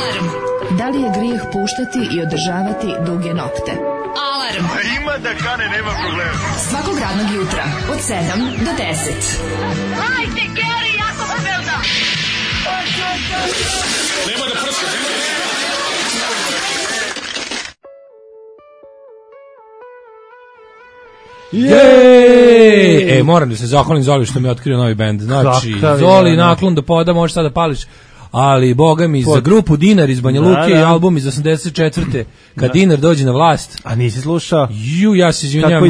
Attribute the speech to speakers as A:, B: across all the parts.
A: Alarm.
B: Da li je grijeh puštati i održavati duge nokte?
A: Alarm.
C: Ima da kane, nema problema.
B: Svakog radnog jutra od 7 do 10.
D: Hajde, Geri, jako se velda!
C: Nema da prska, nema da...
E: Jej! Moram da se zahvalim Zoli što mi je otkrio novi bend. Znači, Zoli, naklon do poda, možeš sada da pališ. Ali, boga mi, za grupu Dinar iz Banja Luke i album iz 84. Kad Dinar dođe na vlast.
F: A nisi slušao?
E: Ja se izvinjam,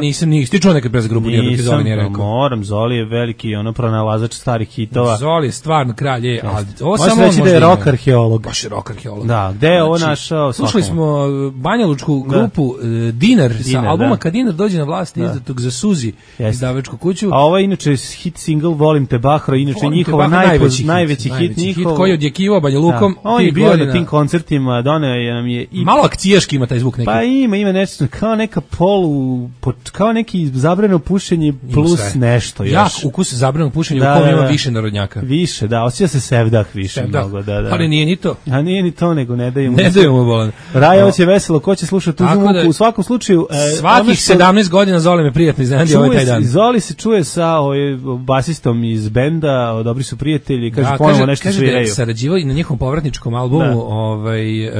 E: nisam. Ti čuo nekad pre za grupu Dinar, dok je Zoli nije rekao?
F: Moram, Zoli je veliki pronalazač starih hitova.
E: Zoli je stvarno kralj, ali ovo
F: samo
E: on
F: može da je rock arheolog.
E: Baš je rock arheolog.
F: Da, gde je ovo našao?
E: Slušali smo banjalučku grupu Dinar sa albuma Kad Dinar dođe na vlast, izdatog za Suzi izdavačku kuću.
F: A ovo je inače hit single Volim te Bahro, inače njihova najveći hit njihov
E: koji je odjekivao Banja Lukom.
F: On je bio na tim koncertima, doneo nam je i
E: malo akcijaški ima taj zvuk neki.
F: Pa ima nešto kao neka kao neki zabrano pušenje plus nešto još.
E: Jak ukus zabrano pušenje u kom ima više narodnjaka.
F: Više, da, osjeća se sevdah više mnogo, da.
E: Ali nije ni to.
F: A nije ni to, nego ne daju
E: mu bolan.
F: Raja će veselo, ko će slušati tu muziku, u svakom slučaju
E: svakih 17 godina Zoli me prijatno iznenadio ovaj taj dan.
F: Zoli se čuje sa basistom iz benda, dobri su prijatelji, kaže ponovo nešto sviraju.
E: Sarađivali na njihovom povratničkom albumu,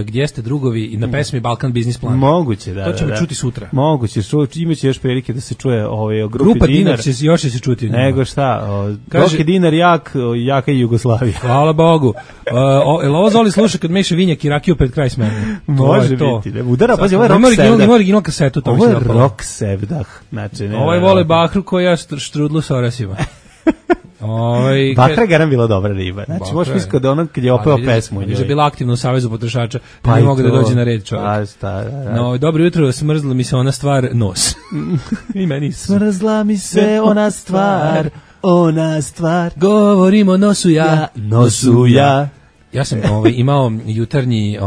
E: Gdje ste drugovi, i na pesmi Balkan Biznis Plan.
F: Moguće, da.
E: To ćemo čuti sutra.
F: Moguće, imaće još prilike da se čuje o grupi
E: Grupa Dinar će još se čuti.
F: Nego šta, dok je Dinar jaka i Jugoslavija.
E: Hvala Bogu. Jel ovo Zoli sluša kad meša vinjak i rakiju pred kraj smene?
F: Može biti. Udara, pazi, ovo je rock sevdah.
E: Ima original kasetu.
F: Ovo je rock sevdah.
E: Ovo je vole Bahru koja štrudlu s orasima.
F: Bakra je garam bila dobra riba. Znači, možeš misliti da ono kad je opeo pesmu.
E: Je bila aktivna u Savezu potrošača, pa ne mogu da dođe na red čovjek. No, dobro jutro, smrzla mi se ona stvar, nos. I meni
F: smrzla mi se ona stvar.
E: Govorim o nosu ja. Ja sam imao jutarnji,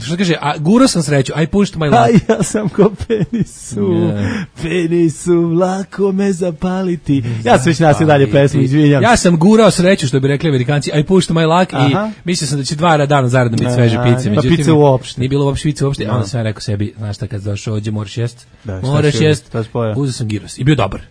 E: što kaže, gurao sam sreću, I pushed my luck.
F: A ja sam ko penisu, lako me zapaliti. Ja sam već nasio dalje pesmu, izvinjam.
E: Ja sam gurao sreću, što bi rekli Amerikanci, I pushed my luck, i mislio sam da će 2 dana zaradno biti sveže pice.
F: Pa pice uopšte.
E: Nije bilo uopšte pice uopšte, onda sam rekao sebi, znaš šta, kad došao ovdje moraš jest, uzeo sam giros i bio dobar.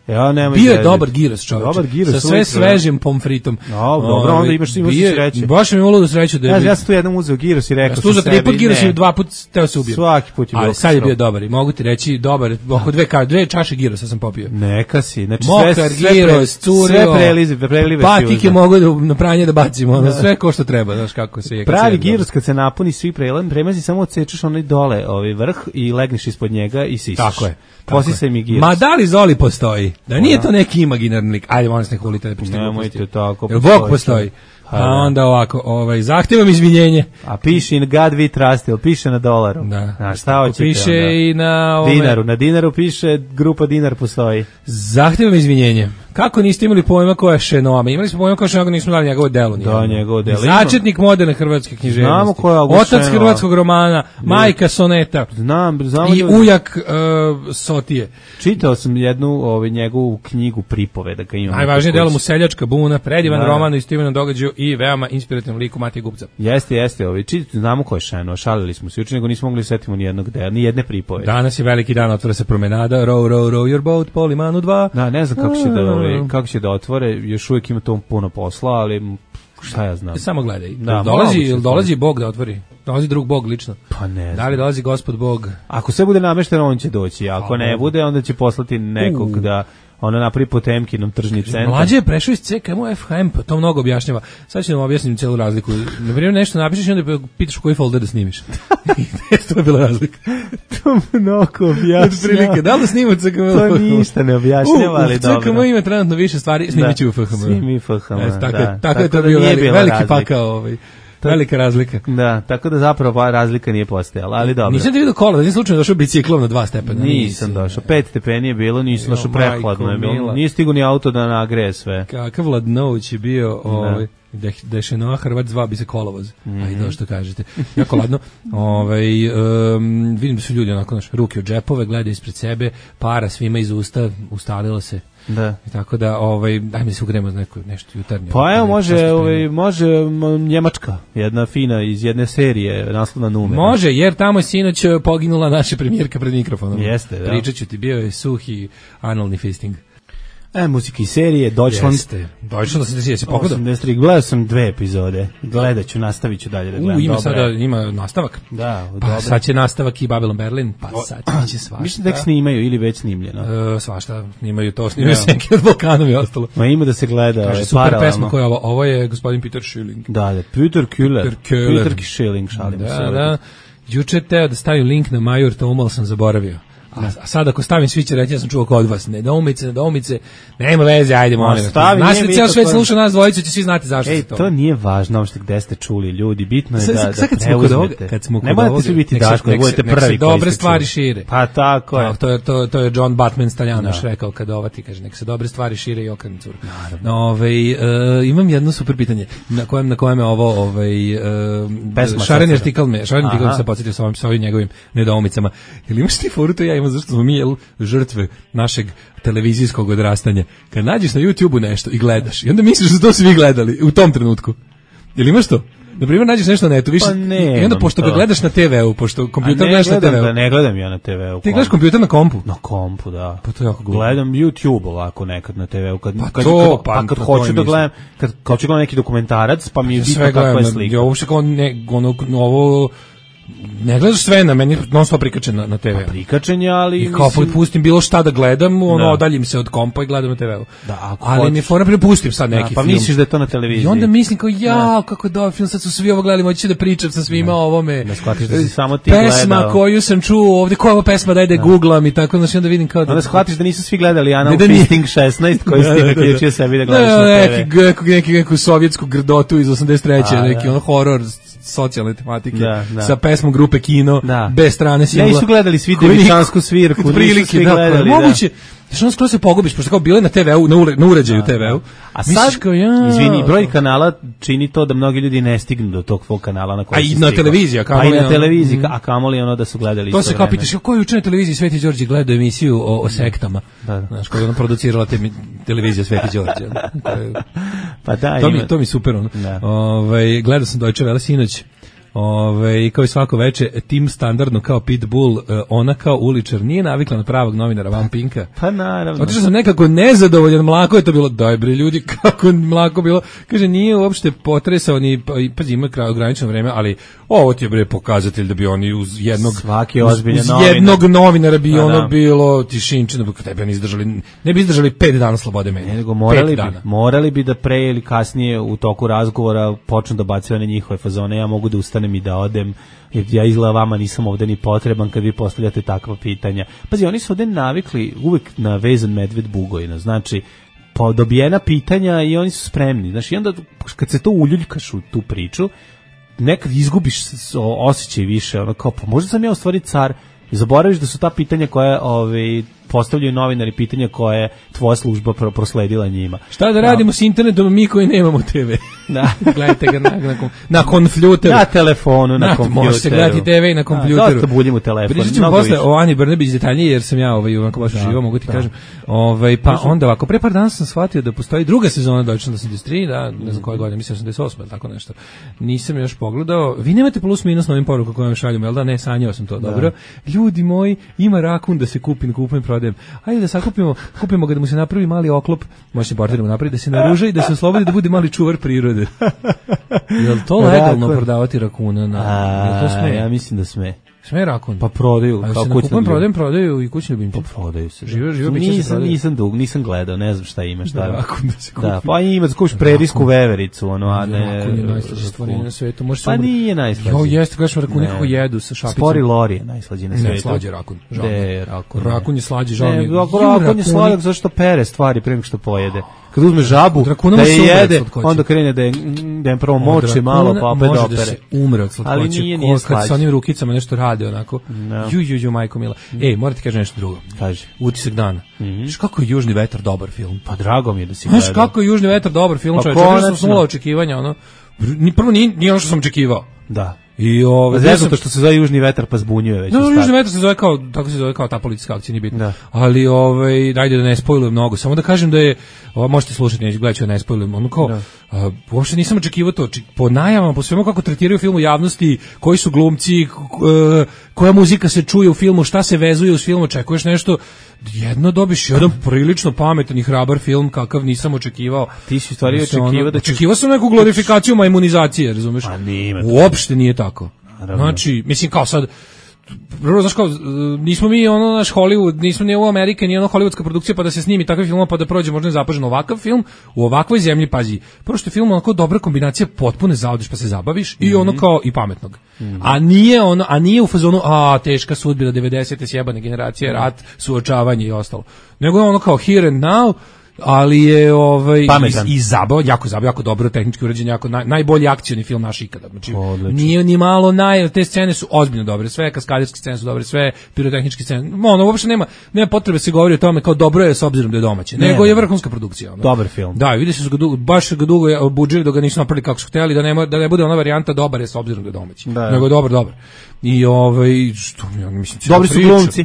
E: Bio je dobar giros, čovječe, sa sve svežim pomfritom.
F: Dobro, onda imaš sreće.
E: Baš mi je sreću da
F: ja sam tu jednom uzeo giros i rekao
E: sam sebi. 3 put giros i 2 put teo se ubio.
F: Svaki put je bio.
E: Ali sad je bio dobar i mogu ti reći dobar, oko 2 čaše girosa sam popio.
F: Neka si, znači
E: sve giros, curio,
F: prelive
E: patike mogu na pranje da bacimo, sve ko što treba, znaš kako se je.
F: Pravi giros kad se napuni svi premazi, samo odsečeš onaj dole, vrh i legneš ispod njega i sisiš.
E: Tako je.
F: Posisaj mi giros.
E: Ma da li Zoli postoji? Da nije to neki imaginarni lik. Ajde, molim se ne hulite da pričate.
F: Nemojte tako.
E: Jel Bog postoji? A onda ovako, zahtevam izvinjenje.
F: A piše i na God We Trust, ili piše na dolaru?
E: Da.
F: A šta hoćete
E: piše
F: onda?
E: I na
F: Dinaru. Na Dinaru piše grupa Dinar postoji.
E: Zahtevam izvinjenje. Kako niste imali pojma ko je Šenoama? Imali smo pojma ko je Šenoama, nismo dali njegovo delo.
F: Da, njegovo delo.
E: Začetnik moderne hrvatske književnosti.
F: Znamo ko je August
E: Otac hrvatskog romana, majka soneta.
F: Znam.
E: I ujak Sotije.
F: Čitao sam jednu njegovu knjigu pripoveda.
E: Najvažnije delo mu Seljačka buna, predivan roman o istoimenom događaju i veoma inspirativnom liku Matije Gubca.
F: Jeste. Znamo ko je Šeno, šalili smo se juče, nego nismo mogli da setimo ni jedne pripovede.
E: Danas je veliki dan, otvara se promenada, row your boat, po limanu 2.
F: Da, ne znam kako će da otvore, još uvijek ima to puno posla, ali šta ja znam.
E: Samo gledaj. Dolazi Bog da otvori? Dolazi drug Bog lično?
F: Pa ne znam.
E: Da li dolazi Gospod Bog?
F: Ako sve bude namešteno, on će doći. Ako ne bude, onda će poslati nekog da napravi Potemkinom tržni centar. Mlađe
E: je prešao iz CKM u FHM, pa to mnogo objašnjava. Sad ću da vam objasnim celu razliku. Na primjer, nešto napišeš i onda pitaš u koji folder da snimiš. To je bila razlika.
F: To mnogo objašnjava.
E: Da li snimati CKM?
F: To ništa ne objašnjava, ali dobro.
E: CKM ima trenutno više stvari, snimit ću u FHM.
F: Snimi FHM, da.
E: Tako je to bio veliki pakao. Velika razlika.
F: Da, tako da zapravo razlika nije postojala, ali dobro.
E: Nisam ti vidio kola, da nisam slučajno došao biciklom na 2 stepena.
F: Nisam došao, 5 stepeni je bilo, nisam došao prehladno je bilo. Nije stigo ni auto da nagreje sve.
E: Kakav ladnoć je bio, Da je Šenoa Hrvat zvao bi se kolovoz. Ajde, to što kažete. Jako ladno. Vidim da su ljudi onako, ruke od džepove, gledaju ispred sebe, para svima iz usta, ustalilo se.
F: Da.
E: I tako da, dajme da se ugremo za nešto jutarnje.
F: Pa evo, može Njemačka, jedna fina iz jedne serije, naslovna numera.
E: Može, jer tamo je sinoć poginula naša premijerka pred mikrofonom.
F: Jeste, da.
E: Pričat ću ti, bio je suhi analni fisting.
F: Muzika iz serije, Deutschland.
E: Jeste. Deutschland 83, se pogledao?
F: 83, gledao sam 2 epizode. Gledat ću, nastavit ću dalje da gledam.
E: Ima nastavak?
F: Da,
E: pa sad će nastavak i Babylon Berlin, pa sad će svašta.
F: Mislim da ih snimaju ili već snimljeno.
E: Svašta, snimaju to, snimaju Senke od Balkanom i ostalo.
F: Ma ima da se gleda.
E: Kaže, super pesma koja je ovo je gospodin Peter Schilling.
F: Da, Peter Schilling, šalim se.
E: Da. Juče teo da stavim link na Major, to umalo sam zaboravio. A sad ako stavim svi će reći ja sam čuo kod vas. Nedoumice, nema veze, ajde molim. Naš cijel svet sluša nas dvojicu, će svi znati zašto se to.
F: To nije važno uopšte gde ste čuli ljudi, bitno je da preuzmete.
E: Kad smo kod
F: ne morate svi biti Daško, da budete prvi koji
E: dobre stvari šire.
F: Pa tako je.
E: To je John Batman Staljanoš rekao kad ti kaže nek se dobre stvari šire i okrenu curu. Imam jedno super pitanje na kojem je ovo šareni artikal me se podsjetio sa ovim njegovim nedoumicama. Jel imaš ti foru to ja zašto smo mi žrtve našeg televizijskog odrastanja. Kad nađeš na YouTubeu nešto i gledaš i onda misliš da su to svi gledali u tom trenutku. Jel imaš to? Na primjer, nađeš nešto na netu, više, i onda pošto ga gledaš na TV-u, pošto kompjuter gledaš na TV-u.
F: Ne gledam ja na TV-u.
E: Ti gledaš kompjuter na kompu?
F: Na kompu, da.
E: Pa to je jako glupo.
F: Gledam YouTube ovako nekad na TV-u. Kad hoću da gledam, kad hoću gledam neki dokumentarac, pa mi je bitno kakva je slika.
E: Ja uopšte kao ovo... Ne gledaš sve na meni, non stop prikačen na TV.
F: Pa prikačen je, ali...
E: I kao pustim bilo šta da gledam, odaljim se od kompa i gledam na TV-u.
F: Da,
E: ali mi fora prepustim sad neki film.
F: Pa misliš da je to na televiziji.
E: I onda mislim kao, kako je dobar film, sad su svi ovo gledali, moći da pričam sa svima o ovome.
F: Ne shvatiš da si samo ti gledao.
E: Pesma koju sam čuo ovdje, koja je ova pesma, daj da googlam i tako, znači onda vidim kao da...
F: Onda shvatiš da nisu svi gledali Anal Fisting 16, koji si ti naključio sebi da gledaš na TV.
E: Neku sovjetsku grdotu iz 83. Neki horor socijalne tematike sa pesmom grupe Kino, bez strane singla.
F: Nisu gledali svi Devičansku svirku, nisu svi gledali.
E: Moguće, što skoro se pogubiš, pošto kao bilo je na TV-u, na uređaju TV-u.
F: A sad, izvini, broj kanala čini to da mnogi ljudi ne stignu do tog tvog kanala na koji si stigao.
E: A i na
F: televiziji, a kamoli ono da su gledali
E: to se kao pitaš, ko je juče na televiziji Sveti Đorđe gledao emisiju o sektama? Znaš, koja je ona producirala televizija Sveti Đorđe.
F: Pa da,
E: to mi super ono. Gledao sam Deutsche Welle sinoć. Kao i svako veče, tim standardno kao Pitbull, ona kao uličar nije navikla na pravog novinara Van Pinka.
F: Pa naravno.
E: Otišao sam nekako nezadovoljan, mlako je to bilo, daj bre ljudi, kako mlako bilo. Kaže, nije uopšte potresao ni, pazi, ima ograničeno vreme, ali ovo ti je bre pokazatelj da bi oni uz jednog novinara bi ono bilo tišinčino, tebe ne bi izdržali 5 dana slobode medija.
F: Nego morali bi da pre ili kasnije u toku razgovora počnu da bacaju one njihove fazone, ja mogu da ustanem i da odem, jer ja izgleda vama nisam ovde ni potreban kad vi postavljate takva pitanja. Pazi, oni su ovde navikli uvek na vezan medved Bugojna, znači dobijena pitanja i oni su spremni. Znači, i onda kad se to uljuljkaš u tu priču, nekad izgubiš osjećaj više, ono kao, pa možda sam ja u stvari car, i zaboraviš da su ta pitanja koja postavljaju novinari, pitanja koje je tvoja služba prosledila njima.
E: Šta da radimo s internetom mi koji nemamo TV? Da. Gledajte ga na kompjuteru.
F: Na telefonu, na kompjuteru.
E: Može se gledati TV i na kompjuteru.
F: Dosta buljim u telefonu.
E: Pričat ćemo posle o Ani Brnebić detaljnije, jer sam ja ovako baš živo, mogu ti kažem. Pa onda ovako, pre par dana sam shvatio da postoji druga sezona Deutschland 83, ne znam koje godine, mislim 88 ili tako nešto. Nisam još pogledao. Vi nemate plus minus na ovim porukama koje vam šaljamo, jel da? Ne, sanjao sam to, dobro. Ljudi moji, ima rakun da se kupujem prodajem. Ajde da kupimo ga da mu se napravi mali oklop, može se portiramo napravi, da se naruža i da se oslobodi da bude mali čuvar prirode. Jel to legalno prodavati rakuna? Jel to sme?
F: Ja mislim da sme.
E: Sme rakun?
F: Pa prodaju.
E: A se na kupujem prodaju i kućni ljubimci?
F: Pa prodaju se.
E: Živo biće se prodaju.
F: Nisam gledao, ne znam šta ima, šta.
E: Rakun da se kupi.
F: Da, pa ima da kupiš prerijsku vevericu, ono, a ne...
E: Rakun je najslađe stvorenje na svetu.
F: Pa nije najslađe.
E: Jo, jeste, gledaš rakuni kako jedu sa šapicom.
F: Spori lori je najslađe na svetu.
E: Ne, slađe rakun.
F: Rakun.
E: Rakun je slađe, žao mi je.
F: Rakun je slađe zašto pere stvari prema što pojede. kad uzme žabu,
E: Drakuna
F: da je
E: može se umre od
F: jede,
E: slatkoće.
F: onda krene da je prvo moči malo, pa opet
E: može
F: opere.
E: da se umre od slatkoće.
F: Ali nije
E: kad
F: slađe.
E: sa onim rukicama nešto rade onako.
F: No.
E: Ju, majko mila. Morate kažem nešto drugo.
F: Kaže.
E: Utisak dana. Znaš kako je Južni vetar dobar film?
F: Pa drago mi je da si
E: Znaš
F: gledao.
E: kako je Južni vetar dobar film,
F: Pa
E: čovječe. Što
F: konačno.
E: sam nula očekivanja, ono. Prvo nije ono što sam očekivao.
F: Da.
E: I
F: Zato što se zove Južni vetar pa zbunjuje već.
E: No, Južni vetar se zove kao, tako se zove kao ta policijska akcija, nije bitno.
F: Da.
E: Ali, dajde da ne spojlujem mnogo, samo da kažem da je, možete slušati, neću gledati, da ne spojlujem, ono kao, uopšte nisam očekivao to, po najavama, po svemu kako tretiraju film u javnosti, koji su glumci, koja muzika se čuje u filmu, šta se vezuje u filmu, očekuješ nešto, jedno dobiš jedan prilično pametan i hrabar film kakav nisam očekivao.
F: Ti si u stvari očekivao da ćeš...
E: Očekivao sam neku glorifikaciju majmunizacije, razumeš?
F: Pa nije.
E: Uopšte nije tako.
F: Naravno.
E: Znači, mislim kao sad, prvo, znaš kao, nismo mi ono naš Hollywood, nismo ni ovo Amerika, ni ono hollywoodska produkcija pa da se snimi takav film pa da prođe možda nezapaženo. Ovakav film u ovakvoj zemlji, pazi, prvo što je film onako dobra kombinacija, potpuno zaodiš pa se zabaviš i ono kao i pametnog. A nije u fazonu teška sudbina 90-te sjebane generacije, rat, suočavanje i ostalo. Nego je ono kao here and now, ali je i zabava, jako dobro tehnički urađen, jako najbolji akcioni film naš ikada. Znači, nije ni malo te scene su ozbiljno dobre, sve kaskaderske scene su dobre, sve pirotehničke scene. Ono uopšte nema potrebe se govori o tome kao dobro je s obzirom da je domaće. Nego je vrhunska produkcija. Ono.
F: Dobar film.
E: Da, vidi se baš ga dugo budžili dok ga nisu napravili kako su hteli, da ne bude ona varijanta dobar je s obzirom da je domaći. Nego je dobar. I što mislim,
F: dobri su glumci.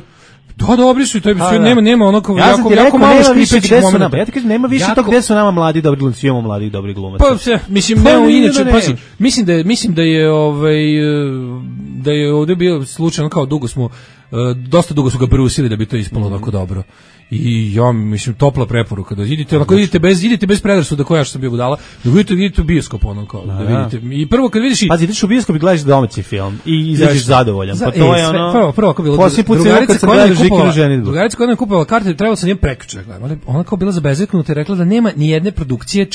E: Da, dobri su i to je nema ono kao
F: jako
E: malo škripećih momenta.
F: Ja ti kažem, nema više tog gde su nama mladi dobri glumci, imamo mladih dobrih glumaca.
E: Pa mislim inače, pazi, mislim da je ovdje bio slučaj kao dosta dugo su ga brusili da bi to ispalo onako dobro. I ja mislim topla preporuka da idite bez predrasuda koja što sam bio budala, da vidite u bioskop ono kao da vidite. I prvo kad vidiš
F: pazi, ideš u bioskop i gledaš domaći film i izađeš zadovoljan. Pa to je ono.
E: Prvo kako bilo. Drugarica koja nam kupovala karte, trebalo sam nje prekjuče gledam. Ona kao bila zabezeknuta i rekla da nema ni jedne produkcije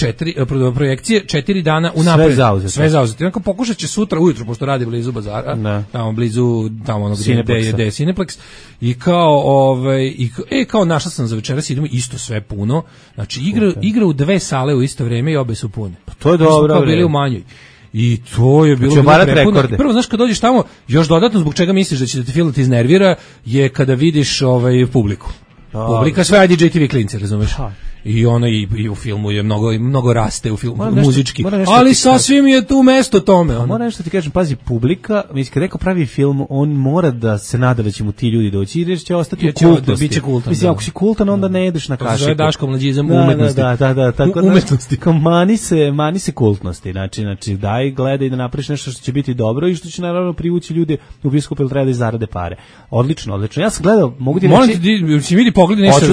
E: projekcije 4 dana unapred. Sve zauzeto. Onako pokušaće sutra ujutro pošto radi blizu bazara, tamo blizu onog gde je Cineplex i kao našla sam za večeras, idemo isto sve puno. Znači igra u 2 sale u isto vrijeme i obe su pune.
F: Pa to je dobro.
E: Kao bili u manjoj. I to je bilo prepuno. Prvo, znaš, kad dođeš tamo, još dodatno zbog čega misliš da će da te film iznervira, je kada vidiš publiku. Publika sve IDJ TV klinci, razumeš? I ona i u filmu je mnogo raste u filmu muzički, ali sasvim je tu mesto tome.
F: Moram nešto ti kažem, pazi, publika, mislim, kad neko pravi film, on mora da se nada da će mu ti ljudi doći, jer će ostati u kultnosti.
E: Biće kultan.
F: Mislim, ako si kultan, onda ne jedeš na kašiku.
E: To je Daško mlađizam umetnosti.
F: Da, tako da,
E: umetnosti.
F: Mani se kultnosti, znači daj, gledaj da napraviš nešto što će biti dobro i što će naravno privući ljude u bioskop ili treba da zarade pare. Odlično. Ja sam gledao, mogu ti reći...
E: Molim ti vidi pogledi nešto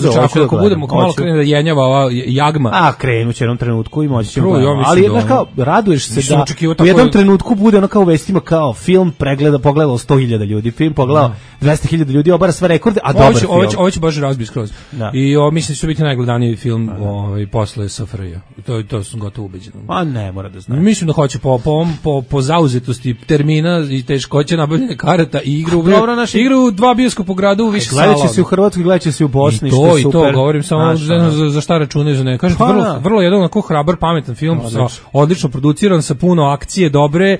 E: ako budemo malo krene da jenjava ova jagma.
F: Krenuće u jednom trenutku i moći ćemo. Ali kao raduješ se da u jednom trenutku bude ono kao u vestima kao film pogledalo 100.000 ljudi, film pogledalo 200.000 ljudi, obara sve rekorde, a dobar film.
E: Ovo će baš razbiti skroz. I mislim da će biti najgledaniji film posle SFRJ. To sam gotovo ubeđen.
F: A ne, mora da znam.
E: Mislim da hoće po zauzetosti termina i teškoće nabavljanja karata i igru u 2 bioskopa u gradu u više sala.
F: Gledat će se u Hrvatskoj, gledat će se u Bosni,
E: što je super. I to govorim samo za šta računaju za ne. Kažem ti, vrlo jedan onako hrabar, pametan film, odlično produciran, sa puno akcije, dobre,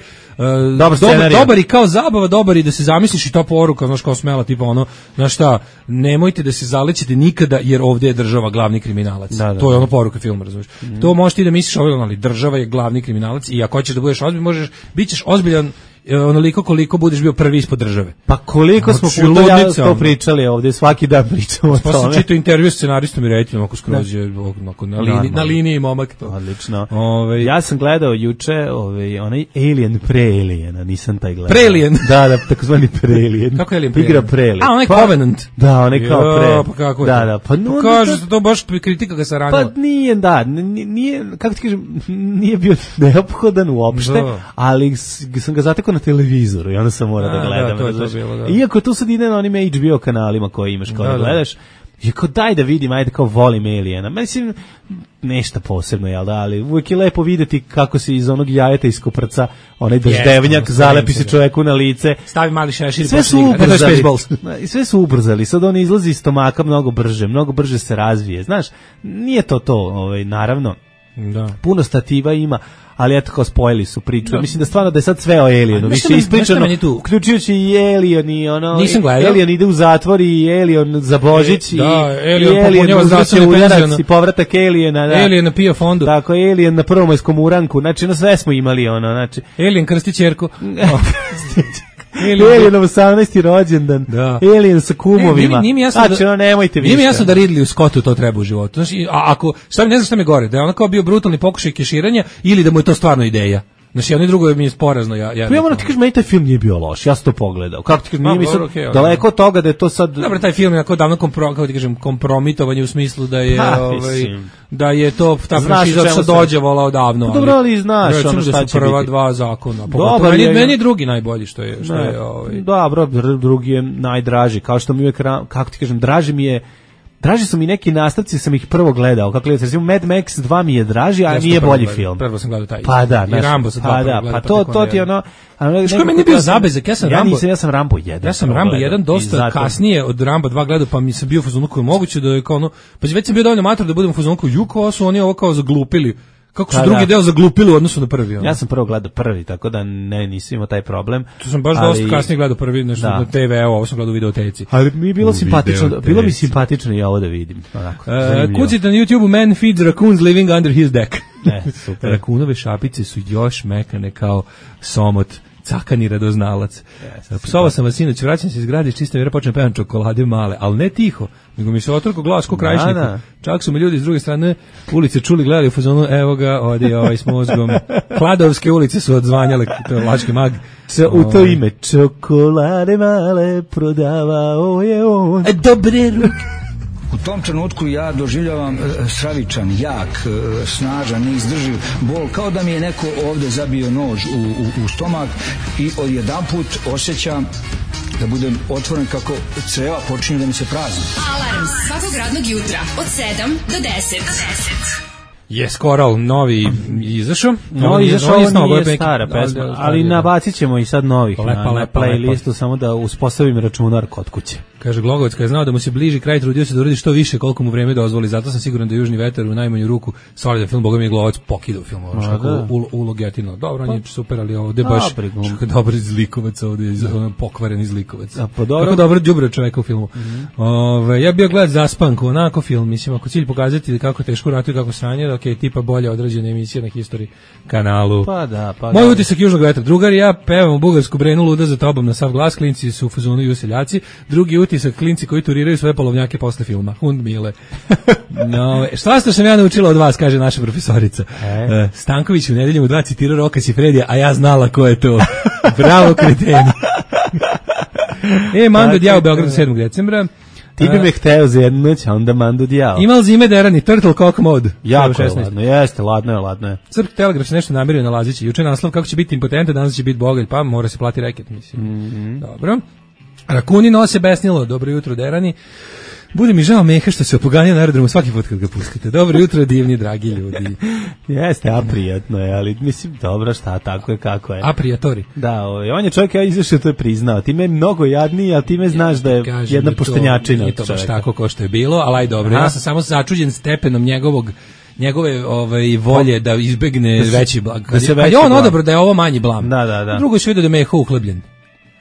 E: dobar i kao zabava, dobar i da se zamisliš i to poruka, znaš, kao smela, tipa ono, znaš šta, nemojte da se zalećete nikada, jer ovdje je država glavni kriminalac. To je ono poruka filma, razumiješ. To možeš ti da misliš, ali država je glavni kriminalac i ako hoćeš da budeš ozbiljan, bit ćeš ozbiljan onoliko koliko budeš bio prvi ispod države.
F: Pa koliko smo puta to pričali ovdje, svaki dan pričamo o tome.
E: Pa sam čitao intervju s scenaristom i rediteljom, ako skroz je na liniji momak to.
F: Odlično. Ja sam gledao juče onaj Alien pre-Aliena, nisam taj gledao.
E: Pre-Alien?
F: Da, takozvani pre-Alien.
E: Kako je Alien
F: pre-Alien? Igra pre-Alien.
E: A, onaj Covenant.
F: Da, onaj kao pre.
E: Pa kako je to?
F: Pa
E: kaže se to baš kritika ga se ranila.
F: Pa nije, kako ti kažem, nije bio neophodan uopšte, ali sam ga zatekao na televizoru i onda sam morao da gledam.
E: To je bilo, da.
F: Iako tu sad ide na onim HBO kanalima koje imaš kao da gledaš, je kao daj da vidim, ajde kao volim Aliena. Mislim, nešto posebno, jel da, ali uvijek je lepo videti kako se iz onog jajeta iskoprca onaj daždevnjak, zalepi se čoveku na lice.
E: Stavi mali šešir i
F: sve sve su ubrzali, sad on izlazi iz stomaka mnogo brže se razvije, znaš, nije to, naravno, da. Puno stativa ima, ali eto kao spojili su priču. Mislim da stvarno da je sad sve o Alienu, više ispričano, uključujući i Alien i ono, Alien ide u zatvor i Alien za Božić i Alien uzvrće udarac i povratak Aliena. Da.
E: Alien na PIO fondu.
F: Tako, Alien na prvomajskom uranku, znači na sve smo imali ono, znači.
E: Alien krsti ćerku.
F: Alienov 18. rođendan. Da. Alien sa kumovima. Znači, nemojte više.
E: Nije mi jasno da Ridley Scottu to treba u životu. Znači, ako, ne znam šta mi gore, da je ono kao bio brutalni pokušaj keširanja ili da mu je to stvarno ideja. Znači, jedno i drugo mi je sporazno. Ja
F: moram ti kažem, meni taj film nije bio loš, ja sam to pogledao. Kako ti kažem, nije mi sad daleko od toga da je to sad...
E: Dobro, taj film je jako davno kompromitovanje u smislu da je, da je to ta franšiza sad dođevala odavno.
F: Dobro, ali znaš ono šta će biti.
E: Prva dva zakona. Meni je drugi najbolji što je
F: dobro, drugi je najdraži, kao što mi uvijek, kako ti kažem, draži su mi neki nastavci, sam ih prvo gledao. Kako gledate, recimo Mad Max 2 mi je draži, a nije bolji film.
E: Prvo sam gledao taj.
F: Pa da,
E: i Rambo sa 2.
F: Pa to ti ono...
E: Što meni bio zabezak, ja sam Rambo
F: 1.
E: Ja sam Rambo 1 dosta kasnije od Rambo 2 gledao, pa mi se bio u fazonu koji je moguće da je kao ono... Pa već sam bio dovoljno mator da budem u fazonu koji ovo su oni ovo kao zaglupili. Kako su drugi deo zaglupili u odnosu na prvi?
F: Ja sam prvo gledao prvi, tako da nisam imao taj problem.
E: Tu sam baš dosta kasnije gledao prvi, nešto na TV, ovo sam gledao u videoteci.
F: Ali mi je bilo mi simpatično i ovo da vidim.
E: Kucite na YouTube Man feeds raccoons living under his deck. Super. Rakunove šapice su još mekane kao somot. Cakani radoznalac. Psovao sam vas sinoć, vraćam se iz grada iz čiste vjere, počnem pevam čokolade male, ali ne tiho, nego mi se otrko glas ko krajišniku. Čak su me ljudi s druge strane ulice čuli, gledali u fazonu, evo ga, odi ovaj s mozgom. Kladovske ulice su odzvanjale, to je Lački mag.
F: U to ime, čokolade male prodavao je on.
E: Dobre ruke.
A: U tom trenutku ja doživljavam stravičan, jak, snažan, neizdrživ bol, kao da mi je neko ovde zabio nož u stomak i odjedanput osjećam da budem otvoren kako creva počinju da mi se prazni.
B: Alarm svakog radnog jutra od 7 do 10.
E: Je Coral novi izašao.
F: Novi izašao, nije stara pesma, ali nabacit ćemo i sad novih na playlistu, samo da uspostavim računar kod kuće.
E: Kaže Glogovac, kada je znao da mu se bliži kraj, trudio se da uradi što više koliko mu vreme dozvoli, zato sam siguran da Južni vetar u najmanju ruku solidan film, boga mi je Glogovac pokidao film, ulogetino. Dobro, on je super, ali ovde baš dobar zlikovac, ovde je pokvaren zlikovac. Kako dobro đubre čoveka u filmu. Ja bio gledat Zaspanku, onako film, mislim, ako cilj pokazati kako teško ratuju, kako sranje, ok, tipa bolje odrađena emisija na History kanalu. Moj utisak Južnog vetra, drugar i ja pevamo bugarsku Brenu luda za tobom na sav glas, klinci su u fazonu i useljaci, drugi utisak klinci koji turiraju svoje polovnjake posle filma. Hund mile. Šta sam ja naučila od vas, kaže naša profesorica. Stanković u nedeljom u 2 citirao Roka Sifredija, a ja znala ko je to. Bravo, kreteni. Mando Djao u Beogradu 7. decembra.
F: Ti bi me hteo za jednu noć, a onda Mando Djao.
E: Imal zime derani, Turtle Cock Mode.
F: Jako je ladno, jeste, ladno je.
E: Srpski telegraf se nešto namerio na Lazići. Juče naslov kako će biti impotentan, danas će biti bogalj, pa mora se plati reket, mislim. Dobro. Rakuni nose besnilo, dobro jutro derani. Bude mi žao Meha što se opoganio na aerodromu svaki put kad ga pustite. Dobro jutro, divni, dragi ljudi.
F: Jeste, a prijatno je, ali mislim, dobro, šta, tako je, kako je.
E: A prijatori.
F: Da, on je čovjek, ja izašao, to je priznao. Ti me mnogo jadniji, ali ti me znaš da je jedna poštenjačina.
E: Nije to baš tako ko što je bilo, ali aj dobro. Ja sam samo začuđen stepenom njegove volje da izbegne veći blag. Kad je on odobro da je ovo manji blam.
F: Da.
E: Drugo se vidi da je Meho uhlebljen.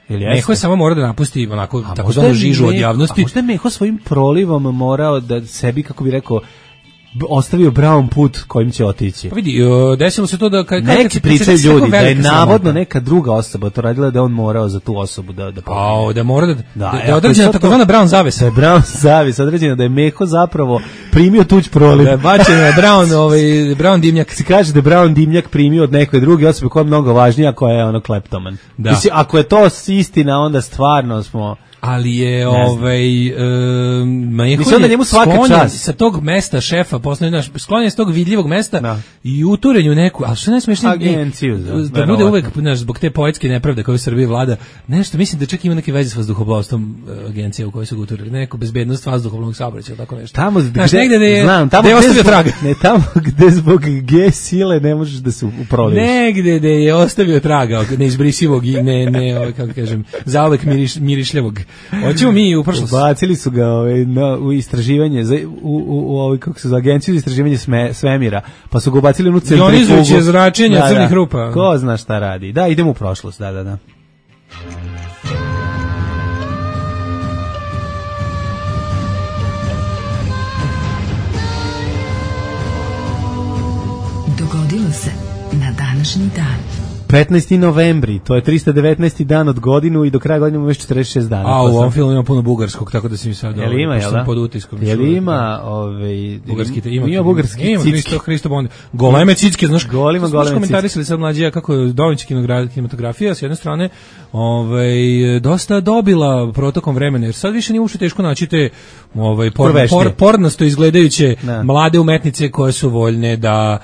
E: Meho je samo mora da napusti onako takozvanu žižu od javnosti.
F: A možda je Meho svojim prolivom morao da sebi, kako bi rekao, ostavio brown put kojim će otići.
E: Pa vidi, desilo se to da
F: neki pričaju ljudi da je navodno neka druga osoba to radila, da on morao za tu osobu da
E: da mora da određena takozvana brown zavesa.
F: Da je brown zavesa određena, da je Meho zapravo primio tuđ proliv.
E: Da je bačen je brown dimnjak.
F: Se kaže da je brown dimnjak primio od neke druge osobe koja je mnogo važnija, koja je ono kleptoman. Mislim, ako je to istina, onda stvarno smo
E: ali je
F: Mislim da njemu svaka čast
E: sa tog mesta šefa, posle sklonjen s tog vidljivog mesta i uturenju neku, al što najsmešnije
F: agenciju
E: da bude uvek zbog te poetske nepravde koje u Srbiji vlada. Nešto mislim da čak ima neke veze s vazduhoplovstvom agencija u kojoj su ga uturili, neko bezbednost vazduhoplovnog saobraćaja, tako nešto.
F: Tamo
E: negde da je ostavio traga.
F: Ne tamo gde zbog G sile ne možeš da se uproliš.
E: Negde da je ostavio traga, neizbrisivog i ne kako kažem, zauvek mirišljavog. Hoćemo mi u prošlost.
F: Bacili su ga u istraživanje u kako se zove, agenciju za istraživanje svemira, pa su ga ubacili u centrifugu.
E: Ionizujuće zračenje crnih rupa.
F: Ko zna šta radi. Da, idemo u prošlost, da.
B: Dogodilo se na današnji dan.
F: 15. novembri, to je 319. dan od godinu i do kraja godine imamo još 46 dana.
E: A u ovom filmu ima puno bugarskog, tako da se mi sad
F: sam
E: pod utiskom.
F: Je li ima
E: bugarski?
F: Ima bugarski
E: cicki. Hristo Bond. Goleme cicke, znaš,
F: goleme
E: komentarisali sad mlađija kako je domaća kinematografija s jedne strane dosta dobila protokom vremena, jer sad više nije uopšte teško naći te pornasto izgledajuće mlade umetnice koje su voljne da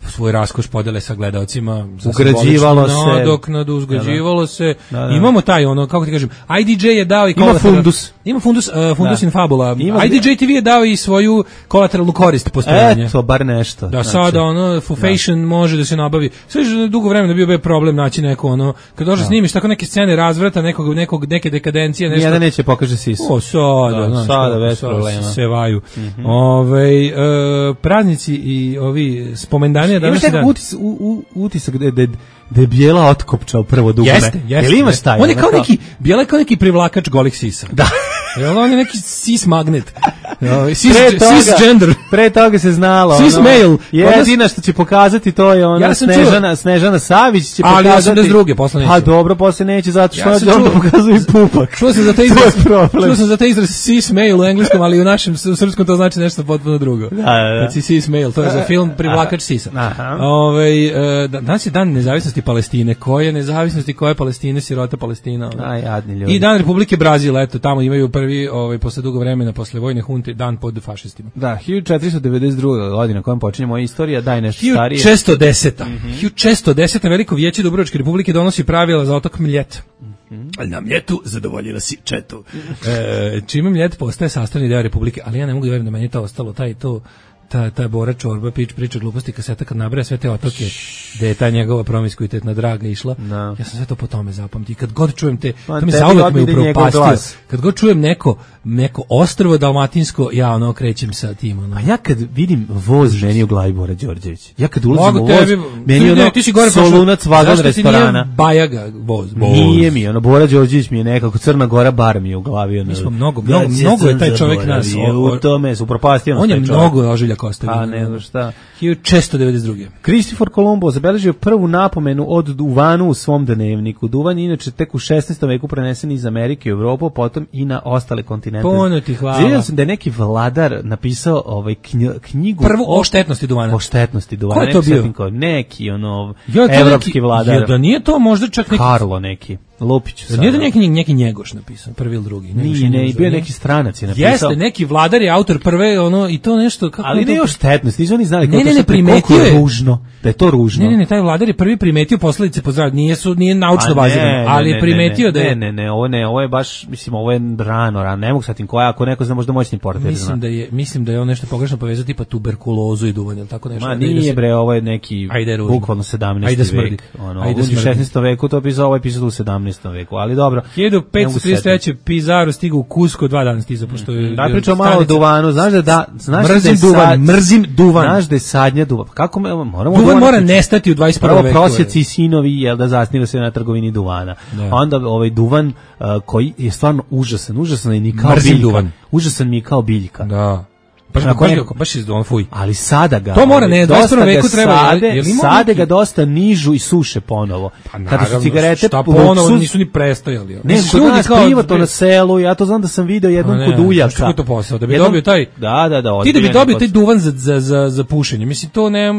E: svoj raskoš podele sa gledaocima,
F: ugrađivalo se,
E: uzgrađivalo se. Imamo taj kako ti kažem, IDJ je dao i ima fundus in fabula. IDJ TV je dao i svoju kolateralnu korist postojanja.
F: Eto, bar nešto.
E: Da sada Fashion može da se nabavi. Sve je dugo vremena bio problem naći neko kad dođe snimiš tako neke scene razvrata, neke dekadencije, nešto.
F: Nijedan neće pokaže sisu.
E: Sada bez problema. Se vaju. Praznici i ovi spomendani
F: imaš nekog utisak da je Bijela otkopčao prvo dugme.
E: Jeste.
F: Jel imaš taj?
E: On je kao neki, Bijela je kao neki privlakač golih sisa.
F: Da.
E: Jel on je neki cis magnet. Cisgender.
F: Pre toga se znalo.
E: Cis male.
F: Jedina što će pokazati to je ona Snežana Savić će pokazati.
E: Ali 82. posle neće.
F: A dobro, posle neće zato što on pokazuje pupak.
E: Čuo sam za taj izraz cis male u engleskom, ali u našem, u srpskom to znači nešto potpuno drugo.
F: Da.
E: Cis male, to je za film Privlakač sisa. Danas je dan nezavisnosti Palestine. Koje nezavisnosti, koje Palestine, sirota Palestina.
F: Jadni ljudi.
E: I dan Republike Brazil, eto, tamo imaju prvi, posle dugo vremena, posle vojne hunte, dan pod fašistima.
F: Da, 1492. godina kojem počinje moja istorija, daj nešto starije.
E: 1610. Veliko vijeće Dubrovačke Republike donosi pravila za otok Mljet. Ali na Mljetu zadovoljila si četu. Čime Mljet postaje sastavni deo Republike, ali ja ne mogu da verujem da meni to ostalo, ta Bora Čorba priča gluposti kaseta kad nabraja sve te otoke gde je ta njegova promiskuitetna draga išla. Ja sam sve to po tome zapamtio. Kad god čujem to mi zauvek me upropastio. Kad god čujem neko ostrvo dalmatinsko, ja krećem sa tim.
F: A ja kad vidim voz meni u glavi Bora Đorđević. Ja kad ulazim u voz, meni Solunac vagon restorana.
E: Zašto ti nije Bajaga voz?
F: Nije mi, Bora Đorđević mi je nekako Crna Gora bar mi je u glavi.
E: Mi smo mnogo je taj čovjek nas.
F: U tome se upropastio.
E: On je mnogo ožiljak.
F: A nego šta.
E: 1692.
F: Kristofor Kolumbo zabeležio prvu napomenu od duvanu u svom dnevniku. Duvan je inače tek u 16. veku prenesen iz Amerike u Evropu, potom i na ostale kontinente.
E: Puno ti hvala.
F: Vidio sam da je neki vladar napisao knjigu
E: prvu o štetnosti duvana.
F: O štetnosti duvana.
E: Ko je to bio?
F: Neki evropski vladar.
E: Da nije to možda čak neki
F: Karlo neki. Lupić.
E: Nije da neki Njegoš napisao, prvi ili drugi.
F: Nije, bio neki stranac je napisao.
E: Jeste, neki vladar je autor prve, i to nešto kako.
F: Ali ne još štetnost, nisu oni znali
E: koliko
F: je ružno, da je to ružno.
E: Ne, taj vladar je prvi primetio posledice po zdravlje, nije naučno bazirano, ali je primetio da je.
F: Ne, ovo je baš, mislim, ovo je rano, ne mogu satim koja, ako neko zna možda moćni portir.
E: Mislim da je on nešto pogrešno povezao, tipa tuberkulozu i duvan, ili tako nešto.
F: Ma nije bre, ovo je neki bukvalno 17. vek. U 16. veku to pisao, ovo je pisao u 17. veku, ali dobro.
E: 1533. Pizarro stigao u Cusco, 2 dana stiza, pošto je...
F: Da pričamo malo o duvanu,
E: mrzim duvan.
F: Znaš da je sadnja duvan. Kako moramo
E: duvan mora nestati u 21. veku.
F: Prvo prosjeci i sinovi, da zasniva se na trgovini duvana. Onda duvan koji je stvarno užasan i ni kao biljka. Užasan mi je kao biljka.
E: Da. Baš iz duvan, fuj.
F: Ali sada ga...
E: To mora, ne, 21. veku treba...
F: Sada ga dosta nižu i suše ponovo.
E: Pa naravno, šta ponovo, nisu ni prestojali.
F: Ne, kod nas privatno na selu, ja to znam da sam video jednom kod uljaka.
E: Što je to posao? Da bi dobio taj...
F: Da.
E: Ti da bi dobio taj duvan za pušenje, mislim, to ne...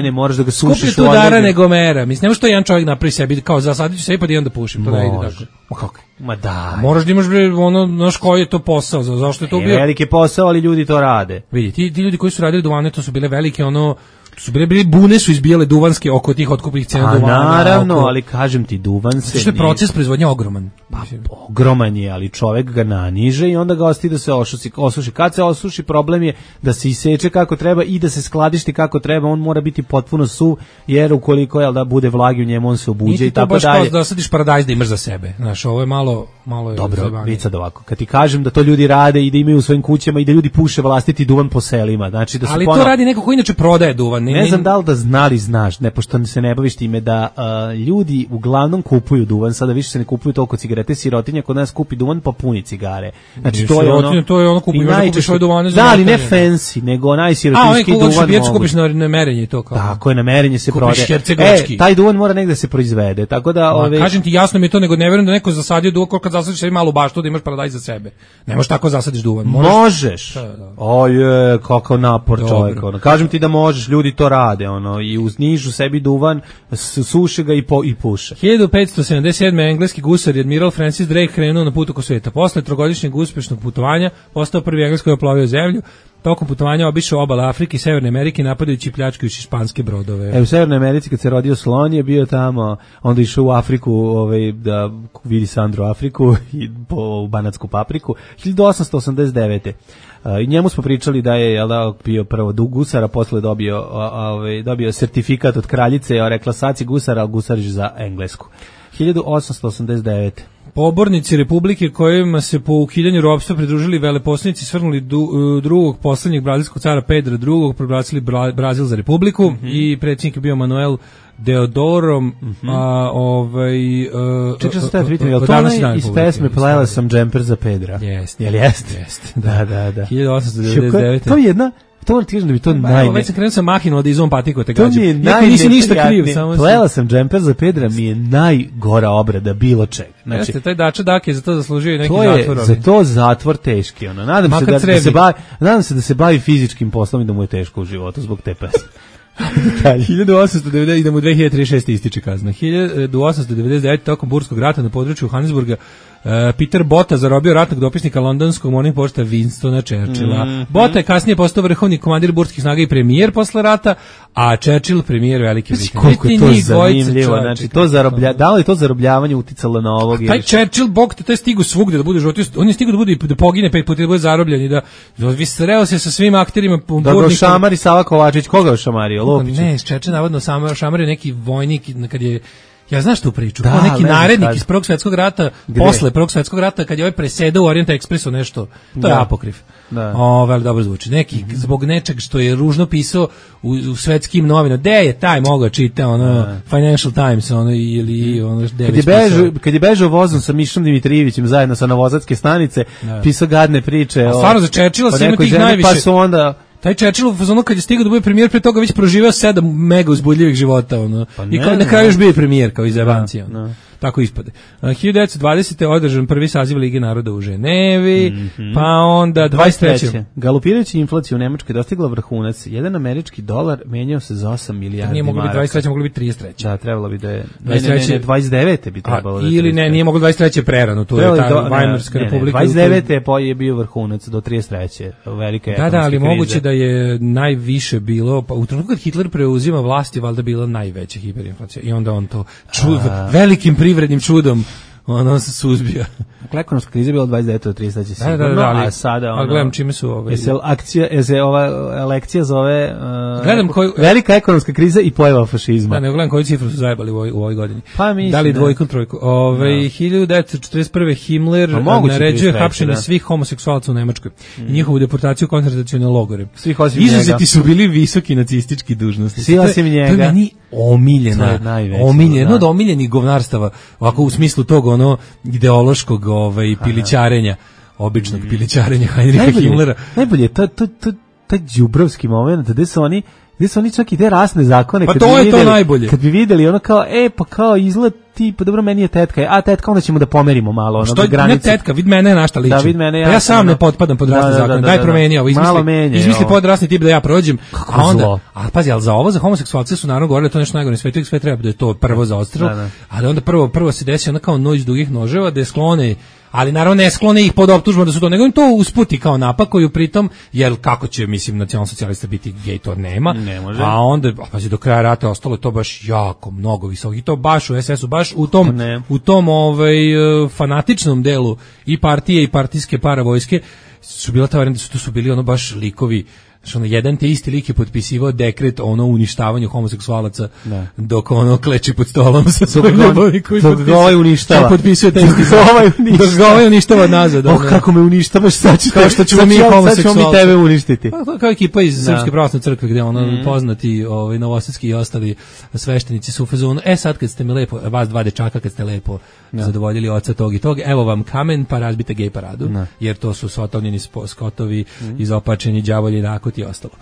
F: Ne, moraš da ga sušiš u
E: skuplje tu dara nego mera. Mislim, nema što jedan čovjek napravi sebi, kao zasadit ću sebi pa da jedan da pušim, to ne ide tako.
F: Kako? Ma da.
E: Moraš da imaš ono, znaš koji je to posao, zašto je to bio?
F: Veliki posao, ali ljudi to rade.
E: Vidi, ti ljudi koji su radili duvane, to su bile velike, ono, su bile bune su izbijale duvanske oko tih otkupnih cena duvana.
F: Naravno, ali kažem ti, duvan se...
E: Što je proces proizvodnje ogroman.
F: Pa, ogroman je, ali čovek ga naniže i onda ga ostavi da se osuši. Kad se osuši, problem je da se iseče kako treba i da se skladišti kako treba, on mora biti potpuno suv, jer ukoliko je da bude vlagi u njemu, on se obuđe i tako dalje.
E: Nije to baš kao da sadiš paradajz da imaš za sebe. Znaš, ovo je malo je
F: dobro, vica da ovako. Kad ti kažem da to ljudi rade i da imaju u svojim kućama i da ljudi puše vlastiti duvan po selima, znači da su
E: ali to radi neko ko inače prodaje duvan.
F: Ne znam da li da znali, znaš, ne, pošto se ne baviš time da ljudi uglavnom kupuju duvan, sada više se ne kupuju toliko cigarete, sirotinja kod nas kupi duvan pa puni cigare. Znači
E: to je ono kupuju svoje duvane za
F: da, ali ne fancy, nego najsirotinjski duvan.
E: Kupiš na merenje to kao.
F: Tako je, na merenje se prodaje. Taj duvan mora negde se proizvede. Tako da
E: kažem ti, jasno mi je to, nego ne verujem da neko zasadio duvan, kad zasadiš sebi malu baštu da imaš paradajz za sebe. Ne možeš tako zasadiš duvan.
F: Možeš. Oje, kakav napor čovjek. Kažem ti da možeš, ljudi to rade, i uznižu sebi duvan, suše ga i puše.
E: 1577. engleski gusar i admiral Francis Drake krenuo na put oko sveta. Posle trogodišnjeg uspešnog putovanja postao prvi Engles koji je oplovio zemlju. Tokom putovanja obišao obale Afrike i Severne Amerike napadajući i pljačkajući španske brodove.
F: U Severnoj Americi kad se rodio slon je bio tamo, onda išao u Afriku da vidi Sandru Afriku i po banatsku papriku. 1889. I njemu smo pričali da je bio prvo gusar, a posle dobio sertifikat od kraljice, rekla sad si gusar, ali gusariš za Englesku. 1889.
E: Pobornici Republike kojima se po ukidanju ropstva pridružili veleposlanici svrgnuli drugog poslednjeg brazilskog cara Pedra II, proglasili Brazil za republiku i predsjednik je bio Manuel Deodorom,
F: čekaj se vidim, je li to iz pesme Plela sam džemper za Pedra?
E: Jeste.
F: Jel jeste?
E: Da.
F: 1899. To je jedna... To moram ti kažem da bi to
E: već sam krenuo sa mahinom da izvom patiko te gađu.
F: To mi je najneprijatnije. Plela sam džemper za Pedra mi je najgora obrada bilo čega. Znači,
E: jeste, taj Dača Dak je za to zaslužio i neki zatvor.
F: Za to zatvor teški. Nadam se da se bavi fizičkim poslom i da mu je teško u životu zbog te pesme.
E: 1890, idemo u 2036. ističe kazna. 1899. tokom Burskog rata na području Johannesburga Peter Botha zarobio ratnog dopisnika londonskog Morning Posta Winstona Churchilla. Botha je kasnije postao vrhovni komandir burskih snaga i premijer posle rata, a Churchill premijer Velike Britanije.
F: Koliko je to zanimljivo, znači da li je to zarobljavanje uticalo na ovog?
E: Taj Churchill, bog te, to je stigu svugde da bude život, on je stigu da pogine 5 puta, da bude zarobljen i da sreo se sa svim akterima.
F: Da ga šamari Sava Kovačić, koga je šamario? Lopić?
E: Ne, Churchill navodno šamario neki vojnik kad je. Ja znaš tu priču, kao neki narednik iz Prvog svjetskog rata, posle Prvog svjetskog rata, kad je ovaj presedao u Orient Expressu nešto, to je apokrif. Veli dobro zvuči. Neki, zbog nečeg što je ružno pisao u svetskim novinama, gde je taj mogao čita, Financial Times, ili
F: kad je bežao vozom sa Mišom Dimitrijevićem zajedno sa Novosadske stanice, pisao gadne priče.
E: A stvarno za Churchilla svima tih najviše.
F: Pa su onda...
E: Taj Churchill, kad je stigao da bude premijer, pre toga već proživao 7 mega uzbudljivih života, i na kraju još bio premijer, kao iz Evancija, tako ispade. 1920. održan prvi saziv Lige naroda u Ženevi, pa onda 23.
F: Galopirajući inflaciju u Nemačkoj dostigla vrhunac. Jedan američki dolar menjao se za 8 milijardi
E: nije moglo
F: maraka.
E: Biti 23. moglo biti 33.
F: Da, trebalo bi da je... 29. bi trebalo da je...
E: Ili nije moglo 23. prerano, tu je ta Vajmarska republika.
F: 29. je bio vrhunac do 33. Velika ekonomska kriza.
E: Da, ali moguće da je najviše bilo, pa u trenutku kad Hitler preuzima vlast je valjda bila najveća hiperinflacija i onda on to velikim privrednim čudom se suzbija.
F: Ekonomska kriza je bila 29. do 30. sigurno,
E: a
F: sada
E: gledam čime su
F: ova lekcija zove
E: velika
F: ekonomska kriza i pojava fašizma.
E: Da, ne gledam koju cifru su zajebali u ovoj godini.
F: Pa mislim,
E: da li dvojku, trojku. 1941. Himmler naređuje hapšenje svih homoseksualaca u Nemačkoj i njihovu deportaciju u koncentracione logore. Izuzeti su bili visoki nacistički dužnosti.
F: Svi osim njega.
E: To je meni jedno od omiljenih govnarstava, ovako u smislu tog ideološkog pilićarenja, običnog pilićarenja Heinricha Himmlera.
F: Najbolje je taj đubrovski moment gde su oni Gde su oni čak i te rasne zakone,
E: pa to je videli, to najbolje.
F: Kad bi videli ono kao, pa kao izgled ti, pa dobro, meni je tetka, a tetka, onda ćemo da pomerimo malo ono do granice.
E: Ne tetka, vid mene na šta liči.
F: Da, vid mene
E: ja sam ne potpadam pod rasne zakone. Daj promeni ovo, izmisli podrasni tip da ja prođem.
F: Kako a onda, zlo.
E: A pazi, al za ovo za homoseksualce su naravno govorili da to nešto najgore na svetu, sve treba da je to prvo za odstrel. A da onda prvo se desi ona kao noć dugih noževa da je sklone, ali naravno ne sklone ih pod optužbom da su to, nego im to usputi kao napakuju pritom, jer kako će, mislim, nacionalsocijalista biti gej, to nema.
F: Ne može.
E: A onda, pazi, do kraja rata ostalo je to baš jako mnogo visoko. I to baš u SS-u, baš u tom fanatičnom delu i partije i partijske paravojske su bila ta varijanta, to su bili ono baš likovi. Što ono, jedan te isti lik je potpisivao dekret o ono uništavanju homoseksualaca dok ono kleči pod stolom sa svojim ljubavi koji
F: uništava.
E: Potpisuje taj isti dok ga ovaj uništava nazad.
F: Kako me uništavaš, sad ćemo mi tebe uništiti.
E: Pa, kao ekipa iz Srpske pravoslavne crkve gde ono poznati novosadski i ostali sveštenici su u fazonu, sad kad ste mi lepo, vas dva dečaka kad ste lepo zadovoljili oca tog i tog, evo vam kamen pa razbite gej paradu, jer to su sotovnjeni skotovi, izopačeni đavolji nakot i ostalo.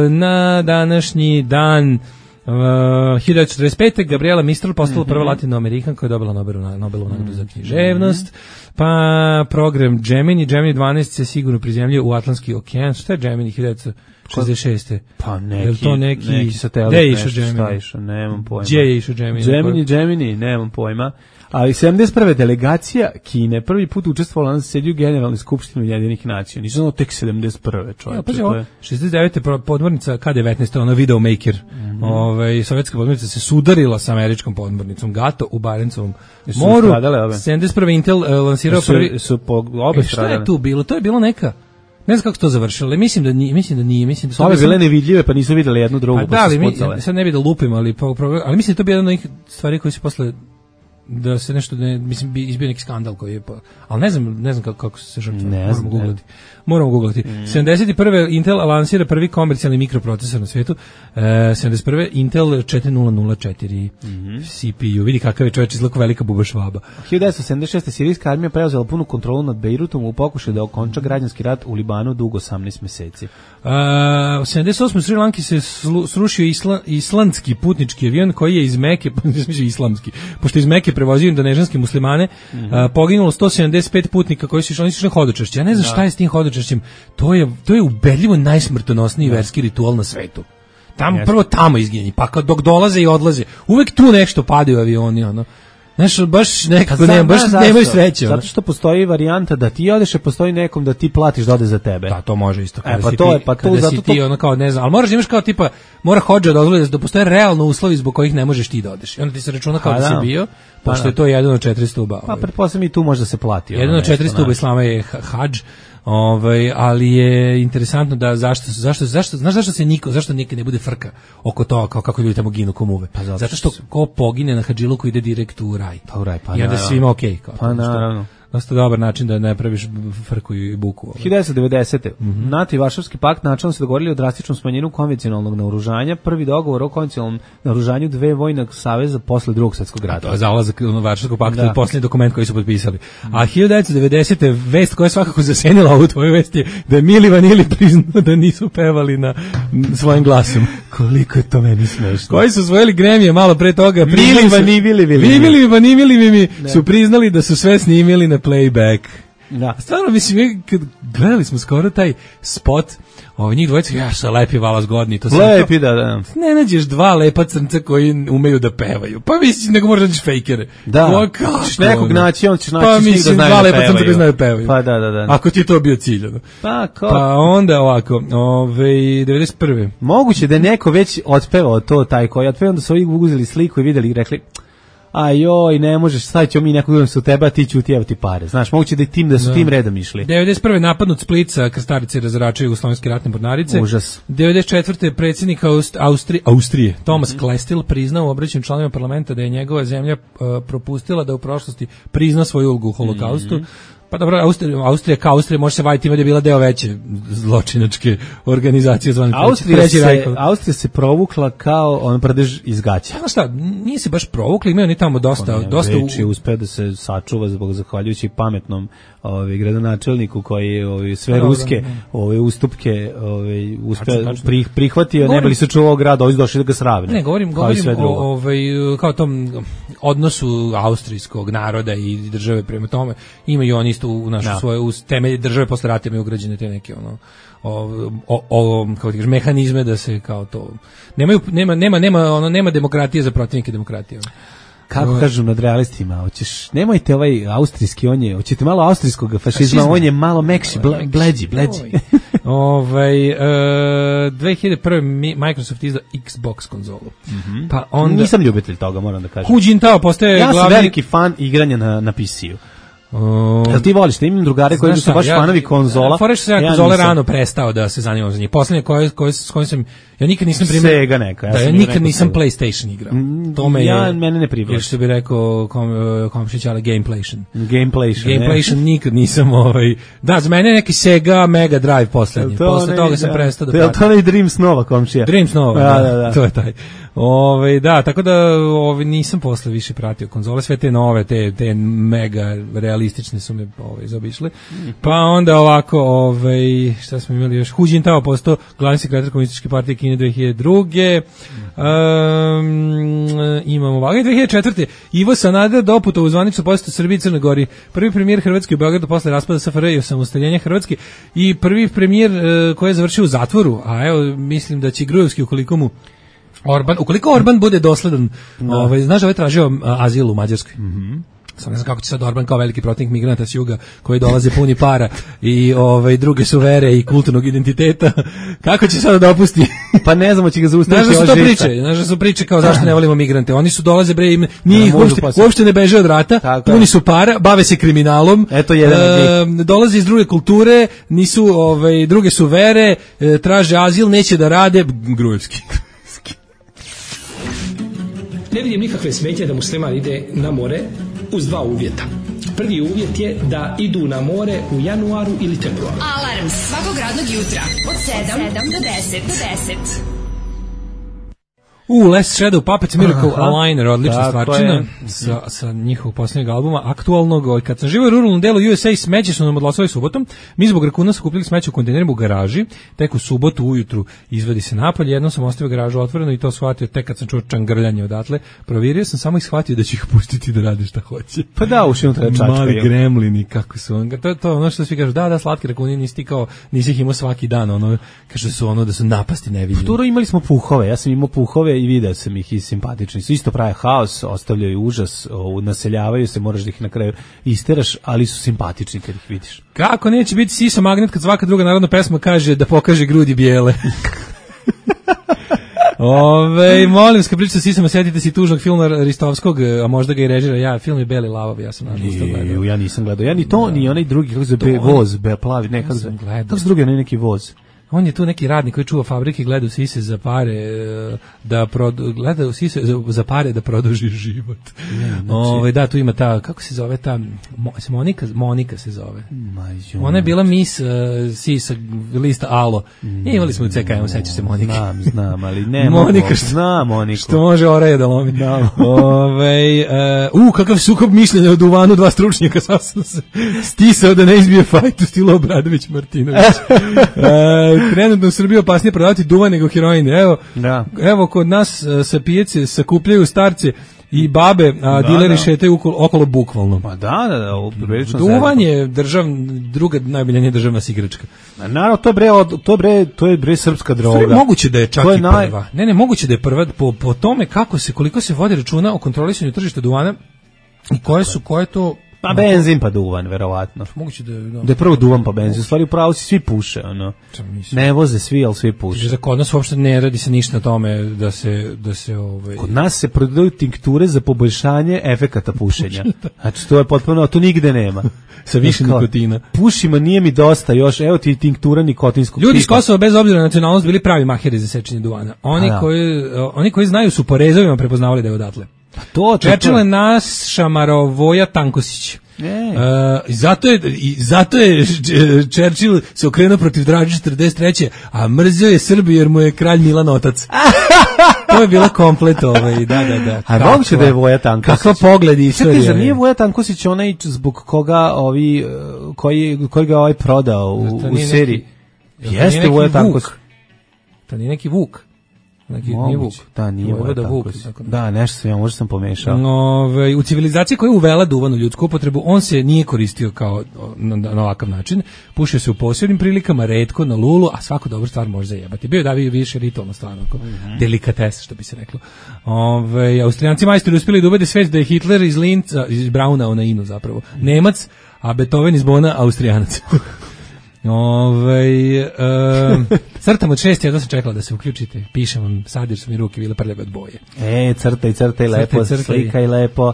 E: Na današnji dan 1945. Gabriela Mistral postala prva latinoamerikanka koja je dobila Nobelovu nagradu za književnost. Pa program Gemini 12 se sigurno prizemljuje u Atlantski okean. Šta je Gemini 1966.
F: Pa
E: neki
F: satelit.
E: Gde je išao Gemini?
F: Nemam pojma.
E: Gdje je išao Gemini?
F: Gemini, nemam pojma. Ali 71. delegacija Kine prvi put učestvovala na sedju Generalne skupštine Ujedinjenih nacija. Nisam znao tek 71. čovječe.
E: 69. podmornica K-19, ona Videomaker. Sovjetska podmornica se sudarila sa američkom podmornicom Gato u Barencovom moru. 71. Intel lansirao prvi...
F: Su po obe stradale.
E: Šta je tu bilo? To je bilo neka... Ne znam kako se to završilo, mislim da nije. Su
F: ove bile nevidljive, pa nisu vidjeli jednu drugu, pa se spucale.
E: Sad ne bi da lupim, ali mislim da to bi jedna od onih stvari koji se posle da se nešto izbio neki skandal koji je, ali ne znam kako se žrtva. Moramo googlati. 71. Intel lansira prvi komercijalni mikroprocesor na svijetu. 71. Intel 4004 CPU. Vidi kakav je čovjek izgleda velika buba švaba.
F: 1976. sirijska armija preuzela punu kontrolu nad Bejrutom u pokušaju da okonča građanski rat u Libanu dugo 18 meseci.
E: U 78. u Sri Lanki se srušio islandski putnički avion koji je iz Meke, islamski, pošto iz Meke prevozio indonežanske muslimane, poginulo 175 putnika koji su išli na hodočašće. Ja ne znam šta je s tim hodočašćem. To je ubedljivo najsmrtonosniji verski ritual na svetu. Prvo tamo izginjeni, pa dok dolaze i odlaze, uvek tu nešto padaju avioni, ono. Znaš, baš nekako nemaju sreće.
F: Zato što postoji varijanta da ti odeš, a postoji nekom da ti platiš da ode za tebe.
E: Da, to može isto. Kada si ti ono kao, ne znam, ali moraš imaš kao tipa, mora hodža da odvoli da postoje realno uslovi zbog kojih ne možeš ti da odeš. I onda ti se računa kao da si bio, pošto je to jedan od 400 stuba.
F: Pa pretpostavljam i tu može da se plati.
E: Jedan od 400 stuba islama je hadž. Ali je interesantno da zašto nikad ne bude frka oko toga kako ljudi tamo ginu komuve. Zato što ko pogine na hadžiluku ide direkt u raj. I onda svima okej.
F: Pa naravno.
E: Dosta dobar način da ne praviš frku i buku.
F: 1990. NATO i Varšavski pakt načelno se dogovorili o drastičnom smanjenju konvencionalnog naoružanja. Prvi dogovor o konvencionalnom naoružanju dve vojnog saveza posle Drugog svjetskog rata.
E: Za ulazak u Varšavskog pakta je posljednji dokument koji su potpisali. A 1990. vest koja je svakako zasenila ovu tvoju vest je da je Mili Vanili priznao da nisu pevali na svojim glasom.
F: Koliko je to meni smešno.
E: Koji su osvojili Grammy malo pre toga.
F: Mili
E: Vanili su priznali da su sve snimili na playback.
F: Da.
E: Stvarno, mislim, gledali smo skoro taj spot, njih dvojica, sa lepi vala zgodni.
F: Lepi, da.
E: Ne nađeš dva lepa crnca koji umeju da pevaju. Pa mislim, nego možda nađeš fejkere.
F: Da, ćeš nekog naći, on ćeš naći
E: pa mislim, da dva lepa crnca koji znaju da pevaju.
F: Pa da.
E: Ako ti je to bio cilj. Pa onda ovako, 91.
F: Moguće da je neko već otpevao to, taj koji otpevao, onda su ovi uzeli sliku i videli i rekli, joj, ne možeš, stavit ćemo mi nekog drugog su teba, ti ću ti, evo ti pare. Znaš, moguće da su tim redom išli.
E: 91. napadnut Split sa krstarice razračaju jugoslovenske ratne mornarice.
F: Užas.
E: 94. predsjednik Austrije, Thomas Klestil, priznao u obraćanju članovima parlamenta da je njegova zemlja propustila da u prošlosti prizna svoju ulogu u holokaustu. Pa dobro, Austrija kao Austrija može se vaditi, ima da je bila deo veće zločinačke organizacije zvane
F: Austrija se provukla kao on prdež iz gaća.
E: Znaš šta, nije se baš provukla, imaju oni tamo dosta
F: Veći uspeo da se sačuva zahvaljujući pametnom gradonačelniku koji je sve ruske ustupke uspeo prihvatio, ne bili se čuvao grad, ovi su došli da ga sravne.
E: Ne, govorim o kao tom odnosu austrijskog naroda i države prema tome. Imaju oni isto u našu svoje temelje države posle rata imaju ugrađene te neke kako ti kažeš, mehanizme da se kao to nema demokratije za protivnike demokratije.
F: Kako kažu nad realistima, nemojte ovaj austrijski, hoćete malo austrijskog fašizma, on je malo mekši, bleđi.
E: 2001. Microsoft izdao Xbox konzolu. Pa onda
F: nisam ljubitelj toga, moram da kažem.
E: Hu Jintao postaje
F: glavni... Ja sam veliki fan igranja na PC-u. Jel ti voliš, imam drugare koji su baš fanovi konzola.
E: Foreš se konzole rano prestao da se zanimam za njih. Poslednje s kojim sam ja nikad nisam
F: Sega neka.
E: Ja nikad nisam PlayStation igrao. To
F: mene ne privlači.
E: Što bi rekao komšić, ali
F: Gameplaytion
E: nikad nisam Da, za mene neki Sega Mega Drive poslednji. Posle toga sam prestao da pratim.
F: To je Dreams Nova komšija.
E: Dreams Nova, da. To je taj. Da, tako da nisam posle više pratio konzole, sve te nove, te mega realistične su me zaobišle. Pa onda ovako, šta smo imali još? Hu Jintao postao glavni sekretar Komunističke partije Kine 2002. Imamo ovako. 2004. Ivo Sanader doputovao u zvaničnu posetu Srbiji i Crnoj Gori. Prvi premijer Hrvatske u Beogradu posle raspada SFRJ i osamostaljenja Hrvatske i prvi premijer koji je završio u zatvoru, a evo mislim da će Grujevski ukoliko Orban bude dosledan, znaš da je tražio azil u Mađarskoj. Sam ne znam kako će sad Orban kao veliki protivnik migranata s juga koji dolaze puni para i druge su vere i kulturnog identiteta, kako će sad da opusti?
F: Pa ne znamo, će ga zaustaviti.
E: Znaš da su priče kao zašto ne volimo migrante. Oni su dolaze njih uopšte ne beže od rata, puni su para, bave se kriminalom, dolaze iz druge kulture, nisu druge su vere, traže azil, neće da rade. Grujevski.
G: Ne vidim nikakve smetnje da musliman ide na more uz dva uvjeta. Prvi uvjet je da idu na more u januaru ili februaru.
B: Alarm svakog radnog jutra od 7 do 10.
E: Last Shadow Puppets Miracle Aligner, odlična stvarčina sa njihovog posljednjeg albuma, aktualnog. Kad sam živio u ruralnom delu USA, smeće su nam odlasovali subotom, mi zbog rakuna sakupili smeće u kontejnerima u garaži, tek u subotu ujutru izvadi se napolje, jednom sam ostavio garažu otvoreno i to shvatio tek kad sam čuo čangrljanje odatle, provjerio sam samo ih shvatio da će ih pustiti da rade šta hoće.
F: Pa da, uši unutra čačkaju.
E: Mali gremlini, kako su to ono što svi kažu, da, slatki rakuni, nisi ih imao svaki dan, kažu su da su napasti nevidljivi.
F: Turo imali smo puhove, ja sam imao puhove i video sam ih i simpatični su, isto prave haos, ostavljaju užas, naseljavaju se, moraš da ih na kraju isteraš, ali su simpatični kad ih vidiš.
E: Kako neće biti Sisa magnet kad svaka druga narodna pesma kaže da pokaže grudi bijele? Molim se, kad pričate sa Sisama, sjetite si tužnog filma Ristovskog, a možda ga i režira, film je Beli lavovi, ja sam nažalost to gledao.
F: Ja nisam gledao, ja ni to, ni onaj drugi, kako se voz, plavi, ne, kako se drugi, onaj neki voz.
E: On je tu neki radnik koji čuva fabrike, gleda u sise za pare gleda u sise za pare da produži život. Da, tu ima ta, kako se zove ta Monika se zove. Ona je bila mis sisa lista Alo. Imali smo u CKM, sećaš se Monike.
F: Znam, ali ne
E: Monika,
F: znam Moniku.
E: Što može oraje da lomi. Kakav sukob mišljenja o duvanu, dva stručnjaka, sasno se stisao da ne izbije fajt u stilu Obradović Martinović. Trenutno u Srbiji opasnije prodavati duvan nego heroin. Evo kod nas sa pijace sakupljaju starce i babe, a dileri šetaju okolo bukvalno.
F: Pa da,
E: duvan je druga najboljenija državna igračka.
F: Naravno, to je bre srpska droga.
E: Moguće da je čak i prva. Ne, moguće da je prva po tome koliko se vodi računa o kontrolisanju tržišta duvana i koje to...
F: Pa benzin pa duvan, verovatno.
E: Moguće
F: da je prvo duvan pa benzin. U stvari upravo svi puše, Ne voze svi, ali svi puše.
E: Kod nas uopšte ne radi se ništa na tome da se
F: Kod nas se prodaju tinkture za poboljšanje efekata pušenja. Znači to je potpuno, to nigde nema.
E: Sa više nikotina.
F: Pušima nije mi dosta još, evo ti tinktura nikotinskog.
E: Ljudi iz Kosova bez obzira na nacionalnost bili pravi maheri za sečenje duvana. Oni koji znaju su po rezovima prepoznavali da je odatle. Čečele nas Šamarovoja Tankosić. Zato je Churchill se okrenuo protiv Draže 43. a mrzio je Srbiju jer mu je kralj Milan otac. To je bila komplet da.
F: A moguće da je Voja Tankosić.
E: Kakva pogled istorije.
F: Čekaj, zar nije Voja Tankosić onaj zbog koga koji ga ovaj prodao u seriji? Jeste Voja Tankosić.
E: To nije neki Vuk. Nije Vuk.
F: Da, nije Voja Tankosić. Da, nešto možda sam pomešao.
E: U civilizaciji koja je uvela duvan u ljudsku upotrebu, on se nije koristio kao na ovakav način. Pušio se u posebnim prilikama, retko, na lulu, a svaku dobru stvar može zajebati. Bio je davio više ritualna stvar, delikatesa, što bi se reklo. Austrijanci majstori uspjeli da ubede svet da je Hitler iz Linca, iz Brauna, na Inu zapravo, Nemac, a Beethoven iz Bona, Austrijanac. Crtam od 6, ja sam čekala da se uključite. Pišem vam, sad jer su mi ruke bile prljave od boje.
F: Crtaj lepo, slikaj lepo.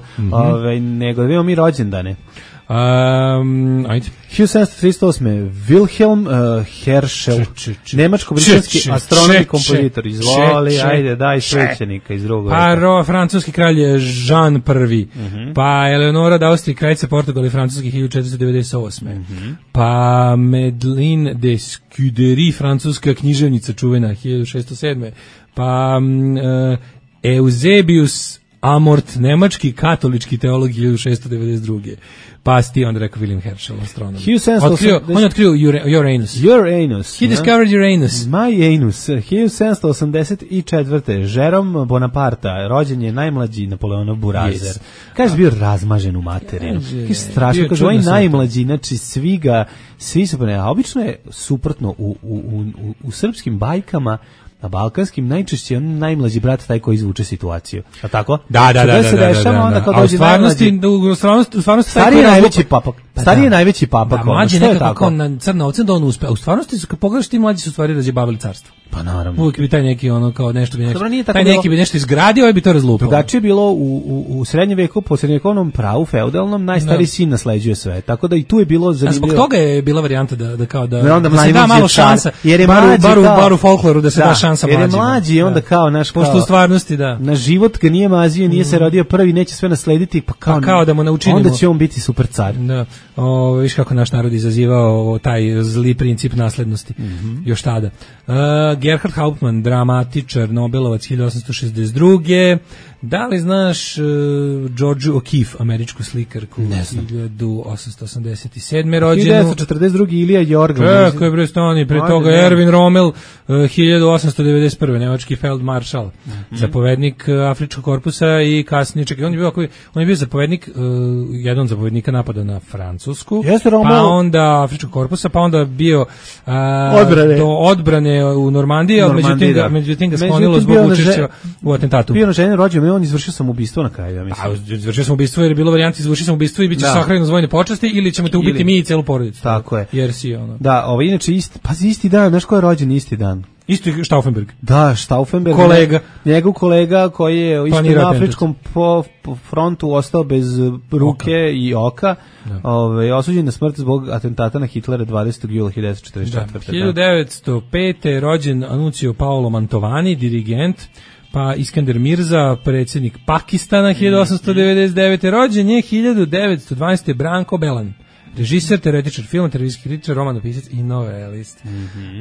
F: Nego da vidimo mi rođendane.
E: Ajde.
F: 1738. Wilhelm Herschel, nemačko-britanski astronom i kompozitor. Izvoli, ajde, daj svećenika iz drugog.
E: Francuski kralj je Jean I. Pa Eleonora d'Austria, kraljica Portugala i francuski 1498. Pa Madeleine de Scudéry, francuska književnica čuvena 1607. Pa Eusebius Amort, nemački katolički teolog 1692. Pa ti onda rekao William Herschel, astronom. On je otkrio Uranus. He discovered Uranus.
F: My anus. 1784. Jerome Bonaparte, rođen je najmlađi Napoleonov burazer. Kaže bio razmažen u materinu. Kaže strašno, kaže ovaj najmlađi, znači svi su, a obično je suprotno u srpskim bajkama. Na balkanskim najčešće on najmlađi brat taj koji izvuče situaciju. A tako?
E: Da.
F: A u stvarnosti stariji je najveći papak. Stariji je najveći papak.
E: Mlađi nekako kao na crna ovce da on uspe. A u stvarnosti kad pogledaš ti mlađi su stvari razjebavali carstvo.
F: Pa naravno.
E: Uvijek bi taj neki kao nešto bi nešto. Taj neki bi nešto izgradio, ovaj bi to razlupao.
F: Drugačije je bilo u srednjem veku, po srednjevekovnom pravu feudalnom, najstariji sin nasleđuje sve. Tako da i tu je bilo zanimljivo.
E: Zbog toga je bila varijanta da kao da
F: se da malo šansa, jer je
E: bar u folkloru da se da šansa mlađima.
F: Jer je mlađi onda kao naš kao.
E: Pošto u stvarnosti da.
F: Na život ga nije mazio, nije se rodio prvi, neće sve naslediti, pa
E: kao da mu naučimo.
F: Onda će on biti super car.
E: Da. Viš kako naš narod izazivao taj zli princip naslednosti. Još tada. Gerhard Hauptmann, dramatičar, Nobelovac 1862. Da li znaš George O'Keeffe, američku slikarku?
F: Ne znam.
E: 1887. rođenu.
F: 1942. Ilija Jorga.
E: Kako je bre stani, pre toga Erwin Rommel, 1891. nemački feldmaršal, zapovednik Afričkog korpusa i kasnije, čekaj, on je bio zapovednik, jedan zapovednika napada na Francusku, pa onda Afričkog korpusa, pa onda bio do odbrane u Normandiji, ali međutim ga sklonilo zbog učešća u atentatu.
F: Bio na ženi rođen, on izvršio samoubistvo na kraju, ja mislim.
E: Izvršio samoubistvo jer je bilo varijanta izvršio samoubistvo i biće sahranjen za vojne počasti ili ćemo te ubiti mi i celu porodicu.
F: Tako je.
E: Jer si ono.
F: Da, inače isti dan, znaš ko je rođen isti dan?
E: Isto je Stauffenberg.
F: Da, Stauffenberg.
E: Kolega.
F: Njegov kolega koji je isto na afričkom frontu ostao bez ruke i oka. Osuđen na smrt zbog atentata na Hitlera 20. jula 1944.
E: 1905. rođen Anuncio Paolo Mantovani, dirigent. Pa Iskander Mirza, predsjednik Pakistana 1899. rođen je 1912. Branko Belan. Režiser, teoretičar filma, televizijski kritičar, romanopisac i novelist.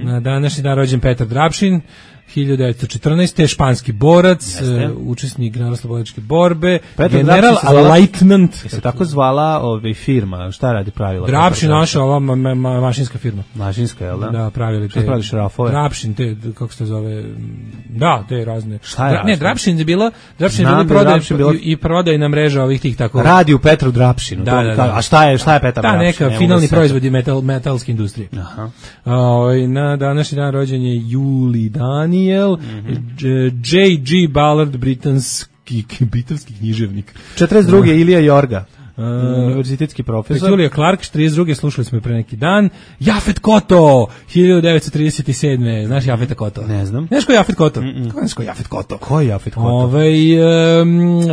E: Na današnji dan rođen Petar Drapšin, 1914. španski borac, učesnik generalno-slobodačke borbe, general Leitnant.
F: Se tako zvala firma, šta radi pravila?
E: Drapšin, naša ova mašinska firma.
F: Mašinska, jel da?
E: Da, pravili te.
F: Šta pravi šrafove?
E: Drapšin, te, kako se to zove, da, te razne.
F: Šta je?
E: Ne, Drapšin je bila i prodajna mreža ovih tih tako.
F: Radi u Petru Drapšinu. A šta je Petar Drapšin?
E: Da, neka finalni proizvodi metalske industrije. Na današnji dan rođen je Juli Daniel, J.G. Ballard, britanski književnik.
F: 42. Ilija Jorga, univerzitetski profesor.
E: Julia Clark, 42. slušali smo je pre neki dan. Jafet Koto, 1937. Znaš Jafeta Koto?
F: Ne znam.
E: Znaš ko je Jafet Koto? Ko je Jafet Koto?
F: Ko je Jafet Koto?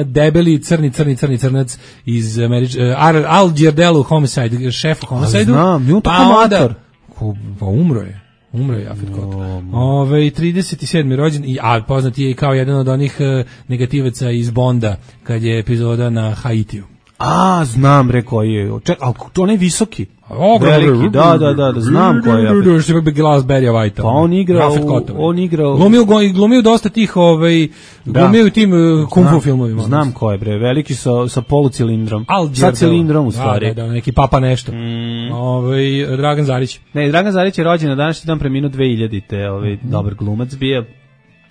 E: Debeli, crnac iz Al Giardello Homicide, šef u Homicide-u.
F: Znam, nju tako mator.
E: Pa umro je Jafet Koto. 37. rođen, a poznat je i kao jedan od onih negativaca iz Bonda, kad je epizoda na Haitiju.
F: Znam, rekao je. Ali on je visoki. Veliki, da, znam ko je.
E: Što bi glas Berija Vajta.
F: Pa on igrao.
E: Glumio dosta tih, glumio u tim kung fu filmovima.
F: Znam ko je, bre, veliki sa polucilindrom. Sa cilindrom, u stvari.
E: Da, neki papa nešto. Dragan Zarić.
F: Ne, Dragan Zarić je rođen na današnji dan, preminuo 2000-te, dobar glumac bio.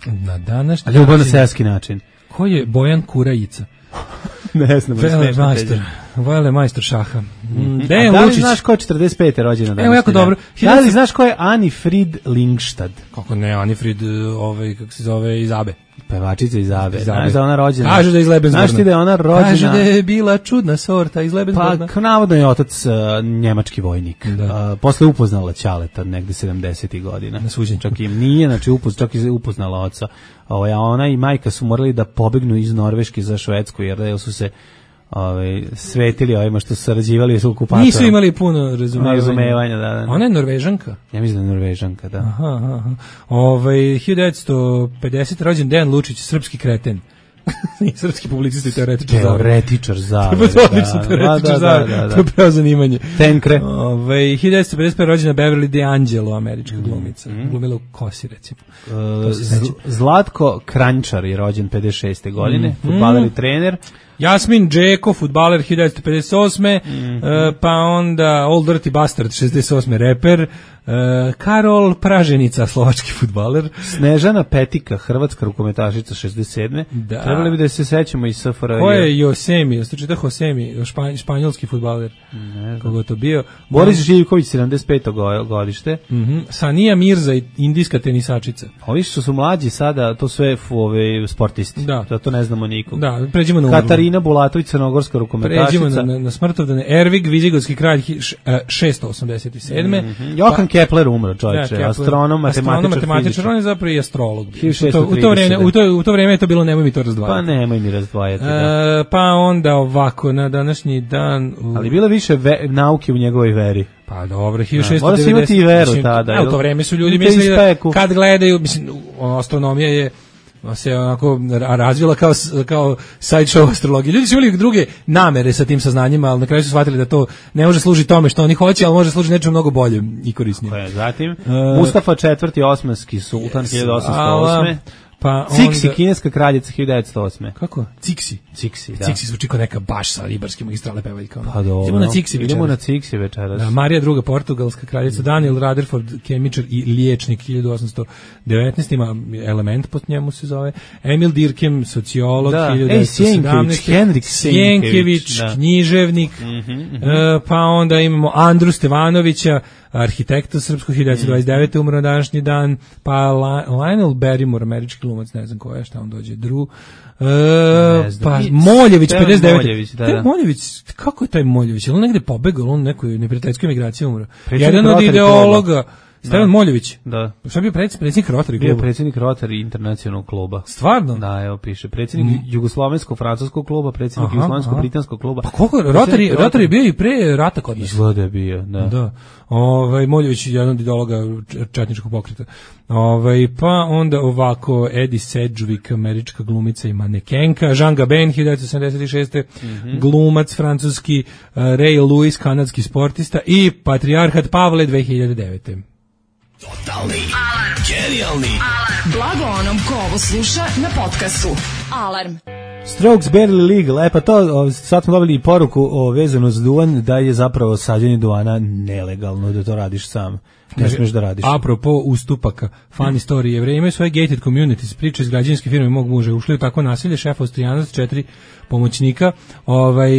E: Na današnji
F: ljubav na seoski način.
E: Ko je Bojan Kurajica?
F: Ne znam,
E: Vele majstor šaha.
F: Da li znaš ko je 45. rođena danas?
E: Evo, jako dobro.
F: Da li znaš ko je Anifrid Lingstad?
E: Kako ne, Anifrid, kako se zove, iz Abe.
F: Pevačica iz Abe. Znaš da je ona rođena?
E: Kažu da je iz Lebensborna.
F: Znaš ti da je ona rođena?
E: Kažu da je bila čudna sorta iz Lebensborna.
F: Pa, navodno je otac njemački vojnik. Posle upoznala Ćaleta negde 70. godina.
E: Na suđenju.
F: Čak i nije, znači čak i upoznala oca. A ona i majka su morali da pobegnu iz Norveške za Švedsku, jer su se svetili ovima što su sarađivali s okupatorom.
E: Nisu imali puno
F: razumevanja. Da.
E: Ona je Norvežanka?
F: Ja mislim da je Norvežanka, da.
E: Aha. 1950. rođen Dejan Lučić, srpski kreten. Srpski publicist i teoretičar zavere.
F: Teoretičar zavere.
E: Odlično, teoretičar zavere. To je pravo zanimanje.
F: Tenkre.
E: 1955. rođena Beverly DeAngelo, američka glumica. Glumila u Kosi, recimo.
F: Zlatko Kranjčar je rođen 56. godine, fudbaler i trener.
E: Jasmin Džeko, fudbaler 1958. Pa onda Old Dirty Bastard 68. reper. Karol Praženica, slovački fudbaler.
F: Snežana Petika, hrvatska rukometašica 67.
E: Da.
F: Trebali bi da se sećamo iz SFRJ.
E: Ko je Josemi? Jeste čita Josemi, španjolski fudbaler. Kogo to bio?
F: Boris Živković, 75. godište.
E: Sanija Mirza, indijska tenisačica.
F: Ovi što su mlađi sada, to sve sportisti.
E: Da.
F: To ne znamo nikog.
E: Da, pređimo na
F: Katarina Bulatović, crnogorska rukometašica.
E: Pređimo na smrtovdane. Ervig, Vizigotski kralj 687.
F: Johan Kepler umro, čovječe, astronom, matematičar,
E: on je zapravo i astrolog. U to vreme je to bilo, nemoj mi to razdvajati.
F: Pa nemoj mi razdvajati.
E: Pa onda ovako, na današnji dan...
F: Ali bilo više nauke u njegovoj veri.
E: Pa dobro, 1690...
F: Mora se imati i veru tada.
E: U to vreme su ljudi mislili da kad gledaju, mislim, astronomija je se onako razvila kao sideshow astrologije. Ljudi su imali druge namere sa tim saznanjima, ali na kraju su shvatili da to ne može služiti tome što oni hoće, ali može služiti nečemu mnogo boljem i korisnijem.
F: Zatim, Mustafa IV. Osmanski sultan 1808.
E: Pa
F: Cixi, kineska kraljica 1908.
E: Kako? Cixi, da. Cixi zvuči kao neka baš sa ribarske magistrale pevaljka.
F: Pa dobro. Idemo na Cixi večeras.
E: Da, Marija II. portugalska kraljica, Daniel Rutherford, kemičar i liječnik 1819. Ima element pod njemu se zove. Emil Durkheim, sociolog 1917.
F: Henrik
E: Sienkiewicz, književnik. Pa onda imamo Andru Stevanovića, arhitekta srpskog 1929. umro na današnji dan, pa Lionel Barrymore, američki glumac, ne znam ko je, šta on dođe, pa Moljević, 59. Moljević, kako je taj Moljević? Je on negde pobegao, on nekoj neprijateljskoj emigraciji umro? Jedan od ideologa, Stevan Moljević.
F: Da.
E: Šta bio predsjednik Rotary kluba?
F: Bio predsjednik Rotary internacionalnog kluba.
E: Stvarno?
F: Da, evo piše. Predsjednik Jugoslovensko-francuskog kluba, predsjednik Jugoslovensko-britanskog kluba.
E: Pa koliko? Rotary bio i pre rata kod nas.
F: Izgleda je bio, da.
E: Moljević je jedan od ideologa četničkog pokreta. Pa onda ovako Eddie Sedgwick, američka glumica i manekenka, Jean Gabin 1976. Glumac francuski, Ray Lewis, kanadski sportista i patrijarhat Pavle 2009.
H: Totalni alarm. Genijalni alarm.
B: Blago onom ko ovo sluša na podcastu. Alarm.
F: Strokes Barely Legal, pa to sad smo dobili i poruku vezano za duvan, da je zapravo sađenje duvana nelegalno, da to radiš sam. Ne smiješ da radiš.
E: Apropo ustupaka, funny story, Jevreji imaju svoje gated communities, priče iz građevinske firme mog muža, ušli u takvo nasilje, šef Austrijanac, 4 pomoćnika,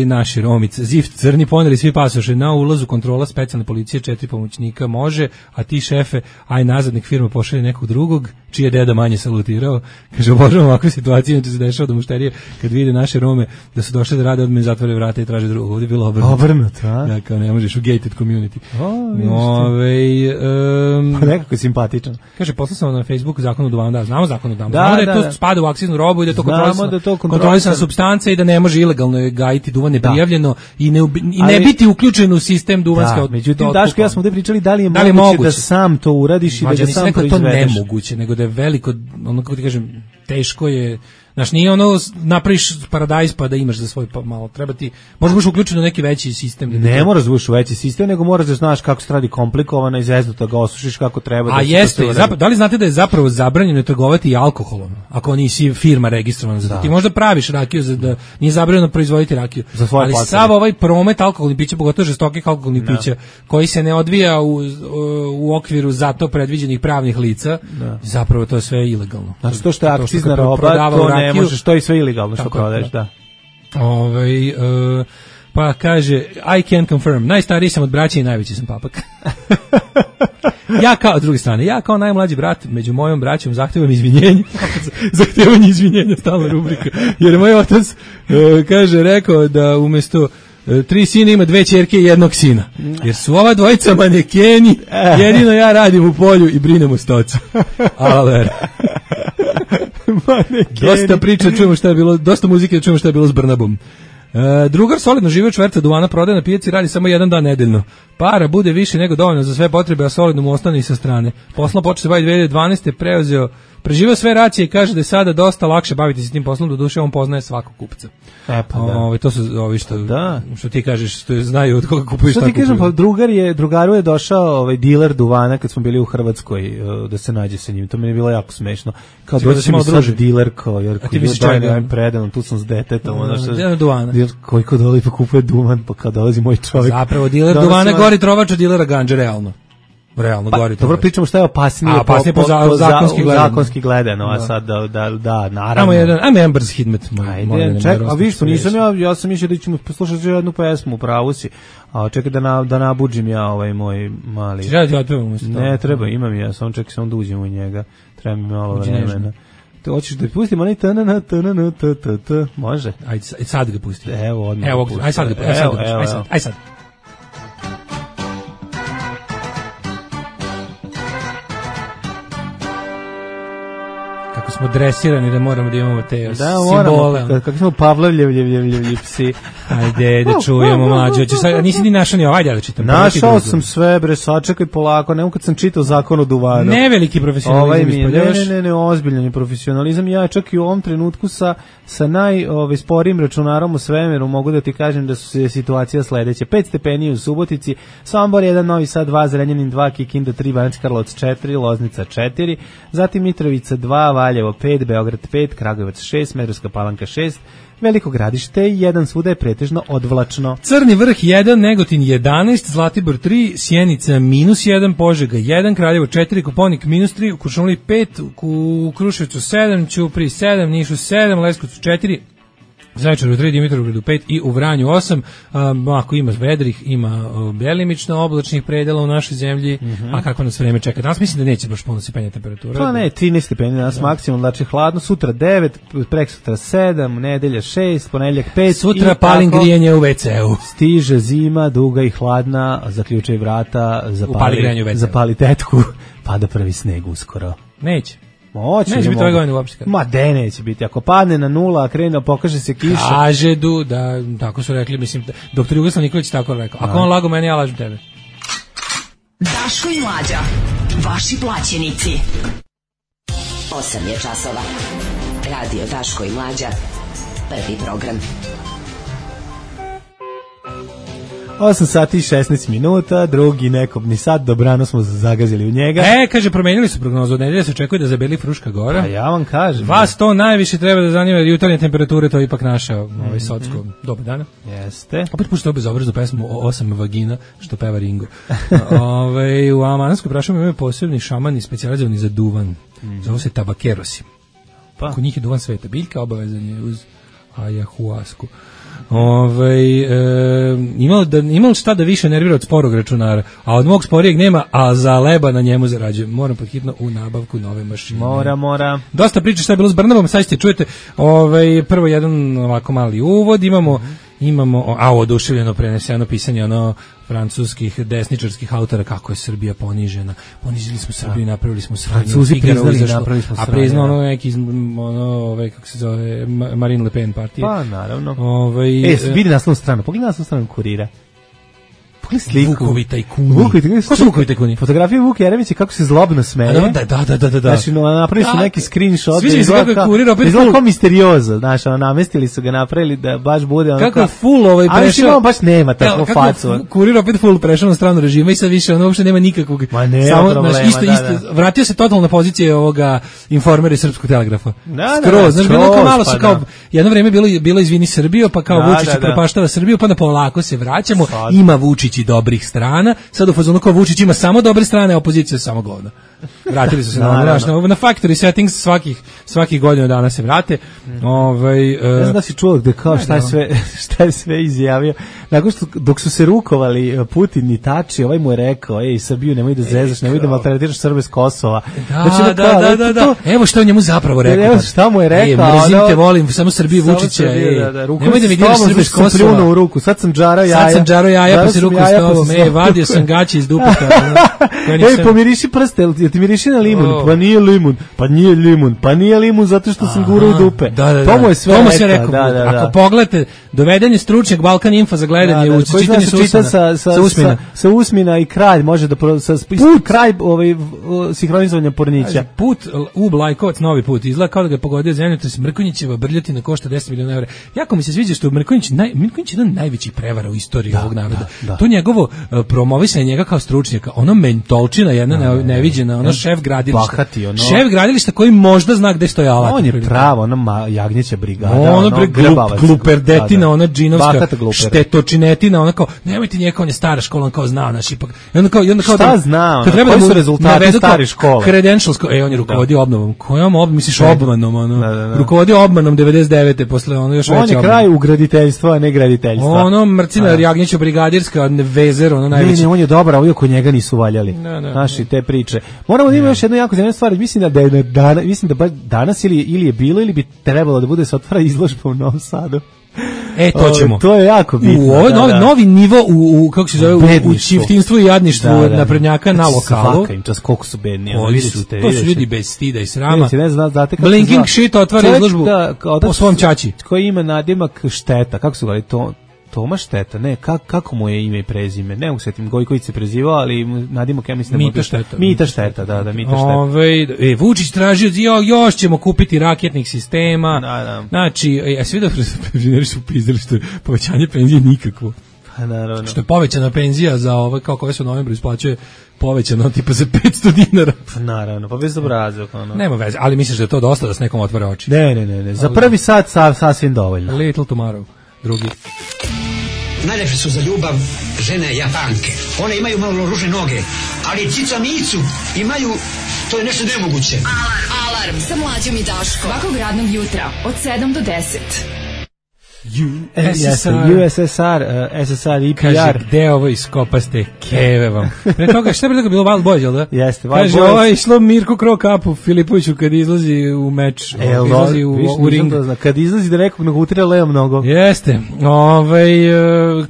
E: naši Romic, Zift, crni, poneli svi pasoše, na ulazu kontrola specijalne policije, 4 pomoćnika može, a ti šefe, aj nazad, nek firma pošalje nekog drugog, čiji je deda manje salutirao, kaže, obožavam ovakve situacije, inače se dešava da mušterije, kad vide naše Rome, da su došli da rade, odmah zatvore vrata i traže drugog, ovdje je bilo obrnuto. Da, kao ne možeš u gated community.
F: Nekako je simpatičan.
E: Kaže, poslao sam na Facebooku zakon o duvanu, da, znamo zakon o duvanu. Znamo da je to spada u akciznu robu i da je to kontrolisana supstanca i da ne može ilegalno gajiti duvan neprijavljeno i ne biti uključen u sistem duvanske.
F: Međutim, Daško, ja smo ovdje pričali da li je moguće da sam to uradiš i da ga sam proizvedeš.
E: To nemoguće, nego da je veliko, ono kako ti kažem, teško je. Znaš, nije ono napraviš paradajz pa da imaš za svoj malo, treba ti, možda budeš uključen u neki veći sistem.
F: Ne moraš da budeš u veći sistem, nego moraš da znaš kako se radi komplikovano i zeznuto ga osušiš kako treba.
E: A jeste, da li znate da je zapravo zabranjeno trgovati i alkoholom, ako nisi firma registrovana za to? Ti možda praviš rakiju, da nije zabranjeno proizvoditi rakiju, ali sav ovaj promet alkoholnih pića, pogotovo žestokih alkoholnih pića, koji se ne odvija u okviru za to predviđenih pravnih lica, zapravo to je sve ilegalno.
F: Znači to što je akcizna roba, to ne možeš, to je sve ilegalno što prodaješ, da.
E: Pa kaže, I can confirm, najstariji sam od braća i najveći sam papak. S druge strane, ja kao najmlađi brat među mojom braćom zahtevam izvinjenje. Zahtevanje izvinjenja, stalna rubrika. Jer moj otac, kaže, rekao da umesto 3 sina ima 2 ćerke i 1 sina. Jer su ova dvojica manekeni, jedino ja radim u polju i brinem o stoci. Ale. Dosta priča, čujemo šta je bilo, dosta muzike, čujemo šta je bilo s Brnabom. Drugar solidno žive čverca duvana prodaje na pijaci, radi samo jedan dan nedeljno. Para bude više nego dovoljno za sve potrebe, a solidno mu ostane i sa strane. Poslom počeo se baviti 2012. Preživio sve racije i kaže da je sada dosta lakše baviti se tim poslom, do duše on poznaje svakog kupca. To su ovi što ti kažeš, što znaju od koga kupuju.
F: Što ti kažem, pa drugaru je došao diler duvana kad smo bili u Hrvatskoj da se nađe sa njim. To mi je bilo jako smešno. Kao dođe mi sad diler, jer
E: ti misliš čega?
F: Predan, tu sam s detetom.
E: Duvana.
F: Koji kod dolazi pa kupuje duvan, pa kad dolazi moj čovjek.
E: Zapravo diler duvana gori trovač od dilera ganđe, realno gori.
F: Dobro, pričamo šta je opasnije
E: po
F: zakonski gledano, a sad da, naravno.
E: Ajmo jedan brz hidmet.
F: A viš, pa nisam ja sam mislio da ćemo poslušati jednu pesmu, pravo si. A čekaj da nabuđim ja ovaj moj mali. Ne, treba, imam ja, samo čekaj da uđem u njega. Treba mi malo vremena. Te hoćeš da pustim onaj može?
E: Ajde sad ga pusti.
F: Evo, odmah.
E: Ajde sad ga pusti. Ajde sad. Kako smo dresirani da moramo da imamo te simbole.
F: Kako smo Pavlovljevljevljevljevi psi.
E: Ajde, da čujemo mlađe. Nisi ni našao ni ajde da čitam.
F: Našao sam sve, bre, sačekaj polako. Nemo kad sam čitao Zakon o duvanu.
E: Neveliki profesionalizam ispoljavaš.
F: Ne, ozbiljan profesionalizam. Ja čak i u ovom trenutku sa najsporijim računarom u svemiru mogu da ti kažem da su situacija sledeća. 5 stepeni u Subotici, Sombor 1, Novi Sad 2, Zrenjanin 2, Kikinda 3, Banacki Karlovac 4, Loznica 4, zatim Mitrovica 2, Valjevo 5, Beograd 5, Kragujevac 6, Smederevska Palanka 6, Veliko Gradište 1, svuda je pretežno odvlačno.
E: Crni vrh 1, Negotin 11, Zlatibor 3, Sjenica -1, Požega 1, Kraljevo 4, Koponik -3, u Kuršumliji 5, u Kruševcu 7, Ćupriji 7, Nišu 7, Leskovcu 4, Zaječaru 3, Dimitrovgradu 5 i u Vranju 8. Ako ima vedrih, ima delimično oblačnih predela u našoj zemlji, a kako nas vreme čeka? Danas mislim da neće baš puno se penja temperatura.
F: Pa ne, 13 stepeni danas maksimum, znači hladno, sutra 9, preksutra 7, nedelja 6, ponedjeljak 5.
E: Sutra palim grijanje u WC-u.
F: Stiže zima, duga i hladna, zaključaj vrata, zapali tetku, pada prvi sneg uskoro.
E: Neće.
F: Neće
E: biti ove godine uopšte.
F: Ma de neće biti, ako padne na 0, a krene, pokaže se kiša.
E: Kaže da, tako su rekli, mislim, doktor Jugoslav Nikolić tako rekao. Ako on lago meni, ja lažem tebe.
B: Daško i Mlađa, vaši plaćenici. 8 je časova. Radio Daško i Mlađa, prvi program.
F: 8 sati i 16 minuta, drugi nekobni sat, dobrano smo zagazili u njega.
E: Kaže, promenili su prognozu, od nedelje se očekuje da zabeli Fruška Gora.
F: A ja vam kažem.
E: Vas to najviše treba da zanima, jer jutarnje temperature, to je ipak naša socko doba dana.
F: Jeste.
E: Opet puštao bezobraznu pesmu o 8 vagina, što peva Ringo. U Amanskoj prašumi imaju posebni šamani specijalizovani za duvan. Zove se tabakerosi. Kod njih je duvan sveta biljka, obavezan je uz ajahuasku. Imalo šta da više nervira od sporog računara, a od mog sporijeg nema, a za leba na njemu zarađujem. Moram podhitno u nabavku nove mašine.
F: Mora.
E: Dosta priča šta je bilo s Brnabom, sad ćete čujete prvo jedan ovako mali uvod, imamo oduševljeno preneseno pisanje francuskih desničarskih autora kako je Srbija ponižena. Ponizili smo Srbiju, napravili smo sranje.
F: Francuzi priznali, napravili smo sranje.
E: A priznao neki kako se zove Marine Le Pen partije.
F: Pa naravno. Vidi naslovnu stranu, pogledaj naslovnu stranu Kurira. sliku.
E: Vukovi tajkuni. Ko su Vukovi tajkuni?
F: Fotografija Vuk Jeremića kako se zlobno smeje.
E: Da.
F: Znači, napravili su neki screenshot.
E: Sviđa mi se kako je Kurir opet
F: izgleda kao misteriozo, znaš, namestili su ga, napravili da baš bude ono.
E: Kako je full prešao.
F: Ali baš nema takvu facu.
E: Kurir opet full prešao na stranu režima i sad više ono uopšte nema nikakvog.
F: Ma nema problema,
E: isto, vratio se totalno na pozicije ovoga Informera i Srpskog telegrafa. Skroz, znaš, bilo kao malo su kao, jedno vreme bilo izvini Srbiju, pa kao Vučić propaštava Srbiju, pa na polako se vraćamo, ima Vučić i dobrih strana, sad u fazonu kao Vučić ima samo dobre strane, a opozicija samo govna. Vratili su se na factory settings svakih godina dana se vrate.
F: Ne znam da si čuo da kao šta je sve izjavio. Nakon što dok su se rukovali Putin i Tači, ovaj mu je rekao: Srbiju nemoj da zezaš, nemoj da maltretiraš Srbe s Kosova.
E: Da. Evo šta je njemu zapravo rekao.
F: Evo šta mu je rekao.
E: Mrzim te, volim samo Srbiju Vučića. Nemoj da mi diraš Srbe s Kosova.
F: U ruku. Sad sam džarao jaja.
E: Pa se ruku s tobom. Vadio sam gaće iz dupeta.
F: Pomiriši prste, ti miriši na limun. Pa nije limun. Pa nije limun zato što sam gurao u dupe. To mu je sve rekao.
E: Ako pogledate, doveden je stručnjak Balkan Info za gledanje u čitanje
F: sa usmina i kralj može da kraj sinhronizovanja pornića.
E: Put u Blajkovac, novi put, izgleda kao da ga je pogodio zemljotres. Mrkonjićeva brljotina košta 10 miliona evra. Jako mi se sviđa što Mrkonjić jedan od najvećih prevara u istoriji ovog naroda. To njegovo promovisanje njega kao stručnjaka, ono mentolčina jedna neviđena, ono šef gradilišta. Šef gradilišta koji možda zna gde stoji alat.
F: On je pravo, ono jagnjeća brigada.
E: Ono gluperdetina, ona džinovska štetočinetina, ona kao, nemojte njega, on je stara škola, on kao zna, naš ipak.
F: Šta zna? Koji su rezultati stare škole?
E: Credentials, on je rukovodio obnovom. Kojom obnovom, misliš obmanom, rukovodio obmanom 99. posle ono još veće obmane.
F: On je kraj u graditeljstva, a ne graditeljstva.
E: Ono Mrcina Jagnjeća brigadirska, vezer, ono najveće.
F: Ne, on je dobar, a oko njega nisu valjali. Naši te priče. Moramo da imamo još jednu jako zanimljivu stvar. Mislim da baš danas ili je bilo ili bi trebalo da bude se otvara izložba u Novom Sadu.
E: To ćemo.
F: To je jako bitno.
E: U ovaj novi nivo u kako se zove u čiftinstvu i jadništvu naprednjaka na lokalu.
F: Svaka im čas koliko su bedni.
E: To su ljudi bez stida i srama.
F: Znate kako
E: Blinking shit otvara izložbu po svom ćaći.
F: Koji ima nadimak Šteta. Kako se govori to? Toma Šteta, ne, kako mu je ime i prezime? Ne mogu se tim Gojković se prezivao, ali nadimak ja mislim da
E: Mita Šteta.
F: Mita Šteta, da, Mita Šteta.
E: Vučić tražio, još ćemo kupiti raketnih sistema. Znači, svi da penzioneri su upizdali što je povećanje penzije nikakvo.
F: Naravno.
E: Što je povećana penzija za ove, kao koje se u novembru isplaćuje, povećano tipa za 500 dinara.
F: Naravno, pa bez obrazog.
E: Nema veze, ali misliš da je to dosta da s nekom otvara oči?
F: Ne. Za prvi sat sasvim dovoljno.
E: Little tomorrow. Drugi.
I: Najlepše su za ljubav žene Japanke. One imaju malo ružne noge, ali cica micu imaju, to je nešto nemoguće.
B: Alarm sa Mlađom i Daškom. Svakog radnog jutra od 7 do 10.
F: USSR, SSR, EPR.
E: Kaže, gde ovo iskopaste keve vam? Pre toga, šta je pre toga bilo Wild Boys, jel da?
F: Jeste, Wild
E: Kaže,
F: Boys.
E: ovo je išlo Mirko Krokapu Filipoviću kad izlazi u meč, izlazi u ring.
F: Kad izlazi da nekog nogutira levom nogom.
E: Jeste.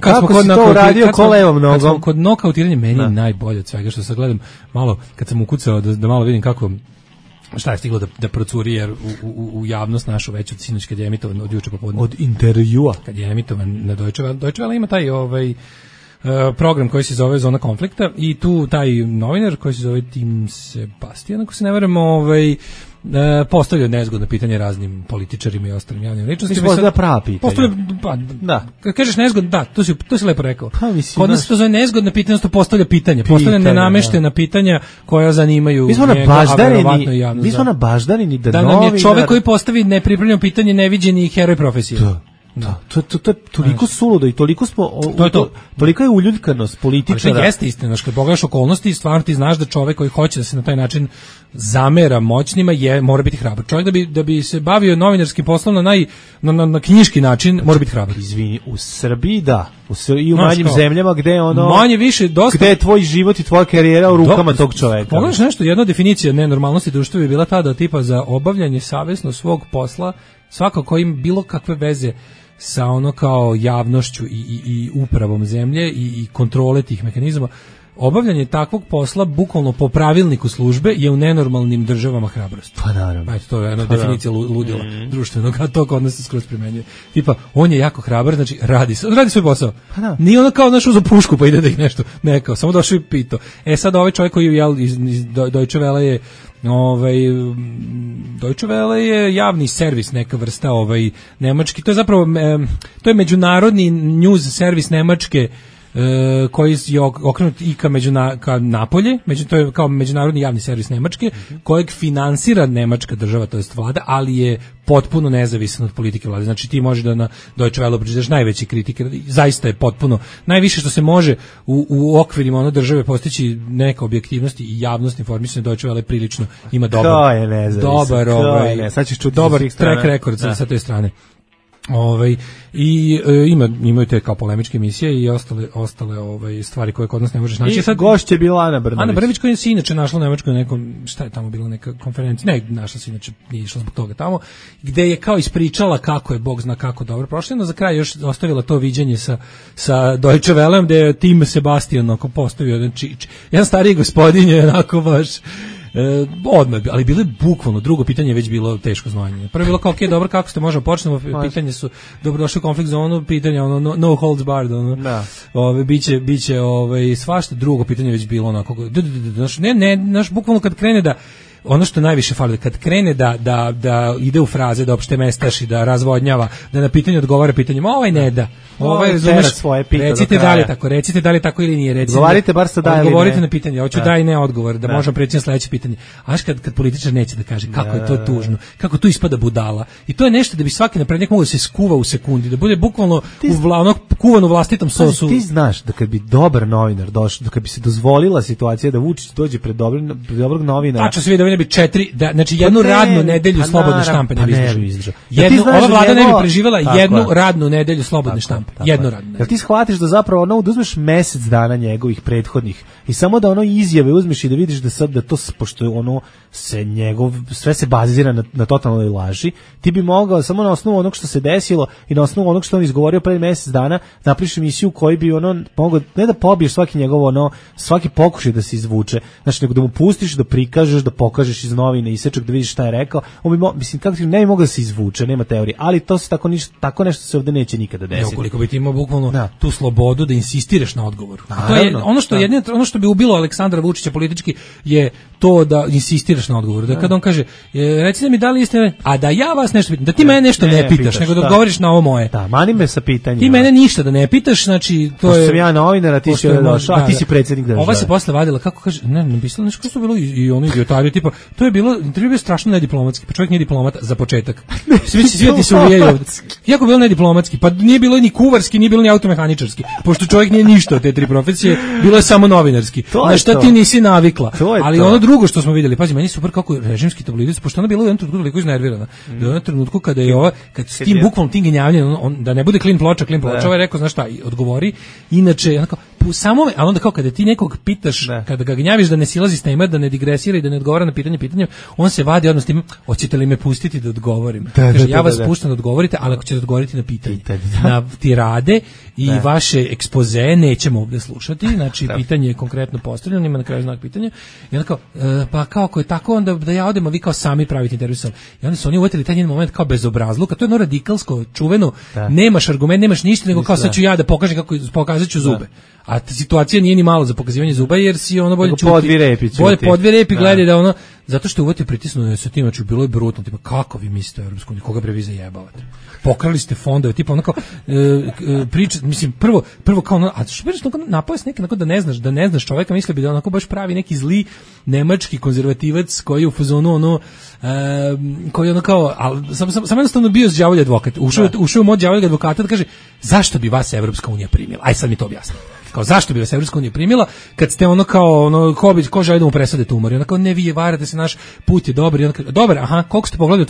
F: Kako si to uradio ko levom nogom?
E: Kad smo kod nokautiranja, meni je najbolje od svega što sad gledam malo, kad sam ukucao da malo vidim kako šta je stiglo da procuri jer u javnost našu već od sinoć kad je emitovan od juče popodne.
F: Od intervjua.
E: Kad je emitovan na Deutsche Welle ima taj program koji se zove Zona konflikta i tu taj novinar koji se zove Tim Sebastian, ako se ne varam, postavlja nezgodno pitanje raznim političarima i ostalim javnim ličnostima.
F: Mislim da prava pitanja.
E: Kad kažeš nezgodno, da, to si lepo rekao. Kod nas to zove nezgodno pitanje, to postavlja pitanja. Postavlja nenameštena pitanja koja zanimaju njega, a verovatno i javnost.
F: Mi smo na baždarini
E: da nam je čovek koji postavi nepripremljeno pitanje neviđeni heroj profesije.
F: To je toliko suludo i toliko smo tolika je uljuljkanost političara.
E: Ali to jeste istina, kad pogledaš okolnosti, stvarno ti znaš da čovek koji hoće da se na taj način zamera moćnima mora biti hrabar. Čovjek da bi se bavio novinarskim poslom na knjiški način mora biti hrabar.
F: Izvini, u Srbiji da, i u manjim zemljama gde
E: manje više dosta
F: gde je tvoj život i tvoja karijera u rukama tog čoveka.
E: Pogledaš nešto, jedna definicija nenormalnosti društva bi bila ta da tipa za obavljanje savesno svog posla svako ko ima bilo kakve veze sa ono kao javnošću i upravom zemlje i kontrole tih mehanizama obavljanje takvog posla bukvalno po pravilniku službe je u nenormalnim državama hrabrost.
F: Pa naravno.
E: Ajde, to je jedna definicija ludila društvenog, a to kod nas se skroz primenjuje. Tipa, on je jako hrabar, znači radi svoj posao. Pa da. Nije ono kao uzu pušku pa ide da ih nešto nekao, samo došao i pitao. Sad ovaj čovjek koji je iz Deutsche Welle je Deutsche Welle je javni servis, neka vrsta nemački, to je zapravo to je međunarodni news servis Nemačke koji je okrenut i ka napolje, to je kao međunarodni javni servis Nemačke, kojeg finansira nemačka država, to jest vlada, ali je potpuno nezavisan od politike vlade. Znači ti možeš da na Deutsche Welle pročitaš najveće kritike, zaista je potpuno najviše što se može u okvirima one države postići neka objektivnost i javnost informisanja. Deutsche Welle prilično ima dobar track record sa te strane. Imaju te kao polemičke emisije i ostale stvari koje kod nas ne možeš naći.
F: I sad gošće je bila Ana Brnabić.
E: Ana Brnabić koja se inače našla u Nemačkoj nekom, šta je tamo bila neka konferencija, ne, našla se inače, nije išla zbog toga tamo, gde je kao ispričala kako je, Bog zna kako dobro prošlo, no za kraj još ostavila to viđenje sa Deutsche Wellem, gde je Tim Sebastian postavio jedan stariji gospodin je onako baš odmah, ali bilo je bukvalno, drugo pitanje je već bilo teško znanje. Prvo je bilo kao, dobro, kako ste, možemo počnemo, pitanje su, dobrodošli u konflikt zonu, pitanje, no holds barred, biće svašta, drugo pitanje je već bilo onako, bukvalno kad krene da, ono što najviše fali, kad krene da ide u fraze, da opšte mestaši, da razvodnjava, da na pitanje odgovara pitanjem, ne da, razumeš, recite da li tako ili nije,
F: odgovorite bar sa da ili ne.
E: Odgovorite na pitanje, hoću da i ne odgovor, da možemo preći na sledeće pitanje. A kad političar neće da kaže kako je to tužno, kako tu ispada budala. I to je nešto da bi svaki naprednjak mogao da se skuva u sekundi, da bude bukvalno kuvan u vlastitom sosu.
F: Ti znaš da kad bi dobar novinar došao, da kad bi se dozvolila situacija da Vučić dođe pred dobrog novinara.
E: Tačno se vidi da bi 4, znači jednu radnu nedelju slobodne štampe ne bi izdržao. Ova vlada ne bi preživela jednu radnu nedelju slobodne štampe. Jednu radnu.
F: Jel ti shvatiš da zapravo da uzmeš mesec dana njegovih prethodnih i samo da izjave uzmeš i da vidiš da sad da to, pošto sve se bazira na totalnoj laži, ti bi mogao samo na osnovu onog što se desilo i na osnovu onog što on izgovorio pre mesec dana napriš emisiju koji bi mogao ne da pobiješ svaki pokušaj da se izvuče, znači nego da mu pustiš da prikažeš, da pokažeš iz novine isečak da vidiš šta je rekao. Kako ti ne bi mogao da se izvuče, nema teorije, ali to se tako nešto se ovde neće nikada desiti.
E: Koliko bi ti imao bukvalno tu slobodu da insistiraš na odgovoru. To je ono što bi ubilo Aleksandra Vučića politički je to da insistiraš na odgovoru. Da kad on kaže, recite mi da li jeste, a da ja vas nešto pitam, da ti mene nešto ne pitaš, nego da odgovoriš na ovo moje.
F: Da, mani me sa pitanjima.
E: Ti mene ništa da ne pitaš, znači to je.
F: Sam ja novinar, a ti si došao, a ti si predsjednik države.
E: Ova se posle vadila, kako kaže, ne pisalo nešto što je bilo i ono idiotari, tipa, to je bilo, intervju je strašno nediplomatski, pa čovjek nije diplomat za početak. Svi se uvijaju ovdje. Jako bilo nediplomatski, pa nije bilo ni kuvarski, nije bilo ni automehaničarski, pošto čovjek nije ništa od te tri profesije, bilo je samo novinarski. Na šta ti nisi navikla. Ali ono drugo što smo vidjeli, pazi, meni super kako režimski tabloidici, pošto ona bila u jednom trenutku toliko iznervirana, da je u jednom trenutku kada je kad s tim bukvalnom tim genjavljenjem, da ne bude klin ploča, ovaj rekao, znaš šta, odgovori, inače, onako, ali onda kao kada ti nekog pitaš, kada ga gnjaviš da ne silazi s tema, da ne digresira i da ne odgovara na pitanje, on se vadi odnos tim, hoćete li me pustiti da odgovorim? Kaže, ja vas puštam da odgovorite, ali ako ćete odgovoriti na pitanje. Na tirade i vaše ekspoze nećemo ovdje slušati, znači pitanje je konkretno postavljeno, ima na kraju znak pitanja, i onda kao, pa kao ako je tako, onda da ja odem, a vi kao sami pravite intervju. I onda su oni uvetili taj njen moment kao bezobrazluka, to je radikalsko, čuveno, nemaš argument, nemaš ništa, nego kao sad ću ja da pokažem kako pokazat ću zube. A situacija nije ni malo za pokazivanje zuba, jer si bolje čuti. Bolje podvi repi gledaj da zato što uvati pritisnuo sa tim, znači bilo je brutno, tipa kako vi mislite o Europskoj uniji, koga bre vi zajebavate? Pokrali ste fondove, tipa onako priča, mislim prvo kao a što beš napojest neki onako da ne znaš čoveka, misli bi da onako baš pravi neki zli nemački konzervativac koji je u fazonu koji ono kao, ali sam jednostavno bio đavolji advokat, ušao u mod đavoljeg advokata da kaže zašto bi vas Evropska unija primila? Aj sad mi to objasni. Kao zašto bi vas Evropska unija primila kad ste ko želi da mu presade tumor? I onako ne, vi varate se, naš put je dobar. I onako, dobar, aha, koliko ste pogledali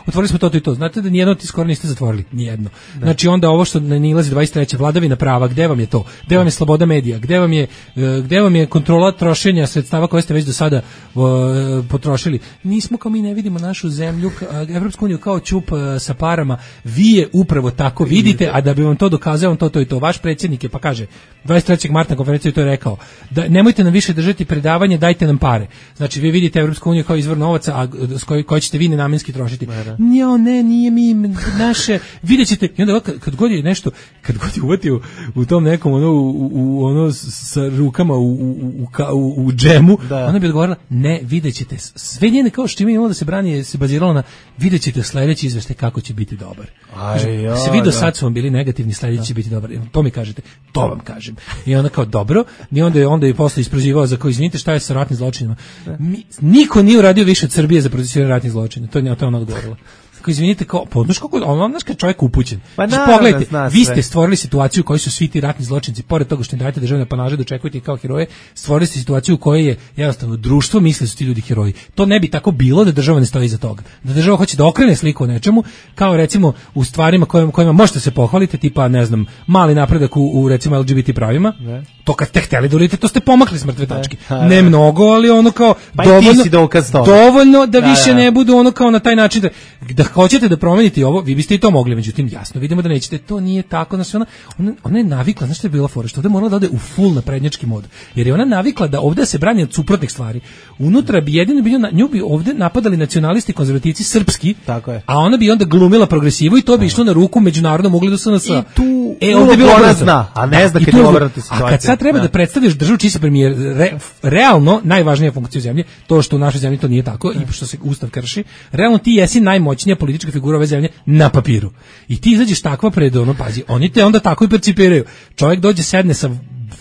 E: otvorili smo to i to. Znate da nijedno od tih skoro niste zatvorili, nijedno. Znači onda ovo što nilazi 23. vladavina prava, gde vam je to? Gde vam je sloboda medija? Gde vam je kontrola trošenja sredstava koje ste već do sada potrošili? Nismo kao mi ne vidimo našu zemlju, Evropsku uniju kao ćup sa parama. Vi je upravo tako vidite, a da bi vam to dokazao, to i to. Vaš predsjednik je, pa kaže 23. 3. marta na konferenciji to je rekao, da nemojte nam više držati predavanje, dajte nam pare. Znači vi vidite Evropsku uniju kao izvor novaca, a koji ćete vi nenamenski trošiti. Ne, nije mi naše, videćete, i onda kad god je nešto, kad god je uvatio u tom nekom ono sa rukama u džemu, ona bi odgovorila, ne, videćete, sve njene kao što ima imalo da se brani, se baziralo na videćete sledeći izveštaj kako će biti dobar. Se vi do sad su vam bili negativni, sledeći će biti dobar. To mi kažete, to vam kažem. I ona kao dobro, i onda je posle isprozivao za kao izvinite šta je sa ratnim zločinima. Niko nije uradio više od Srbije za procesuiranje ratnih zločina. To je ona odgovorila. Kao izvinite, kao podnoš kako on znaš kad čovjek upućen. Pogledajte, vi ste stvorili situaciju u kojoj su svi ti ratni zločinci, pored toga što im dajete državne apanaže, dočekujete ih kao heroje, stvorili ste situaciju u kojoj je jednostavno društvo misli da su ti ljudi heroji. To ne bi tako bilo da država ne stoji iza toga. Da država hoće da okrene sliku o nečemu, kao recimo u stvarima kojima možete se pohvaliti, tipa ne znam, mali napredak u recimo LGBT pravima. To kad ste hteli da uradite, to ste pomakli s mrtve tačke. Ne mnogo, ali ono kao dovoljno da više ne budu ono kao na taj način da hoćete da promenite ovo, vi biste i to mogli, međutim jasno vidimo da nećete, to nije tako, znači ona je navikla, znači što je bila fora, što ovde morala da ode u full naprednjački mod, jer je ona navikla da ovde se brani od suprotnih stvari. Unutra bi jedino bilo, nju bi ovde napadali nacionalisti, konzervativci, srpski,
F: tako je.
E: A ona bi onda glumila progresivu i to bi išlo na ruku međunarodnom ugledu SNS.
F: I tu ovde bilo ona zna, a ne zna kad je obrnuta situacija.
E: A kad sad treba da predstaviš državu čiji si premijer, realno najvažnija funkcija u zemlji, to što u našoj zemlji to nije tako i što se ustav krši, realno ti jesi najmoćnija politička figura ove zemlje na papiru. I ti izađeš takva pred ono, pazi, oni te onda tako i percipiraju. Čovjek dođe, sedne sa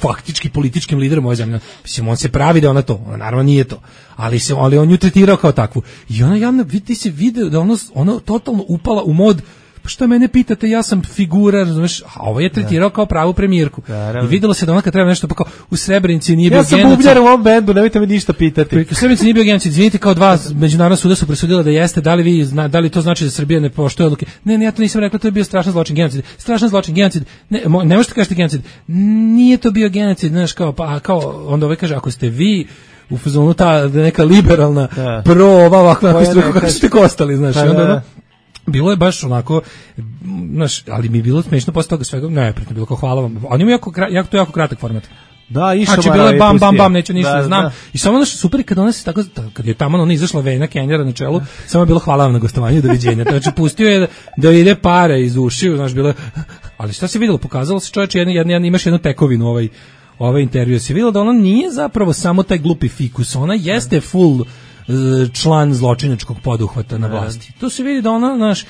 E: faktički političkim liderom ove zemlje. Mislim, on se pravi da ona to, ona naravno nije to. Ali on ju tretirao kao takvu. I ona javno, ti si video da ono totalno upala u mod, pa šta mene pitate, ja sam figura, razumeš, a ovo je tretirao kao pravu premijerku. I videlo se da ona kad treba nešto, pa kao u Srebrenici nije bio genocid.
F: Ja sam bubnjar u ovom bendu, nemojte me ništa pitati.
E: U Srebrenici nije bio genocid, izvinite, kao dva međunarodna suda su presudila da jeste, da li to znači da Srbija ne poštuje odluke? Ne, ja to nisam rekla, to je bio strašan zločin, genocid. Strašan zločin, genocid. Ne možete kažete genocid. Nije to bio genocid, znaš, kao onda kaže, ako ste vi u fazonu ta neka liberalna pro ovakva struka, kako ste kostali, znaš, onda bilo je baš onako, znaš, ali mi je bilo smešno posle toga svega, neprijatno bilo kao hvala vam. Oni imaju jako kratak format.
F: Da, išao
E: znači, bilo je bam, neću ništa da znam. I samo ono što super je kad je tamo ona izašla Vena Kenjera na čelu, samo je bilo hvala vam na gostovanju, doviđenja. Znači, pustio je da ide pare iz ušiju, znaš, bilo je, ali šta se videlo, pokazalo se čovječe, imaš jednu tekovinu ovaj intervju, se videlo da ona nije zapravo samo taj glupi fikus, ona jeste full član zločinačkog poduhvata na vlasti. To se vidi da ona, znaš,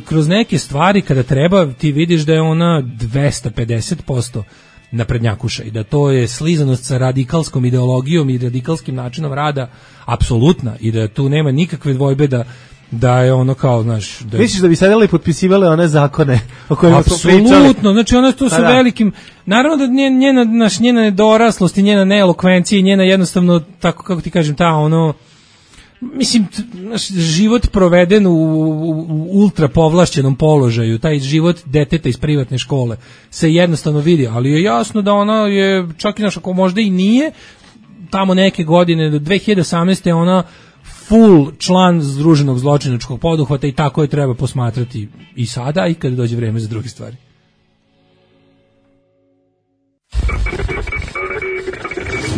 E: kroz neke stvari kada treba, ti vidiš da je ona 250% naprednjakuša i da to je slizanost sa radikalskom ideologijom i radikalskim načinom rada apsolutna i da tu nema nikakve dvojbe da je ono kao, znaš...
F: Misliš da bi sadele i potpisivale one zakone o kojima smo pričali?
E: Apsolutno, znači ona tu su velikim... Naravno da njena nedoraslost i njena neelokvencija i njena jednostavno, tako kako ti kažem, ta ono... Mislim, život proveden u ultra povlašćenom položaju, taj život deteta iz privatne škole se jednostavno vidi, ali je jasno da ona je, čak i naša, ako možda i nije, tamo neke godine, do 2018. je ona full član združenog zločinačkog poduhvata i tako je treba posmatrati i sada i kada dođe vreme za druge stvari.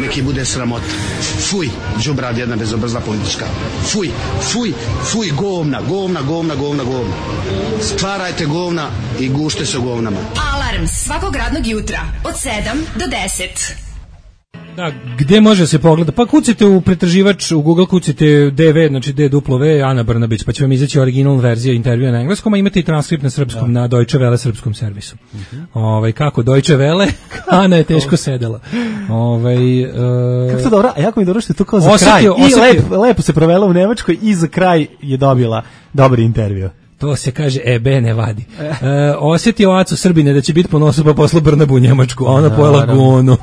J: Neki bude sramota. Fuj, đubrad jedna bezobrazna politička. Fuj, govna. Stvarajte govna i gušte se u govnama.
B: Alarm svakog radnog jutra od 7 do 10.
E: Da, gde može se pogleda? Pa kucite u pretraživač, u Google kucite DV, znači DW, Ana Brnabić, pa će vam izaći originalna verzija intervjua na engleskom, a imate i transkript na srpskom, na Deutsche Welle srpskom servisu. Kako Deutsche Welle, Ana je teško sedela.
F: Kako to dobro, a jako mi dobro što je to kao za kraj. I lepo se provela u Nemačkoj i za kraj je dobila dobar intervju.
E: To se kaže, ne vadi. Osjetio Aco Srbine da će biti ponosu pa poslu Brnabu u Njemačku, a ona pojela gonu.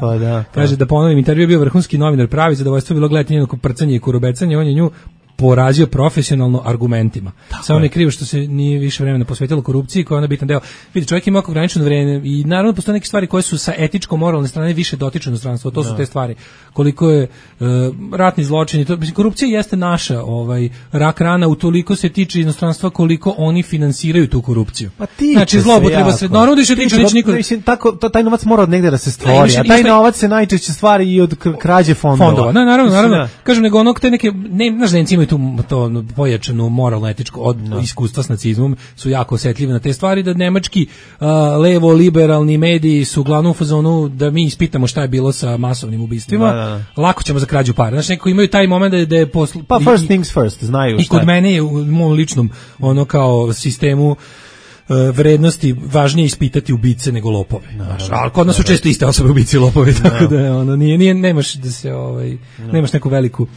E: Kaže da ponovim, intervju je bio vrhunski novinar, pravi zadovoljstvo bilo gledati njeno prcanje i kurobecanje, on je nju porazio profesionalno argumentima. Samo mi je krivo što se nije više vremena posvetilo korupciji, koja je onda bitan deo. Vidi, čovjek ima ograničeno vreme i naravno postoje neke stvari koje su sa etičko-moralne strane više dotiču inostranstvo. To su te stvari. Koliko je ratni zločin i to, korupcija jeste naša rak rana, utoliko se tiče inostranstva koliko oni finansiraju tu korupciju.
F: Pa
E: znači zloupotreba normalno da se tiče niko.
F: Mislim tako taj novac mora od negde da se stvori, a taj novac se najčešće stvari i od krađe fondova.
E: Da, naravno. Kažem nego onog te neke znaš da imaju tu to pojačanu moralno etičko od iskustva s nacizmom su jako osetljivi na te stvari, da nemački levo liberalni mediji su uglavnom u fazonu da mi ispitamo šta je bilo sa masovnim ubistvima. Lako ćemo za krađu para. Znači neko imaju taj moment da je
F: pa first things first, znaju šta.
E: I kod mene je u mom ličnom kao sistemu vrednosti važnije ispitati ubice nego lopove. Ali kod nas su često iste osobe ubici i lopovi, tako da nije nemaš da se nemaš neku veliku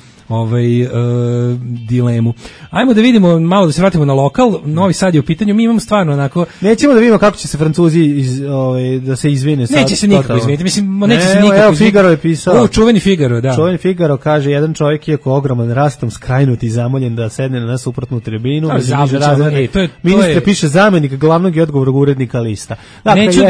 E: dilemu. Ajmo da vidimo, malo da se vratimo na lokal. Novi Sad je u pitanju, mi imamo stvarno onako...
F: Nećemo da vidimo kako će se Francuzi da se izvine.
E: Neće se nikako izviniti, mislim, neće se nikako
F: izviniti. Figaro je pisao.
E: Čuveni Figaro, da.
F: Čuveni Figaro kaže, jedan čovjek je ogroman rastom skrajnut i zamoljen da sedne na suprotnu tribinu. Ministre piše zamenik glavnog i odgovornog urednika lista.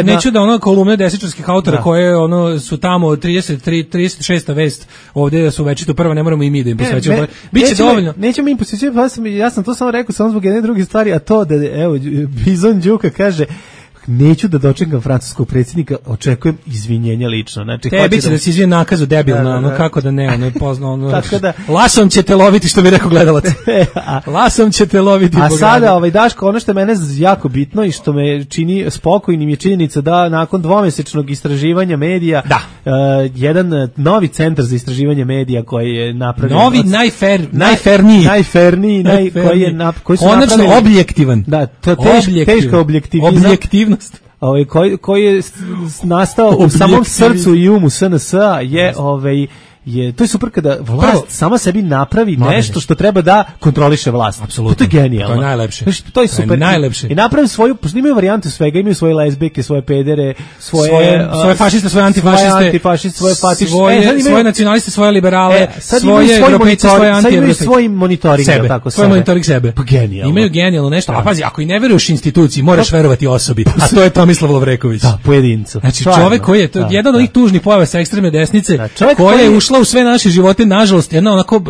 E: Neću da ono kolumne desničarskih autora koje su tamo 36. vest ovdje su večito prva, ne moramo i mi da im posvećujemo. Biće dovoljno.
F: Nećemo im posvećivati, ja sam to samo rekao samo zbog jedne druge stvari, a to da, evo, Bizon Đuka kaže, neću da dočekam francuskog predsjednika, očekujem izvinjenja lično. Znači,
E: tebi će da se izvije nakazu debilno, kako da ne, ono je poznao, lasom ćete loviti, što bi rekao gledalac. Lasom ćete loviti.
F: A sada, Daško, ono što je mene jako bitno i što me čini spokojnim je činjenica da nakon dvomesečnog istraživanja medija, jedan novi centar za istraživanje medija koji je napravljen...
E: Novi, najferniji,
F: koji su
E: konačno objektivan.
F: Da, to je teška objektivnost. Koji je nastao u samom srcu i umu SNS-a to je super kada vlast sama sebi napravi nešto što treba da kontroliše vlast.
E: Apsolutno.
F: To je genijalno.
E: To je najlepše.
F: To je super.
E: Najlepše.
F: I napravi svoju, pošto imaju varijante svega, imaju svoje lezbijke, svoje pedere, svoje
E: fašiste, svoje antifašiste, svoje nacionaliste, svoje liberale, svoje europejce, svoje
F: anti-europejce. Sad imaju svoj monitoring.
E: Svoj monitoring sebe.
F: Pa genijalno.
E: Imaju genijalno nešto. A pazi, ako i ne veruješ instituciji, moraš verovati osobi. A to je Tomislav Lovreković.
F: Da, pojedincu.
E: Znači čovjek koji je jedan od onih tužnih pojava sa ekstremne desnice, koji je ušla u sve naše živote, nažalost, jedna onako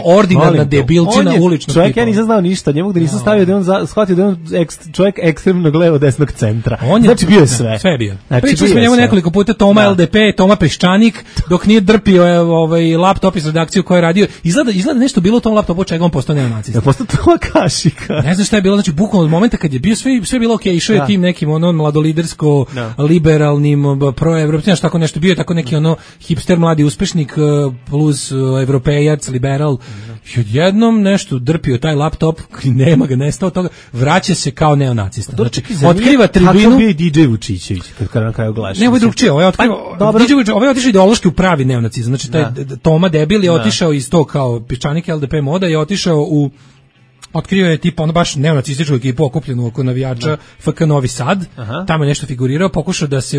E: ordinarna debilčina uličnog tipa.
F: Čovjek, ja nisam znao ništa, njemu da nisam stavio da je on shvatio da je on čovjek ekstremnog levo desnog centra. Znači bio je sve.
E: Sve bio. Pričali smo njemu nekoliko puta Toma LDP, Toma Peščanik, dok nije drpio laptop iz redakcije koju je radio. Izgleda nešto bilo u tom laptopu, čega on postao neonacista.
F: Postao Toma Kašika.
E: Ne znam šta je bilo, znači bukvalno od momenta kad je bio sve bilo okej, išao je tim nekim mladolidersko liberalnim proevropskim, tako nešto, bio je tako neki hipster mladi uspešnik plus evropejac, liberal, i odjednom nešto drpio taj laptop, nema ga, nestao toga, vraća se kao neonacista. Znači, otkriva tribinu...
F: Kako bio DJ Vučićević, kad na kraju glaši?
E: Ne, ovo je drugčije, ovo je otišao ideološki u pravi neonacizam, znači taj Toma debil je otišao iz tog kao Peščanik LDP moda i otišao u... Otkrio je tipa baš neonacističku ekipu okupljenu oko navijača FK Novi Sad, tamo je nešto figurirao, pokušao da se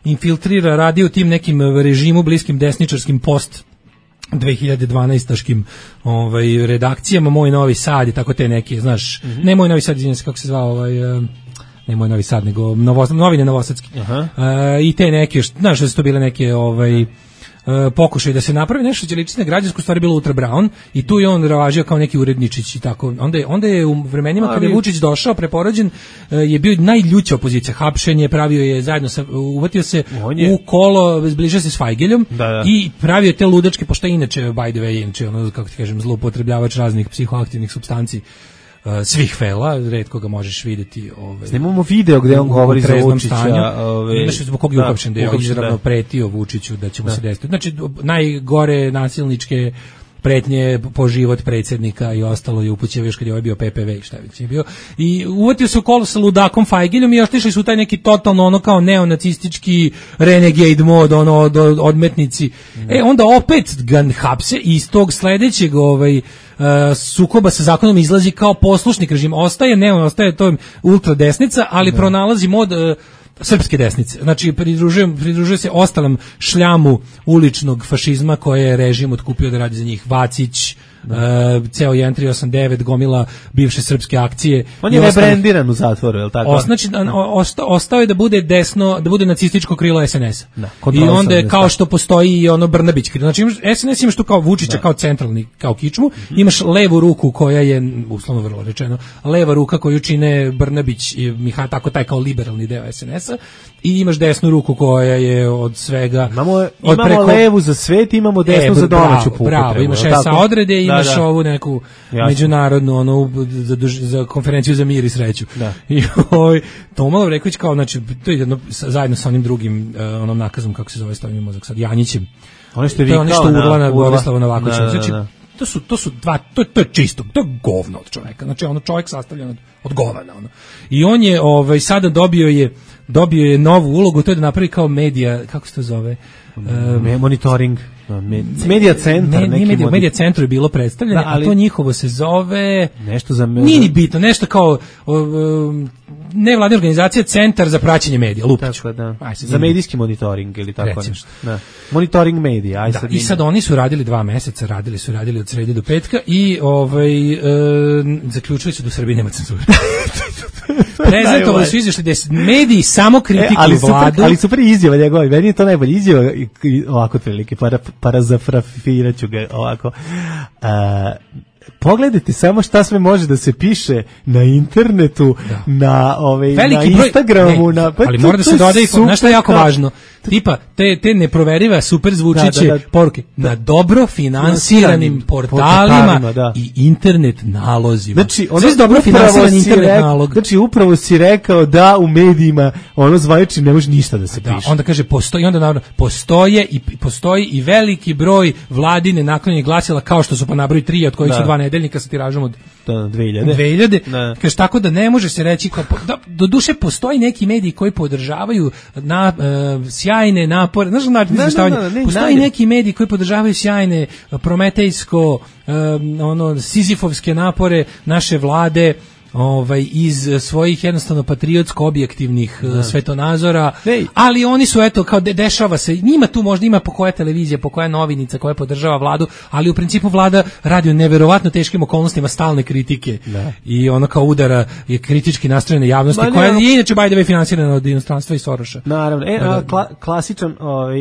E: infiltrira, radi u tim nekim režimu bliskim desničarskim post 2012-aškim redakcijama, Moj Novi Sad i tako te neke, znaš, ne Moj Novi Sad, izvinjam se kako se zvao, ne Moj Novi Sad, nego Novine Novosadski. I te neke, znaš da su to bile neke pokušaj da se napravi nešto će ličiti na građansku, stvari bilo Ultra Brown i tu je on ravažio kao neki uredničić i tako. Onda je u vremenima kada je Vučić došao preporođen je bio najljuća opozicija, hapšenje, pravio je zajedno uvatio se u kolo, zbližio se s Fajgeljom i pravio te ludačke, pošto inače by the way, inače kako ti kažem, zloupotrebljavač raznih psihoaktivnih supstanci svih fela, retko ga možeš vidjeti.
F: Snimamo video gde on govori za Vučića.
E: Znaš zbog kog je uhapšen, da je izravno pretio Vučiću da će mu se desiti. Znači, najgore nasilničke pretnje po život predsjednika i ostalo je upućeno još kad je ovaj bio PPV i šta već je bio. I uvatio se u kolo sa ludakom Fajgiljom i otišli su u taj neki totalno kao neonacistički renegade mod, odmetnici. Onda opet ga hapse i iz tog sledećeg sukoba sa zakonom izlazi kao poslušnik režima. Ostaje to ultra desnica, ali pronalazi mod srpske desnice. Znači, pridružuje se ostalom šljamu uličnog fašizma koje je režim otkupio da radi za njih. Vacić, ceo 1389, gomila bivše srpske akcije.
F: On je rebrandiran u zatvoru, je li tako?
E: Znači, ostao je da bude desno, da bude nacističko krilo SNS-a.
F: Da,
E: i onda je kao što postoji i ono Brnabić krilo. Znači, SNS imaš tu kao Vučića, kao centralni, kao kičmu, imaš levu ruku koja je, uslovno vrlo rečeno, leva ruka koju čine Brnabić i Mihajlo, tako taj kao liberalni deo SNS-a, i imaš desnu ruku koja je od svega...
F: Imamo levu za svet, imamo desnu za domaću puku.
E: Bravo, imaš SA odrede, imaš ovu neku međunarodnu, ono, za konferenciju za mir i sreću. I Toma Lovreković kao, znači, to je jedno, zajedno sa onim drugim, onom nakazom, kako se zove, stavljamo mozak sad, Janjićem.
F: Ono što je
E: vikao nešto urla na Borislava Novakovića. Znači, to su dva, to je čisto, to je govno od čoveka. Znači, ono, čovjek sastavljen od govana, ono. I on je, sada dobio je novu ulogu, to je da napravi kao medija, kako se to zove?
F: Monitoring. Medija centar.
E: Medija centru je bilo predstavljeno, a to njihovo se zove...
F: Nešto za...
E: Nije ni bitno, nešto kao... nevladna organizacija, centar za praćenje medija, Lupiću.
F: Tako da. Za medijski monitoring ili tako nešto. Da. Monitoring medija.
E: I sad oni su radili 2 meseca, radili od srede do petka i zaključili su da u Srbiji nema cenzure. Prezentovali su izvještaj da mediji samo kritikuju vladu.
F: Ali super izjava njegova, meni je to najbolje izjava, ovako prilike, parazafrafiraću ga ovako. Pogledajte samo šta sve može da se piše na internetu, na Instagramu,
E: ali mora da se doda i nešto je jako važno. Tipa te neproverive super zvučiće poruke na dobro finansiranim portalima i internet nalozima.
F: Znači, ono dobro finansiran internet nalog. Znači, upravo si rekao da u medijima ono zvanično ne može ništa da se piše.
E: Onda kaže postoji i veliki broj vladine naklonjenih glasila, kao što su pa nabroj 3, od kojih su 2 nedeljnika sa tiražom od 2000. Kaže, tako da ne može se reći do duše postoji neki mediji koji podržavaju sjajne napore, postoji neki mediji koji podržavaju sjajne prometejsko sizifovske napore naše vlade iz svojih jednostavno patriotsko objektivnih svetonazora, ali oni su kao dešava se, njima tu možda ima po koja televizija, po koja novinica koja podržava vladu, ali u principu vlada radi o neverovatno teškim okolnostima stalne kritike i ono kao udara je kritički nastrojene javnosti koja je inače by the way finansirana od inostranstva i Soroša.
F: Naravno, klasičan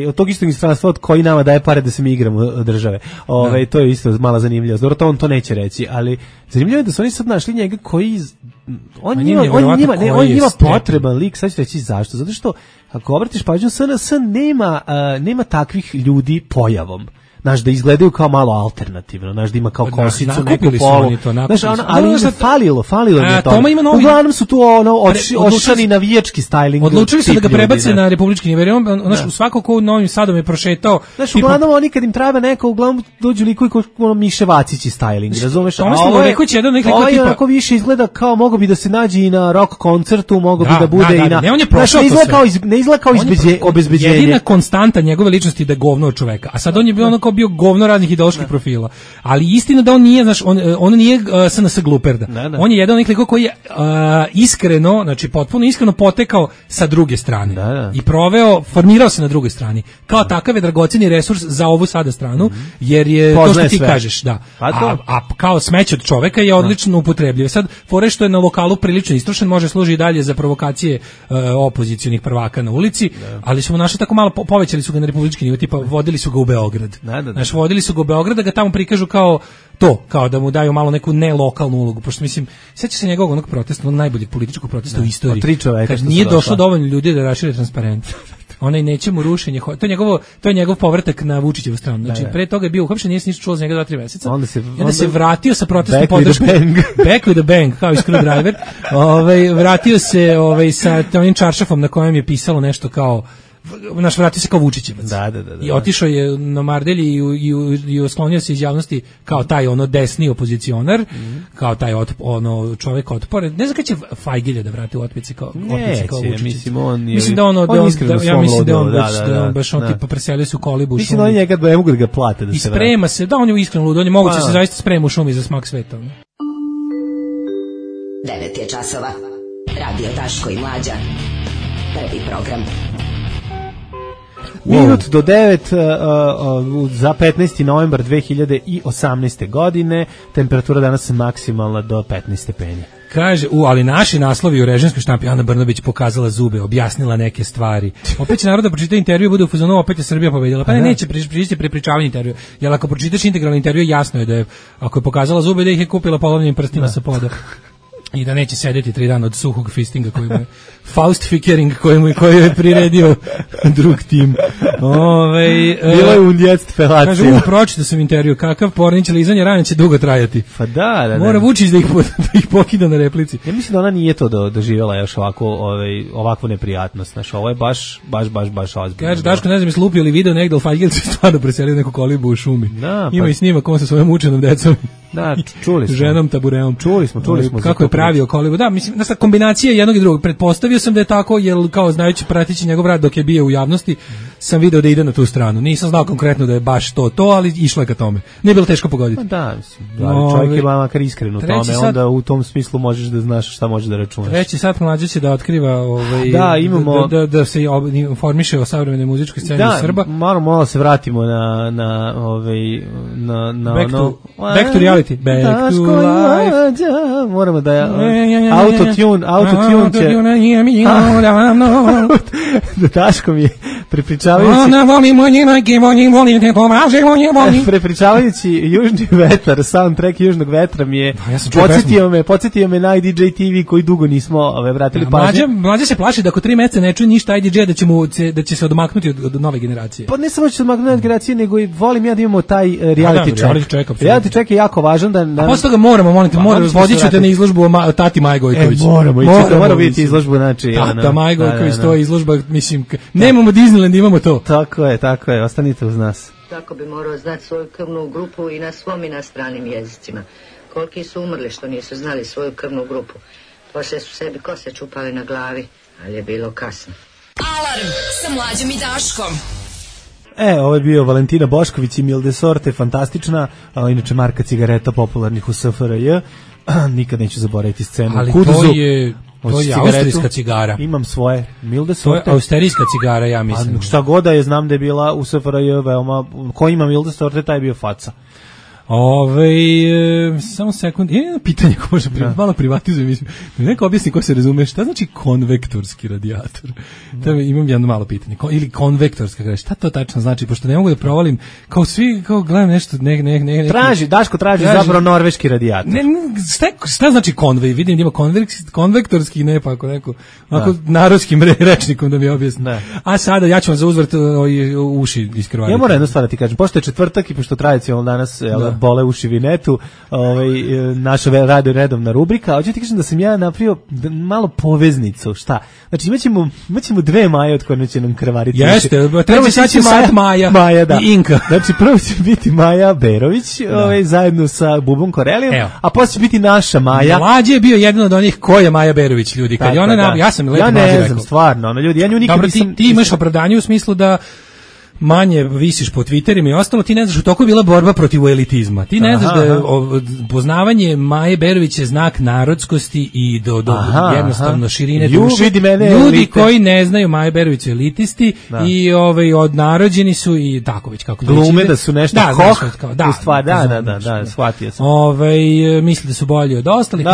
F: od tog istog inostranstva od koji nama daje pare da se mi igramo od države. To je isto mala zanimljivost. Dobro, to on to neće reći, ali zanimljivo je da su oni sad našli njega koji on njima potreban lik, sad ću reći zašto. Zato što ako obratiš pažnju, SNS nema takvih ljudi pojavom. Znaš, da izgledaju kao malo alternativno, znaš, da ima kao kosicu, neku polu. Ali im falilo je to. Uglavnom su tu ošani navijački styling.
E: Odlučili su da ga prebace na republički nivo. Svako ko u Novim Sadom je prošetao.
F: Znaš, uglavnom oni kad im treba neko, uglavnom dođu likovi kao Miše Vacići styling, razumeš? Ovo je onako više izgleda kao mogo bi da se nađe i na rock koncertu, mogo bi da bude i na... Ne izgleda kao obezbeđenje.
E: Jedina konstanta njegove ličnosti da je govno od čoveka. A sad on je bio govno raznih ideoloških profila. Ali istina da on nije, znaš, on nije SNS gluperda. On je jedan onih likova koji je iskreno, znači potpuno iskreno potekao sa druge strane. I formirao se na drugoj strani. Kao takav je dragoceni resurs za ovu sada stranu, jer je to što ti kažeš, a kao smeće od čoveka je odlično upotrebljiv. Sad, fore što je na lokalu prilično istrošen, može služi i dalje za provokacije opozicionih prvaka na ulici, ali su mu našli tako malo, povećali su ga na republički nivo, tipa vodili su ga u Beograd. Znaš, vodili su ga u Beograd da ga tamo prikažu kao da mu daju malo neku nelokalnu ulogu, pošto mislim, sjeća se njegovog onog protesta, onog najboljeg političkog protesta u istoriji, kad nije došlo dovoljno ljudi da rašire transparent. Onaj nećemo rušenje, to je njegov povratak na Vučićevu stranu. Znači, pre toga je bio uhapšen, nije se ništa čulo za njega 2-3 meseca. Onda se vratio sa protestnom podrškom. Back with the bang, kao i Screwdriver. Vratio se sa onim čaršafom na kojem je pisalo nešto kao vratio se kao Vučićevac. I otišao je na Mardelji i osklonio se iz javnosti kao taj desni opozicionar, kao taj čovjek otpore. Ne znam kada će Fajgilja da vrati u otpici kao Vučićevac. Mislim da on baš tipa preselio se u kolibu.
F: Mislim da on njega ne mogu da ga plate da se vrati.
E: I sprema se, da on je iskreno lud, on je moguće se zaista sprema u šumi za smak sveta.
K: 9 je časova. Radio Daško i Mlađa. Prvi program.
F: Minut do 9 za 15. novembar 2018. godine. Temperatura danas maksimalna do 15 stepeni.
E: Kaže, ali naši naslovi u režimskoj štampi, Ana Brnabić pokazala zube, objasnila neke stvari. Opet će narod da pročita intervju, bude u fazonu, opet je Srbija pobedila. Pa neće prići prepričavanje intervju. Jer ako pročitaš integralni intervju, jasno je da je, ako je pokazala zube, da ih je kupila polovnim prstima sa poda. I da neće sedeti 3 dana od suhog fistinga koji mu je Faustfikering koji je priredio drug tim.
F: Bilo je u djetstvu felacija.
E: Kaže, pročitao sam intervju, kakav pornić lizanje rane će dugo trajati.
F: Pa da.
E: Mora Vučić da ih pokida na replici.
F: Ja mislim da ona nije to doživjela još ovakvu neprijatnost. Znaš, ovo je baš ozbiljno.
E: Kaže, Daško, ne znam, je slupio li video negde, ali Fajgil se stvarno preselio neku kolibu u šumi. Da, ima i snimak on sa svojom učenom decom.
F: Da, čuli smo.
E: Ženom tabureom.
F: Čuli smo.
E: Kako je pravio kolibu. Da, mislim, kombinacija jednog i drugog. Pretpostavio sam da je tako, jer kao znajući pratići njegov rad dok je bio u javnosti, sam video da ide na tu stranu. Nisam znao konkretno da je baš to, ali išlo je ka tome. Nije bilo teško pogoditi.
F: Da, mislim, čovjek je makar iskren u tome, onda u tom smislu možeš da znaš šta može da računaš.
E: Treći sat mlađe će da otkriva
F: imamo
E: da se informiše o savremenoj muzičkoj sceni Srba.
F: Malo se vratimo na
E: back to reality. Back to life.
F: Moramo da autotune će da Daško mi je prepričavajući južni vetar, soundtrack južnog vetra mi je podsjetio me na IDJ TV koji dugo nismo vratili pažnje.
E: Mlađe se plaši da ako 3 meseca ne čuje ništa IDJ da će se odmaknuti od nove generacije.
F: Pa ne samo će se odmaknuti od generacije, nego i volim ja da imamo taj reality check. Reality check je jako važan.
E: A posle toga moramo vodit ću te na izložbu o Tati Maji Gojković.
F: Moramo vidjeti izložbu, znači.
E: Tata Maji Gojković, to je izložba, mislim, nemamo Disneyland, imamo to.
F: Tako je, ostanite uz nas.
K: Tako bi morao znati svoju krvnu grupu i na svom i na stranim jezicima. Koliki su umrli što nisu znali svoju krvnu grupu. Poslije su sebi kose čupali na glavi, ali je bilo kasno.
B: Alarm sa Mlađom i Daškom.
F: Ovo je bio Valentina Bošković i Milde Sorte, fantastična, inače marka cigareta popularnih u SFRJ. Nikad neću zaboraviti scenu.
E: Ali Kuduzu. To je austrijska cigara.
F: Imam svoje Milde Sorte.
E: To je austrijska cigara, ja mislim.
F: Šta god da je, znam da je bila u SFRJ veoma... Ko ima Milde Sorte, taj je bio faca.
E: Samo sekund, jedno pitanje ko može malo privatizujem, mislim. Neko objasni ko se razume, šta znači konvektorski radijator? Imam jedno malo pitanje. Ili konvektorska, šta to tačno znači? Pošto ne mogu da provalim, kao svi, kao gledam nešto,
F: Daško traži zapravo norveški radijator.
E: Šta znači konvej? Vidim da ima konvektorski, ne pa ako neko, ako narodskim rečnikom da mi objasni. A sada ja ću vam za uzvrat uši iskrvariti.
F: Ja moram jednu stvar da ti kažem, pošto je četvrtak i pošto tradicionalno danas bole uši vinetu, naša radio redovna rubrika, hoću ti kažem da sam ja napravio malo poveznicu, šta? Znači imaćemo 2 Maje od koje će nam krvariti.
E: Jeste, treći sad će Maja i Inka.
F: Znači prvo će biti Maja Berović, zajedno sa Bubom Korelijom, a posle će biti naša Maja.
E: Mlađe je bio jedan od onih ko je Maja Berović, ljudi. Kad je ona, ja sam lepo mlađe rekao.
F: Ja ne znam, stvarno, ljudi, ja nju nikad nisam...
E: Ti imaš opravdanje u smislu da manje visiš po Twitterima i ostalo, ti ne znaš, u toku je bila borba protiv elitizma. Ti ne znaš da je poznavanje Maje Berović je znak narodskosti i do jednostavno širine duše. Ljudi koji ne znaju Maje Berović su elitisti i odnarođeni su i tako već kako
F: glume da su nešto u stvar, da, shvatio sam.
E: Misle da su bolji od ostalih.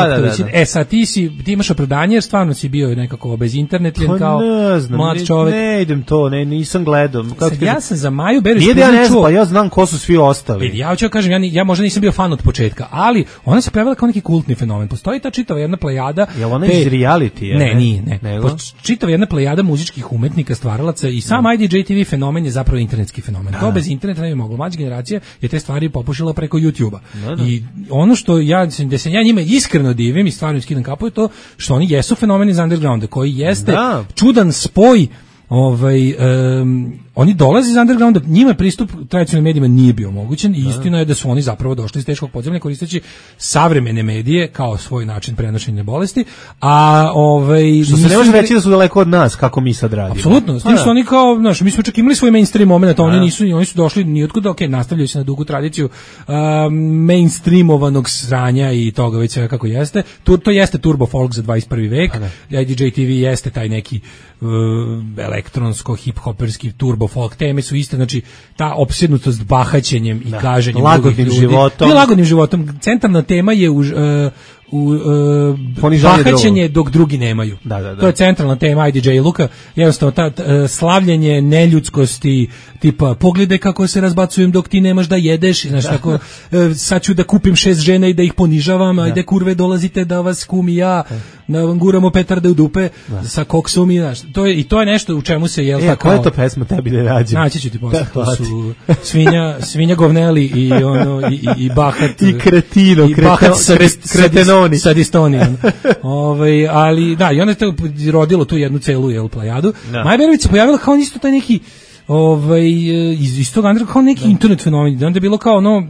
E: Sad ti imaš opravdanje jer stvarno si bio nekako bez internetljen kao mlad čovjek.
F: Ne idem to, nisam gledao.
E: Ja sam za Maju Berović
F: pa ja znam ko su svi ostali.
E: Ja hoću kažem, ja možda nisam bio fan od početka, ali ona se pojavila kao neki kultni fenomen. Postoji ta čitava jedna plejada.
F: Jel ona iz reality?
E: Ne, nije. Čitava jedna plejada muzičkih umetnika, stvaralaca i sam IDJ TV fenomen je zapravo internetski fenomen. To bez interneta ne bi moglo. Mlađa generacija je te stvari popušila preko YouTube-a. I ono što da se ja njima iskreno divim i stvarno skidam kapu je to što oni jesu fenomeni iz undergrounda, koji jeste čudan spoj. Oni dolaze iz undergrounda, njima pristup tradicionalnim medijima nije bio omogućen i istina je da su oni zapravo došli iz teškog podzemlja koristeći savremene medije kao svoj način prenošenja bolesti, a
F: što se ne može reći da su daleko od nas kako mi sad radimo.
E: Apsolutno, s tim što oni kao, mi smo čak imali svoj mainstream moment, oni su došli niotkuda, nastavljaju se na dugu tradiciju mainstreamovanog sranja i toga već sve kako jeste. To jeste turbo folk za 21. vek. IDJ TV jeste taj neki elektronsko hip-hoperski turbo turbo folk teme su iste, znači ta opsednutost bahaćenjem i gaženjem
F: lagodnim životom.
E: Ne lagodnim životom, centralna tema je bahaćenje dok drugi nemaju.
F: Da.
E: To je centralna tema IDJ Luka, jednostavno slavljenje neljudskosti, tipa pogledaj kako se razbacujem dok ti nemaš da jedeš, znaš tako, sad ću da kupim 6 žena i da ih ponižavam, ajde kurve dolazite da vas kum i ja, da vam guramo petarde u dupe sa koksom i znaš, to je nešto u čemu se jel tako.
F: Koja je to pesma tebi da rađem?
E: Naći ću ti posle, to su svinja govneli i ono i bahat
F: i kretino,
E: i bahat
F: kretenoni
E: sa distonijom. Ali da, i onda je to rodilo tu jednu celu plejadu. Maja Berović se pojavila kao isto taj neki iz tog andra kao neki internet fenomen. Onda je bilo kao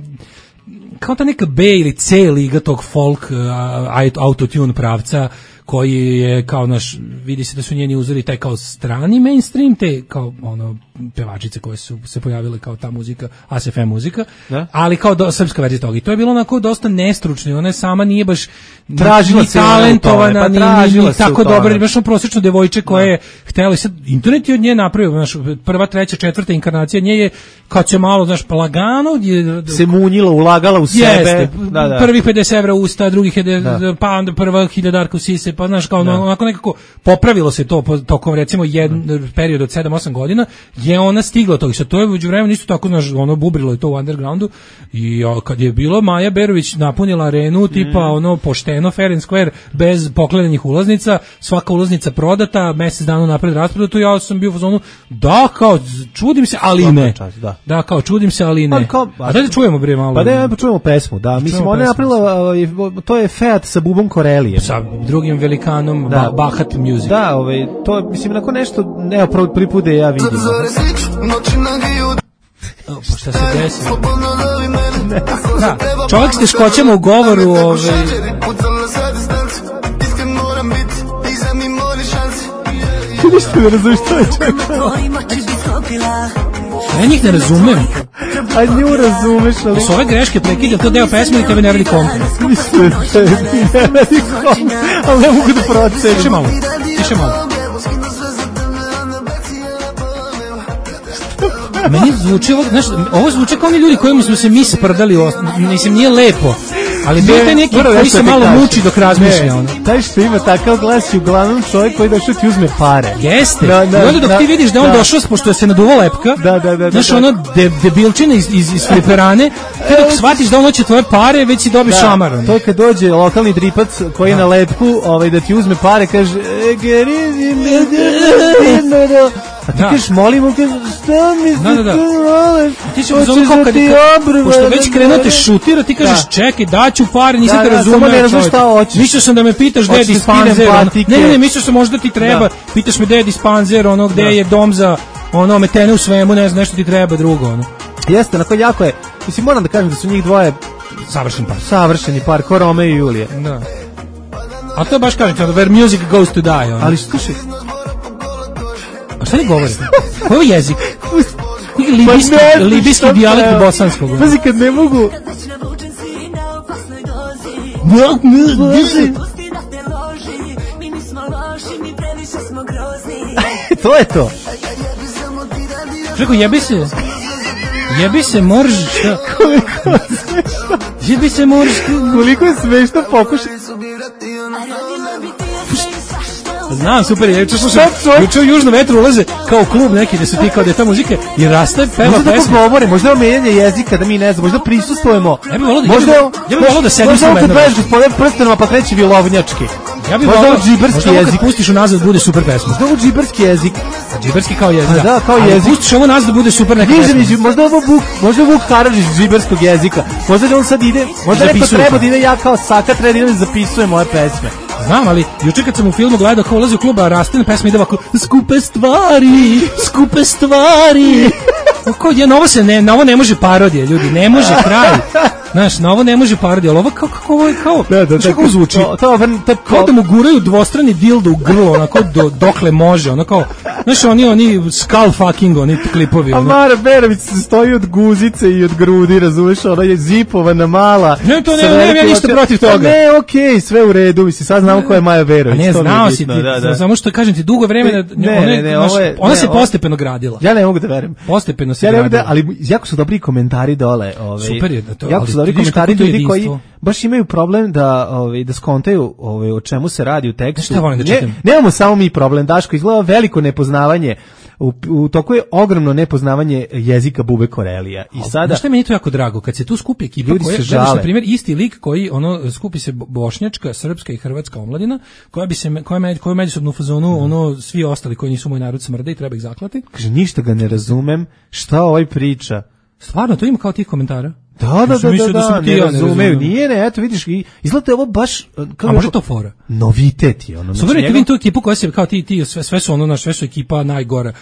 E: kao ta neka B ili C liga tog folk autotune pravca koji je kao vidi se da su njeni uzori taj kao strani mainstream, te kao pevačice koje su se pojavile kao ta muzika, ASFM muzika, ali kao srpska verzija toga. I to je bilo onako dosta nestručno, ona sama nije baš
F: tražila se
E: talentovana, ni tako dobra, baš prosječno devojče koja je htjela. Sad, internet je od nje napravio, prva, treća, četvrta inkarnacija nje je, kad se malo, lagano
F: se munjila, ulagala u sebe.
E: Jeste, prvih 50 evra usta, drugih, pa onda prva hiljadarka u sise, pa kao onako nekako popravilo se to tokom recimo jedan period od 7-8 godina, je ona stigla tog. Sad to je uđu vremena isto tako, bubrilo je to u undergroundu i kad je bilo Maja Berović napunila arenu, tipa pošteno, fair and square, bez pokledanih ulaznica, svaka ulaznica prodata, mesec dana napred rasprodatu, ja sam bio u fazonu, da, kao, čudim se, ali ne. Da, kao, čudim se, ali ne. A da čujemo bre malo.
F: Pa da čujemo pesmu, da. Mislim, ona je napravila, to je Feat sa Bubom Korelijem.
E: Sa drugim velikanom, Bahat Music.
F: Da, to, mislim, onako nešto, evo, prvi put da ja vidim.
E: Pa šta se desi? Da, čovjek s teškoćama u govoru,
F: Ti ništa ne razumiješ, to je čovjek.
E: Ja njih ne razumem.
F: A nju razumeš, ali...
E: S ove greške prekidam to deo pesme i tebe ne radi komplet.
F: Mislim, ne radi komplet, ali ne mogu da procenim.
E: Tiše malo. Meni zvuči ovo zvuči kao oni ljudi kojima smo se mi sprdali, mislim, nije lepo, ali bio taj neki koji se malo muči dok razmišlja.
F: Taj što ima takav glas je uglavnom čovjek koji došao ti uzme pare.
E: Jeste, i onda dok ti vidiš da on došao, pošto se naduva lepka, znaš, ono debilčina iz fliperane, te dok shvatiš da on hoće tvoje pare, već si dobiš šamar.
F: To je kad dođe lokalni dripac koji je na lepku, da ti uzme pare, kaže, a ti kažeš, molim, šta mi se tu voleš?
E: Ti ćemo zovem kao pošto već krenuo te šutira, ti kažeš, čekaj, daću pare, nisam te razumeo čovjek. Mislio sam da me pitaš gde je dispanzer. Ne, mislio sam možda ti treba. Pitaš me gde je dispanzer, gde je dom za metene u svemu, ne znam, nešto ti treba drugo.
F: Jeste, onako jako je. Mislim, moram da kažem da su njih dvoje savršeni par, ko Rome i Julije.
E: Da. A to baš kažem, where music goes to die.
F: Ali slušaj,
E: a šta ne govorite? Koji je jezik? Libijski dijalekt bosanskog.
F: Pazi, kad ne mogu... To je to.
E: Čeko, jebi se morž, šta? Jebi se morž.
F: Koliko je smešno pokušati.
E: Znam, super je. Juče u Južnom vetru ulaze kao klub neki gde su ti kao da je ta muzika i raste, peva pesmu.
F: Možda da govore, možda je menjanje jezika da mi ne znam, možda prisustvujemo.
E: Ja bih volao da sedim sa
F: menom. Možda kad gospodin prstenama pa kreće vilovnjački.
E: Ja bih volao džiberski jezik. Možda pustiš u nazad bude super pesma.
F: Možda ovo džiberski jezik.
E: Džiberski kao jezik.
F: Da, kao jezik.
E: Pustiš ovo nazad bude super neka pesma.
F: Možda Vuk Karadžić džiberskog jezika. Možda da on sad ide, možda neko treba da ide, ja kao Saka treba da ide da zapisujem moje pesme.
E: Znam, ali juče kad sam u filmu gledao kao ulazi u klub, a Rastina pesma ide ovako skupe stvari. Na ovo ne može parodija, ljudi, ne može kraj. Znaš, na ovo ne može parodija, ali ovo ovo je kao, kako zvuči? Kao da mu guraju dvostrani dildo u grlo, onako dokle može, ono kao, Znaš, oni skull fucking, oni klipovi.
F: A Mara Berović se stoji od guzice i od grudi, razumeš, ona je zipovana mala.
E: Ne, to ne, ja ništa protiv toga.
F: Ne, okej, sve u redu, mislim, sad znamo ko je Maja Berović.
E: A ne, znao si ti, samo što kažem ti, dugo vremena, ona se postepeno gradila.
F: Ja ne mogu da verujem.
E: Postepeno se gradila.
F: Ali jako su dobri komentari dole.
E: Super je da to.
F: Jako su dobri komentari ljudi koji baš imaju problem da skontaju o čemu se radi u tekstu. Nemamo samo mi problem, Daško, izgleda veliko nepoznavanje. U toku je ogromno nepoznavanje jezika Bube Korelija. I sada
E: šta mi je to jako drago kad se tu skupi ekipa koja je na primjer isti lik koji skupi se bošnjačka, srpska i hrvatska omladina koja međusobno u fazonu svi ostali koji nisu moj narod smrde i treba ih zaklati.
F: Kaže ništa ga ne razumem, šta ovaj priča.
E: Stvarno to ima kao tih komentara.
F: Da, ne razumeju. Nije, eto vidiš, izgleda ovo baš...
E: A može to fora?
F: Novitet je.
E: Super, ti vidim tu ekipu koja se, kao ti, sve su sve su ekipa najgora,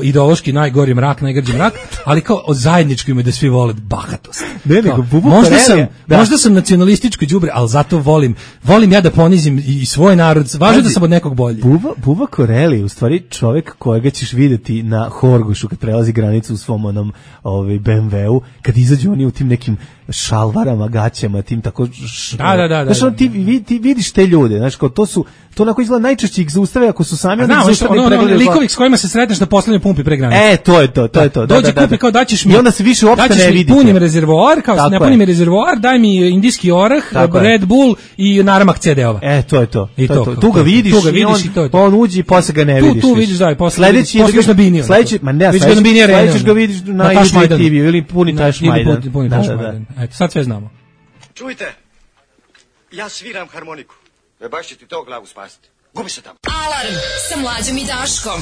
E: ideološki najgori mrak, najgrđi mrak, ali kao zajedničko ime da svi vole bahatost. Možda sam nacionalističko đubre, ali zato volim ja da ponizim i svoj narod, važno da sam od nekog bolji.
F: Buba Koreli, u stvari čovjek kojega ćeš videti na Horgošu kad prelazi granicu u svom onom BMW-u, kad izađu oni u tim nekim šalvarama, gaćama, tim tako...
E: Da.
F: Znaš, ti vidiš te ljude, znaš, kao to onako izgleda najčešće ih zaustave ako su sami, onda ih zaustave
E: likovi s kojima se sretneš da poslednje pumpi pre granice.
F: To je to.
E: Dođe kupi kao daćeš mi...
F: I onda se više uopšte ne vidite.
E: Punim rezervoar, kao ne punim rezervoar, daj mi indijski orah, Red Bull i naramak CD-ova.
F: To je to. Tu ga vidiš i on uđi i posle ga ne vidiš.
E: Tu vidiš, da, posle vidiš na Biniju.
F: Sledeći ga vidiš na Južnoj TV ili puni Taš Majdan.
E: Eto, sad sve znamo.
L: Čujte, ja sviram harmoniku. Baš će ti to glavu spasiti. Gubi se tamo.
B: Alarm sa Mlađom i Daškom.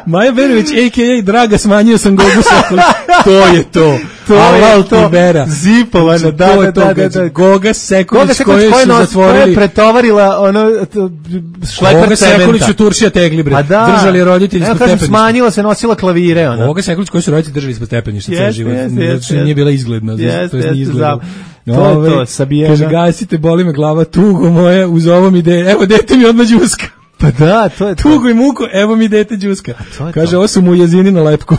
E: Maja Berović, a.k.a. Draga, smanjio sam Gogu Sekulić. To je to. Alal ti vera.
F: Zipovana, da.
E: Goga Sekulić koju su zatvorili.
F: Koja je pretovarila šleper
E: Goga
F: cementa.
E: Sekulić u Turšija tegli, bre. Držali roditelji ispod stepeništa.
F: Smanjila se, nosila klavire.
E: Goga Sekulić koju su roditelji držali ispod stepeništa ceo život. Nije bila izgledna. To je nije izgledala.
F: To, Sabijena.
E: Kaže, gasite, boli me glava, tugo moje, uz ovom ide, evo dete mi odmah đuska.
F: Pa da, to je to.
E: Tugo i muko, evo mi dete đuska. Kaže, ovo su mu jezini na lepku.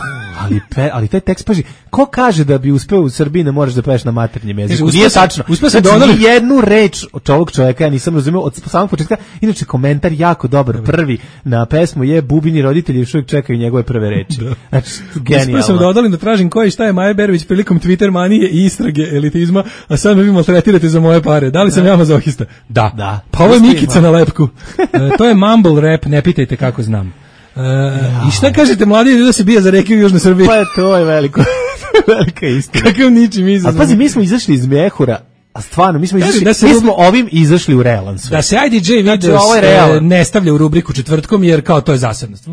F: Ali taj tekst, paži, ko kaže da bi uspeo u Srbiji ne moraš da peveš na maternjem jeziku?
E: Nije tačno.
F: Znači, jednu reč od ovog čovjeka ja nisam razumio od samog početka. Inače, komentar jako dobar. Prvi na pesmu je Bubini roditelji još uvijek čekaju njegove prve reči. Znači, genijalno.
E: Uspio sam da odalim da tražim ko i šta je Maja Berović prilikom Twitter manije i istrage elitizma, a sad me vi maltretirate za moje pare. Da li sam ja mazohista? Da. Pa ovo je Mikica na lepku. To je mumble rap, ne pitajte kako znam. I šta kažete mladi da se bije za reke u Južnoj Srbiji?
F: Pa to je velika istina.
E: Kakav ničim izazvan.
F: A pazi, mi smo izašli iz Mehura, a stvarno, mi smo ovim izašli u realan svet.
E: Da se IDJ video ne stavlja u rubriku četvrtkom, jer kao to je zasadnost.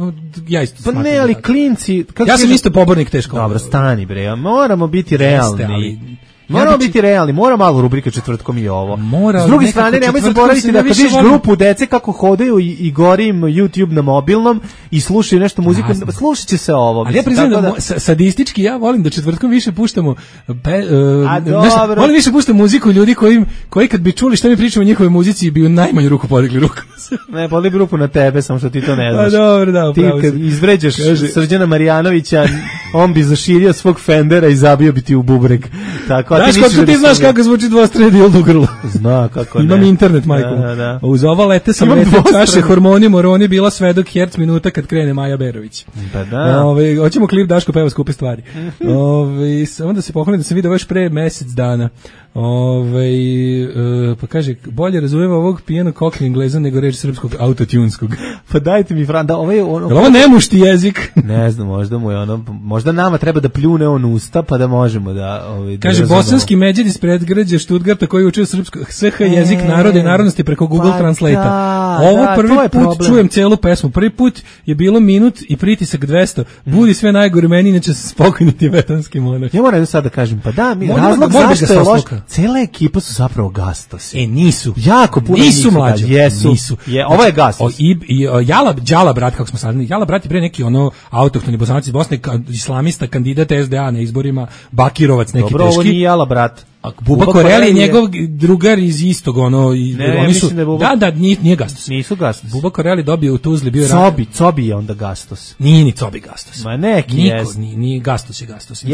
E: Ja isto
F: smatram. Pa ne, ali klinci...
E: Ja sam isto pobornik te škole.
F: Dobro, stani bre, moramo biti realni. Moramo biti realni, mora malo rubrika četvrtkom i ovo. S druge strane, nemoj zaboraviti da kad vidiš grupu dece kako hodaju i gori im YouTube na mobilnom i slušaju nešto muziku, slušat će se ovo.
E: Ali ja priznam da sadistički ja volim da četvrtkom više puštamo volim više puštamo muziku ljudi koji kad bi čuli šta mi pričamo o njihovoj muzici bi u najmanju ruku podigli ruku.
F: Ne, podigli ruku na tebe, samo što ti to ne znaš.
E: Dobro, da,
F: ti kad izvređaš Srđana Marjanovića, on bi zaširio svog Fendera i zabio bi ti u bubreg. Tako,
E: znaš kako ti znaš kako zvuči dvostrani dildo u grlu.
F: Zna kako ne.
E: Imam internet, majko.
F: Da.
E: Uz ova lete sam čaše hormoni moroni bila svedok herc minuta kad krene Maja Berović.
F: Pa da.
E: Hoćemo klip Daško peva skupe stvari. Samo da se pohvalim da sam vidio još pre mesec dana. Pa kaže, bolje razumeva ovog pijenog kokli Engleza nego reč srpskog autotunskog.
F: Pa dajte mi Fran, da
E: ovo nemušti jezik.
F: Ne znam, možda mu je možda nama treba da pljune on usta pa da možemo da
E: kaže, bosanski međed iz predgrađa Štutgarta koji učio srpsko SH jezik naroda i narodnosti preko Google Translate-a. Ovo prvi put čujem celu pesmu. Prvi put je bilo minut i pritisak 200. Budi sve najgore meni, inače sam spokojni tibetanski monah.
F: Ja moram sad da kažem, pa da, razlog zašto je loš. Cela ekipa su zapravo gastosi.
E: Nisu.
F: Jako puno
E: nisu mlađi.
F: Nisu. Ovo je gastos.
E: Đala brat, kako smo sad. Đala brat je pre neki autohtoni Bosanac iz Bosne, islamista, kandidat SDA na izborima, Bakirovac neki teški.
F: Dobro, ovo nije Jala brat.
E: Buba Koreli je njegov drugar iz istog, oni su, da, nije Gastos.
F: Nisu Gastos.
E: Buba Koreli dobio u Tuzli, bio
F: Cobi je onda Gastos.
E: Nije ni Cobi Gastos.
F: Ma neki jest.
E: Nije Gastos je Gastos.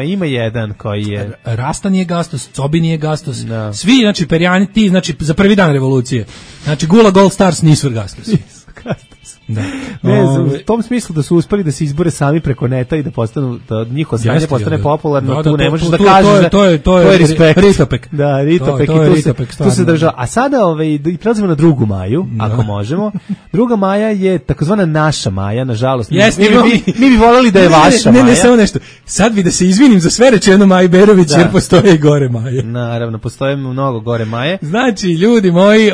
F: Ima jedan koji je...
E: Rasta nije Gastos, Cobi nije Gastos. Svi, znači, Perjani, ti, znači, za prvi dan revolucije. Znači, Gula Gold Stars nisu Gastos.
F: Da. U tom smislu da su uspeli da se izbore sami preko neta i da postanu, da njihovo znanje postane popularno, tu ne možeš da kažeš,
E: to je respekt.
F: Ritopek. Da, Ritopek i tu se država. A sada i prelazimo na 2. maju, ako možemo. 2. maja je takozvana naša Maja, nažalost. Mi bi voljeli da je vaša Maja.
E: Ne, samo nešto. Sad bi da se izvinim za sve rečeno Maji Berović, jer postoje i gore Maje.
F: Naravno, postoje mnogo gore Maje.
E: Znači, ljudi moji,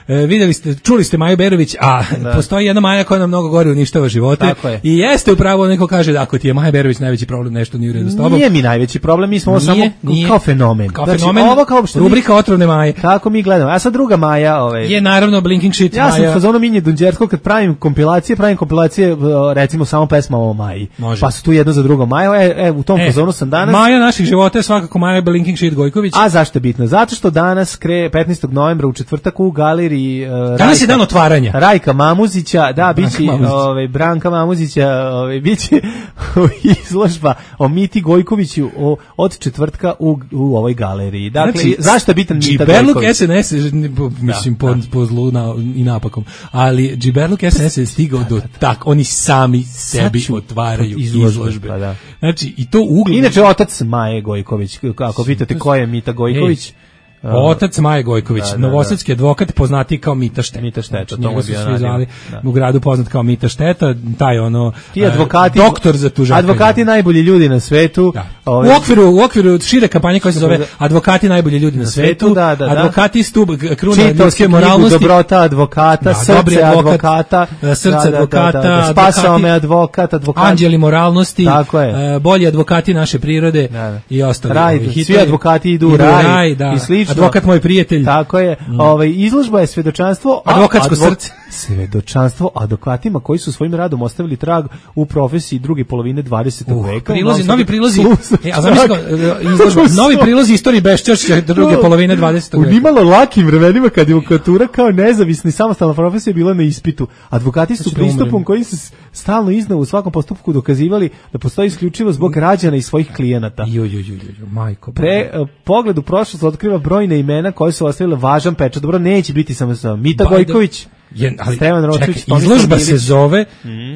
E: vidjeli ste, čuli ste Maju Berović, a postoji jedna Maja koja nam mnogo gore uništava živote. I jeste upravo, neko kaže da ako ti je Maja Berović najveći problem, nešto nije u redu s tobom.
F: Nije mi najveći problem, mi smo samo kao fenomen.
E: Ovo kao rubrika otrovne Maje.
F: Kako mi gledamo. A sad 2. maja,
E: je naravno Blinking Shit
F: Maja. Ja sam fazonu Minje Dunđerskog, kad pravim kompilacije recimo samo pesma o Maji. Pa su tu jedno za 2. maja. U tom fazonu sam danas.
E: Maja naših života je svakako Maja Blinking Shit Gojković.
F: A zašto je bitno? Zato što danas 15. novembra u četvrtak u galeriji
E: danas je dan otvaranja.
F: Rajka Mamuzića, da, biće Branka Mamuzića, biće izložba o Miti Gojkoviću od četvrtka u ovoj galeriji. Dakle, znači, zašto je bitan Mita Gojković?
E: Džiberluk SNS, mislim po zlu i napakom, ali Džiberluk SNS je stigao do tak, oni sami sebi otvaraju izložbe. Znači, i to uglavnom.
F: Inače, otac Maje Gojković, ako pitate ko je Mita Gojković,
E: otac Maje Gojković, novosadski advokat, poznati kao Mita Šteta.
F: Mita Šteta,
E: njega su svi zvali u gradu poznat kao Mita Šteta, taj
F: ti advokati,
E: doktor za tužakanje.
F: Advokati najbolji ljudi na svetu.
E: U okviru šire kampanje koja se zove Advokati najbolji ljudi na svetu, advokati stub kruna ljudske moralnosti,
F: dobrota advokata, srce advokata, spasao me advokat,
E: anđeli moralnosti, bolji advokati naše prirode i ostali.
F: Svi advokati idu u raj i slično.
E: Advokat moj prijatelj.
F: Tako je. Izložba je svedočanstvo,
E: advokatsko srce.
F: Svedočanstvo advokatima koji su svojim radom ostavili trag u profesiji druge polovine 20. veka.
E: Novi prilozi. Novi prilozi istorije beščašća druge polovine 20. veka.
F: U nimalo lakim vremenima kad je advokatura kao nezavisni samostalna profesija bila na ispitu. Advokati su pristupom koji se stalno iznova u svakom postupku dokazivali da postoji isključivo zbog građana i svojih klijenata.
E: Majko.
F: Pogled u prošlost otkriva brojne imena koje su ostavile važan pečat. Dobro, neće biti samo Mita Gojković.
E: Izložba se zove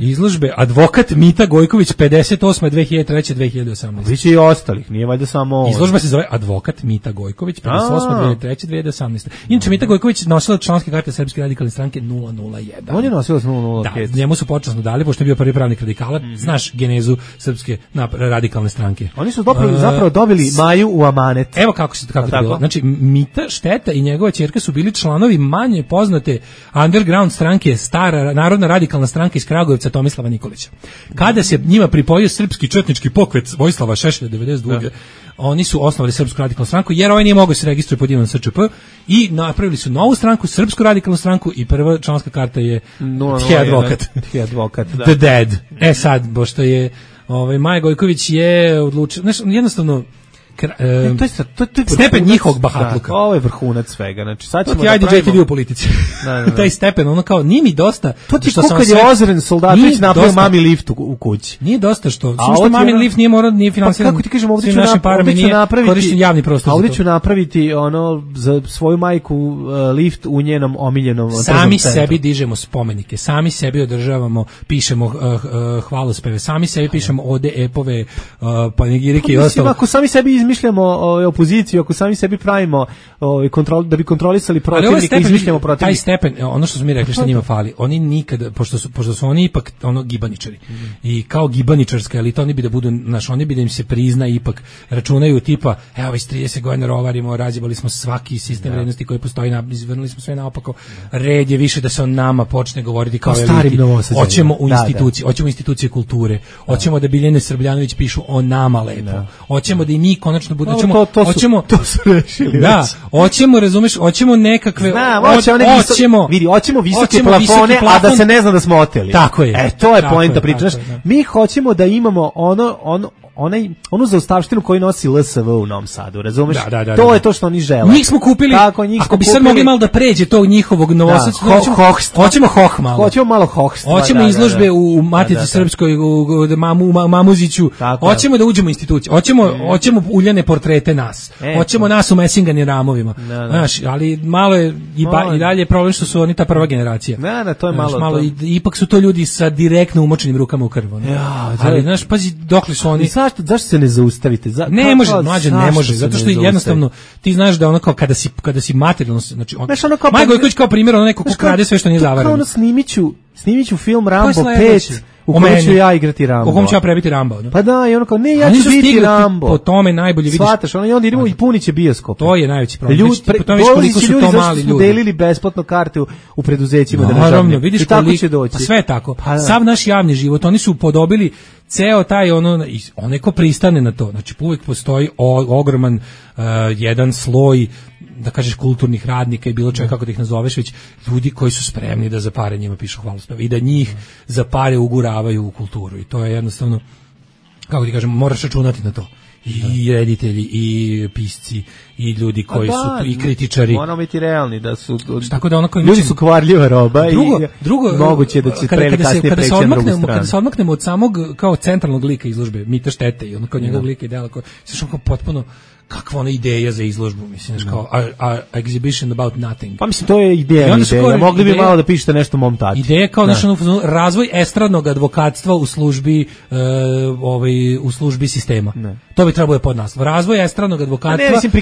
E: izložbe Advokat Mita Gojković 58. 2003. 2018.
F: Biće i ostalih, nije valjda samo ovo.
E: Izložba se zove Advokat Mita Gojković 58. 2003. 2018. Inače, Mita Gojković nosila članske karte Srpske radikalne stranke 001.
F: On je nosila 005.
E: Da, njemu su počasno dali, pošto je bio prvi pravnik radikala. Znaš genezu Srpske radikalne stranke.
F: Oni su zapravo dobili Maju u amanet.
E: Evo kako je bilo. Znači, Mita Šteta i njegova ćerka su bili članovi manje poznate underground stranke, stara narodna radikalna stranka iz Kragujevca Tomislava Nikolića. Kada se njima pripojio srpski četnički pokret Vojislava Šešelja 92. Oni su osnovali Srpsku radikalnu stranku, jer ovaj nije mogao se registruje pod imenom SČP i napravili su novu stranku, Srpsku radikalnu stranku, i prva članska karta je The Advokat. The Dead. Sad, pošto je Maja Gojković je odlučila, jednostavno stepen njihovog bahatluka.
F: Ovo je vrhunac svega. Znači, sad ćemo
E: da pravimo u politici. Taj stepen, ono kao, nije mi dosta.
F: To ti kako kad je Ozren Soldatović napravio mami lift u kući.
E: Nije dosta što mami lift nije finansiran.
F: Kako ti kažem, ovdje ću
E: korišten javni prostor.
F: A ovdje ću napraviti za svoju majku lift u njenom omiljenom
E: sami sebi dižemo spomenike, sami sebi održavamo, pišemo hvalospeve, sami sebi pišemo ode, epove, panegirike i ostalo.
F: Ako sami sebi izmišljamo opoziciju, ako sami sebi pravimo da bi kontrolisali protivnika, izmišljamo protivnika.
E: Taj stepen, ono što smo mi rekli što njima fali, oni nikada, pošto su oni ipak gibaničari i kao gibaničarska elita, oni bi da budu, oni bi da im se prizna, ipak računaju tipa, evo već 30 godina rovarimo, razjebali smo svaki sistem vrednosti koji postoji, izvrnuli smo sve naopako, red je više da se o nama počne govoriti kao eliti. Hoćemo u institucije, hoćemo institucije kulture, hoćemo da Biljane Srbljanović pišu o nama lepo, hoćemo da i mi konačno bude,
F: to su rešili.
E: Da, hoćemo, razumeš, hoćemo nekakve,
F: hoćemo visoke plafone, a da se ne zna da smo oteli.
E: Tako je.
F: To je poenta priče. Mi hoćemo da imamo onu zaustavštinu koju nosi LSV u Novom Sadu, razumeš?
E: Da.
F: To je to što oni žele.
E: Njih smo kupili, ako bi sad mogli malo da pređe tog njihovog novosadskog, hoćemo hoh malo.
F: Hoćemo malo hohstva.
E: Hoćemo izložbe u Matici Srpskoj, u Mamuziću, hoćemo da uđemo u institucije, hoćemo uljane portrete nas, hoćemo nas u mesingani ramovima. Znaš, ali malo je i dalje je problem što su oni ta prva generacija.
F: To je malo
E: ipak su to ljudi sa direktno umočenim rukama u krv. Ali, znaš, pazi, dokle su oni...
F: Zašto se ne zaustavite?
E: Ne može, mlađe, ne može, zato što jednostavno, ti znaš da ono kao kada si materijalno, znači, Maja Gojković kao primjer, ono neko ko krade sve što nije zavarano.
F: Kao ono snimiću film Rambo 5, u kojem ću ja igrati Rambo.
E: U kojem ću ja prebiti Rambo.
F: Pa da, i ono kao, ne, ja ću biti Rambo.
E: Po tome najbolje vidiš.
F: Svataš, ono, i onda idemo i puniće bioskop.
E: To je najveći problem. Po tome vidiš koliko su to mali ljudi.
F: Delili besplatno karte u preduzećima.
E: Naravno, vidiš
F: koliko će doći.
E: Pa sve tako. Sav naš javni život, oni su podobili ceo taj onaj ko pristane na to. Znači, uvijek postoji ogroman jedan sloj, da kažeš, kulturnih radnika i bilo čega kako da ih nazoveš, već ljudi koji su spremni da za pare njima pišu hvalospeve i da njih za pare uguravaju u kulturu. I to je jednostavno, kako ti kažem, moraš računati na to. I reditelji, i pisci, i ljudi koji su i kritičari.
F: Moramo biti realni da su
E: tako da
F: ljudi su kvarljiva roba i moguće da će pre ili kasnije preći na drugu stranu.
E: Kada se odmaknemo od samog kao centralnog lika izložbe Mita Štete i ono kao njegovog lika i dela koji se kao potpuno kakva ona ideja za izložbu, mislim, kao exhibition about nothing.
F: Pa mislim, to je ideja. Mogli bi malo da pišete nešto mom tati.
E: Ideja kao razvoj estradnog advokatstva u službi u službi sistema. To bi trebalo podnaslov. Razvoj estradnog advokatstva.
F: Ne, mislim,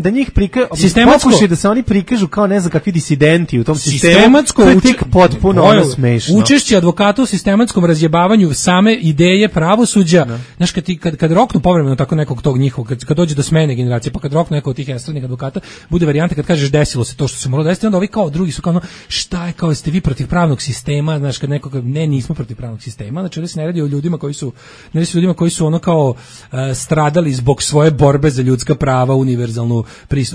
F: da njih pokušaj da se oni prikažu kao ne znam kakvi disidenti u tom sistemu.
E: Sistematsko
F: to je tik potpuno smešno.
E: Učešće advokata u sistematskom razjebavanju same ideje pravosuđa. Znaš, kad roknu povremeno tako nekog tog njihovog, kad dođe do smene generacije, pa kad roknu neko od tih estradnih advokata, bude varijanta kad kažeš desilo se to što se moralo desiti, onda ovi kao drugi su kao šta je, kao ste vi protiv pravnog sistema, znaš, kad nekog, ne, nismo protiv pravnog sistema, znači ovdje se ne radi o ljudima koji su ono kao stradali zbog svoje borbe za ljudska prava,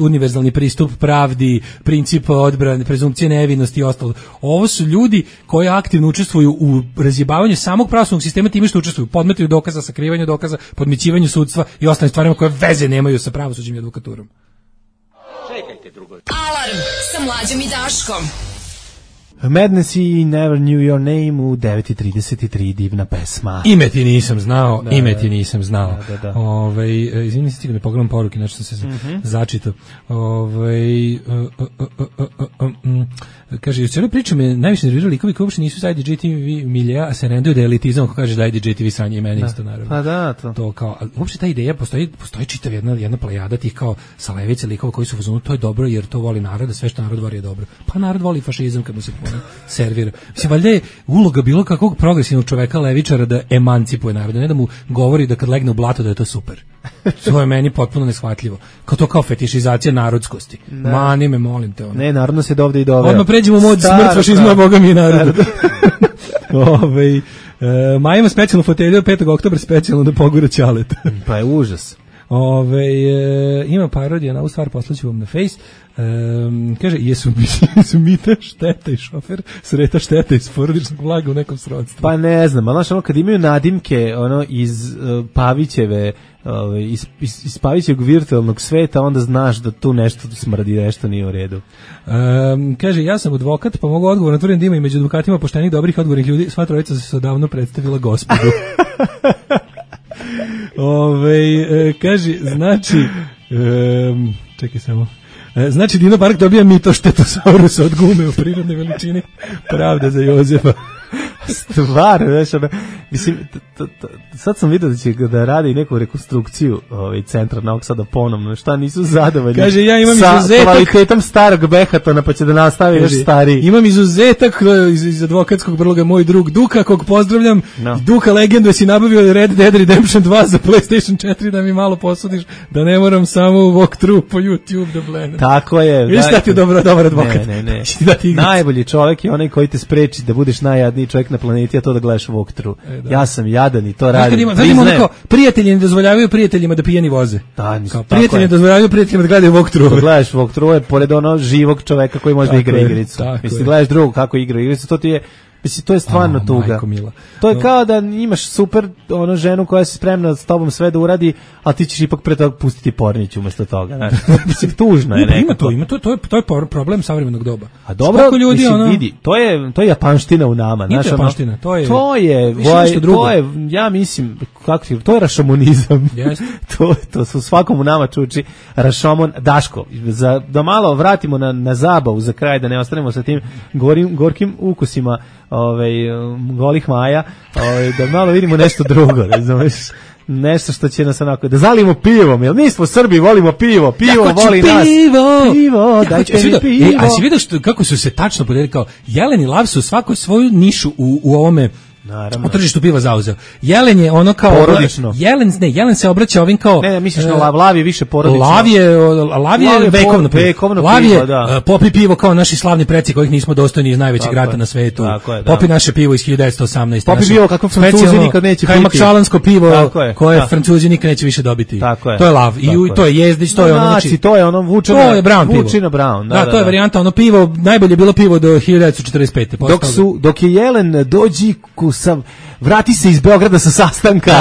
E: univerzalni pristup pravdi, princip odbrane, prezumpcije nevinosti i ostalo. Ovo su ljudi koji aktivno učestvuju u razjebavanju samog pravosudnog sistema time što učestvuju, podmetaju dokaza, sakrivanju dokaza, podmićivanju sudstva i ostalim stvarima koje veze nemaju sa pravosuđem i advokaturom.
B: Čekajte drugo. Alarm sa Mlađom i Daškom.
F: Madness i Never Knew Your Name u 9:33, divna pesma.
E: Ime ti nisam znao, izvini se, ne pogledam poruke, znači sam se začitao. Kaže, u cijeloj priči me najviše nervirali likovi koji uopšte nisu sa IDJ-TV milija, a se renduju da je elitizam, ako kaže da IDJ-TV sranje i mene isto, naravno.
F: Pa da,
E: to kao, uopšte ta ideja, postoji čitav jedna plejada tih kao sa levice likova koji su fazonu, to je dobro jer to voli narod, a sve što narod voli je dobro. Pa narod voli fašizam kad mu se servira. Mislim, valjda je uloga bilo kakvog progresivnog čoveka levičara da emancipuje narod, ne da mu govori da kad legne u blato da je to super. To je meni potpuno neshvatljivo. Kao to kao fetišizacija narodskosti. Mani me, molim te.
F: Ne, narodno se dovde i doveo.
E: Odmah pređemo u mod smrt fašizma, Boga mi je narod. Maja ima specijalnu fotelju, 5. oktobra specijalno da pogura ćaleta.
F: Pa je užas.
E: Ima parodija na ovu stvar, poslaću vam na Face. Kaže, jesu Mita Šteta i šofer Sreta Šteta iz porodičnog blaga u nekom srodstvu?
F: Pa ne znam, ali znaš, kad imaju nadimke iz Pavićeve, iz Pavićevog virtualnog sveta, onda znaš da tu nešto smrdi, nešto nije u redu.
E: Kaže, ja sam advokat, pa mogu odgovorno tvrdim da ima i među advokatima poštenih, dobrih, odgovornih ljudi. Sva trojica se odavno predstavila gospodu. Kaže, znači čekaj samo. Znači, Dino Park dobija mito Štetosaurusa od gume u prirodnoj veličini. Pravda za Jozefa.
F: Stvarno, znaš, mislim, sad sam vidio da će da radi neku rekonstrukciju centra Novog Sada ponovno, šta nisu zadovoljni.
E: Kaže, ja imam
F: sa
E: izuzetak
F: kvalitetom starog Behatona, pa će da nastavi još stariji.
E: Imam izuzetak iz advokatskog brloga, moj drug Duka, kog pozdravljam. Duka legendu, si nabavio Red Dead Redemption 2 za PlayStation 4 da mi malo posudiš, da ne moram samo u walkthrough po YouTube da blenem.
F: Tako je.
E: Viš da ti je dobar advokat.
F: Ne. Najbolji čovjek je onaj koji te spreči da budeš najjadniji čovjek na planeti, a to da gledaš walkthrough. Ja sam jadan i to radim.
E: Prijatelji ne dozvoljavaju prijateljima da pijani voze. Prijatelji ne dozvoljavaju prijateljima da gledaju walkthrough.
F: Gledaš walkthrough je pored onog živog čoveka koji može da igra igricu. Mislim, gledaš drugog kako igra igricu, to ti je Mislim, to je stvarno tuga. To je kao da imaš super ženu koja se spremna s tobom sve da uradi, a ti ćeš ipak pre toga pustiti pornić umesto toga. Znači, mislim, tužno je nekako.
E: To je problem savremenog doba.
F: A dobro, ljudi, mislim, vidi, to je japanština u nama.
E: Nije japanština, to je
F: ja mislim, to je rašomonizam. to su svakom u nama čuči rašomon. Daško, da malo vratimo na zabavu za kraj, da ne ostanemo sa tim gorkim ukusima golih maja, da malo vidimo nešto drugo, razumeš? Nešto što će nas onako, da zalimo pivom, jer mi smo Srbi, volimo pivo voli nas. Pivo, dajte mi pivo.
E: A si vidio kako su se tačno podelili, kao Jelen i Lav su svako svoju nišu u ovome
F: naravno.
E: U tržištu piva zauzeo. Jelen je ono kao
F: porodično.
E: Jelen se obraća ovim kao
F: ne, misliš na Lav je više porodično.
E: Lav je vekovno pivo. Lav je
F: da.
E: Popi pivo kao naši slavni preci kojih nismo dostojni iz najvećeg grada na svetu. Popi naše pivo iz 1918.
F: Popi pivo kako Francuzi nikad neće piti.
E: Kajmakčalansko pivo koje Francuzi nikad neće više dobiti. To je Lav i to je Jezdić, to je ono
F: znači to je ono Vučina Brown.
E: Da, to je varijanta ono pivo, najbolje bilo pivo do 1945.
F: Dok je Jelen dođi vrati se iz Beograda sa sastanka,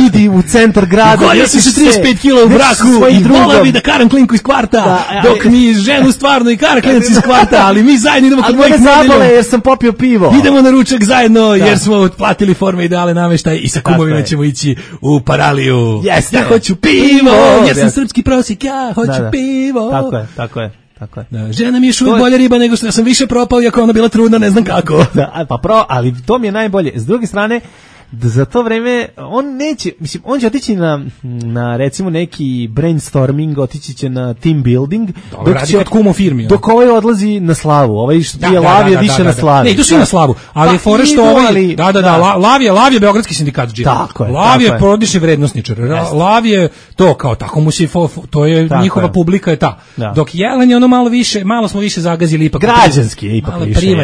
F: idi u centar grada.
E: Gojio sam se 35 kila u braku i volao bi da karam klinku iz kvarta, dok mi ženu stvarno i kara klinac iz kvarta, ali mi zajedno idemo kod mojih
F: zabole jer sam popio pivo.
E: Idemo na ručak zajedno jer smo otplatili forme ideale nameštaj i sa kumovima ćemo ići u Paraliju. Ja hoću pivo, jer sam srpski prosjek, ja hoću pivo.
F: Tako je.
E: Da, žena mi je uvijek bolja riba nego što ja sam više propao, iako ona bila trudna, ne znam kako.
F: Ali to mi je najbolje. S druge strane, za to vreme on neće, mislim, on će otići na recimo neki brainstorming, otići će na team building, dok ovaj odlazi na slavu, ovaj što pije Lav je više na slavi.
E: Ne, idu svi na slavu, ali je fora što ovaj, Lav je beogradski sindikatđija. Lav je porodični vrednosničar. Lav je to kao tako mu se, to je njihova publika je ta. Dok Jelen je ono malo smo više zagazili ipak.
F: Građanski je ipak više,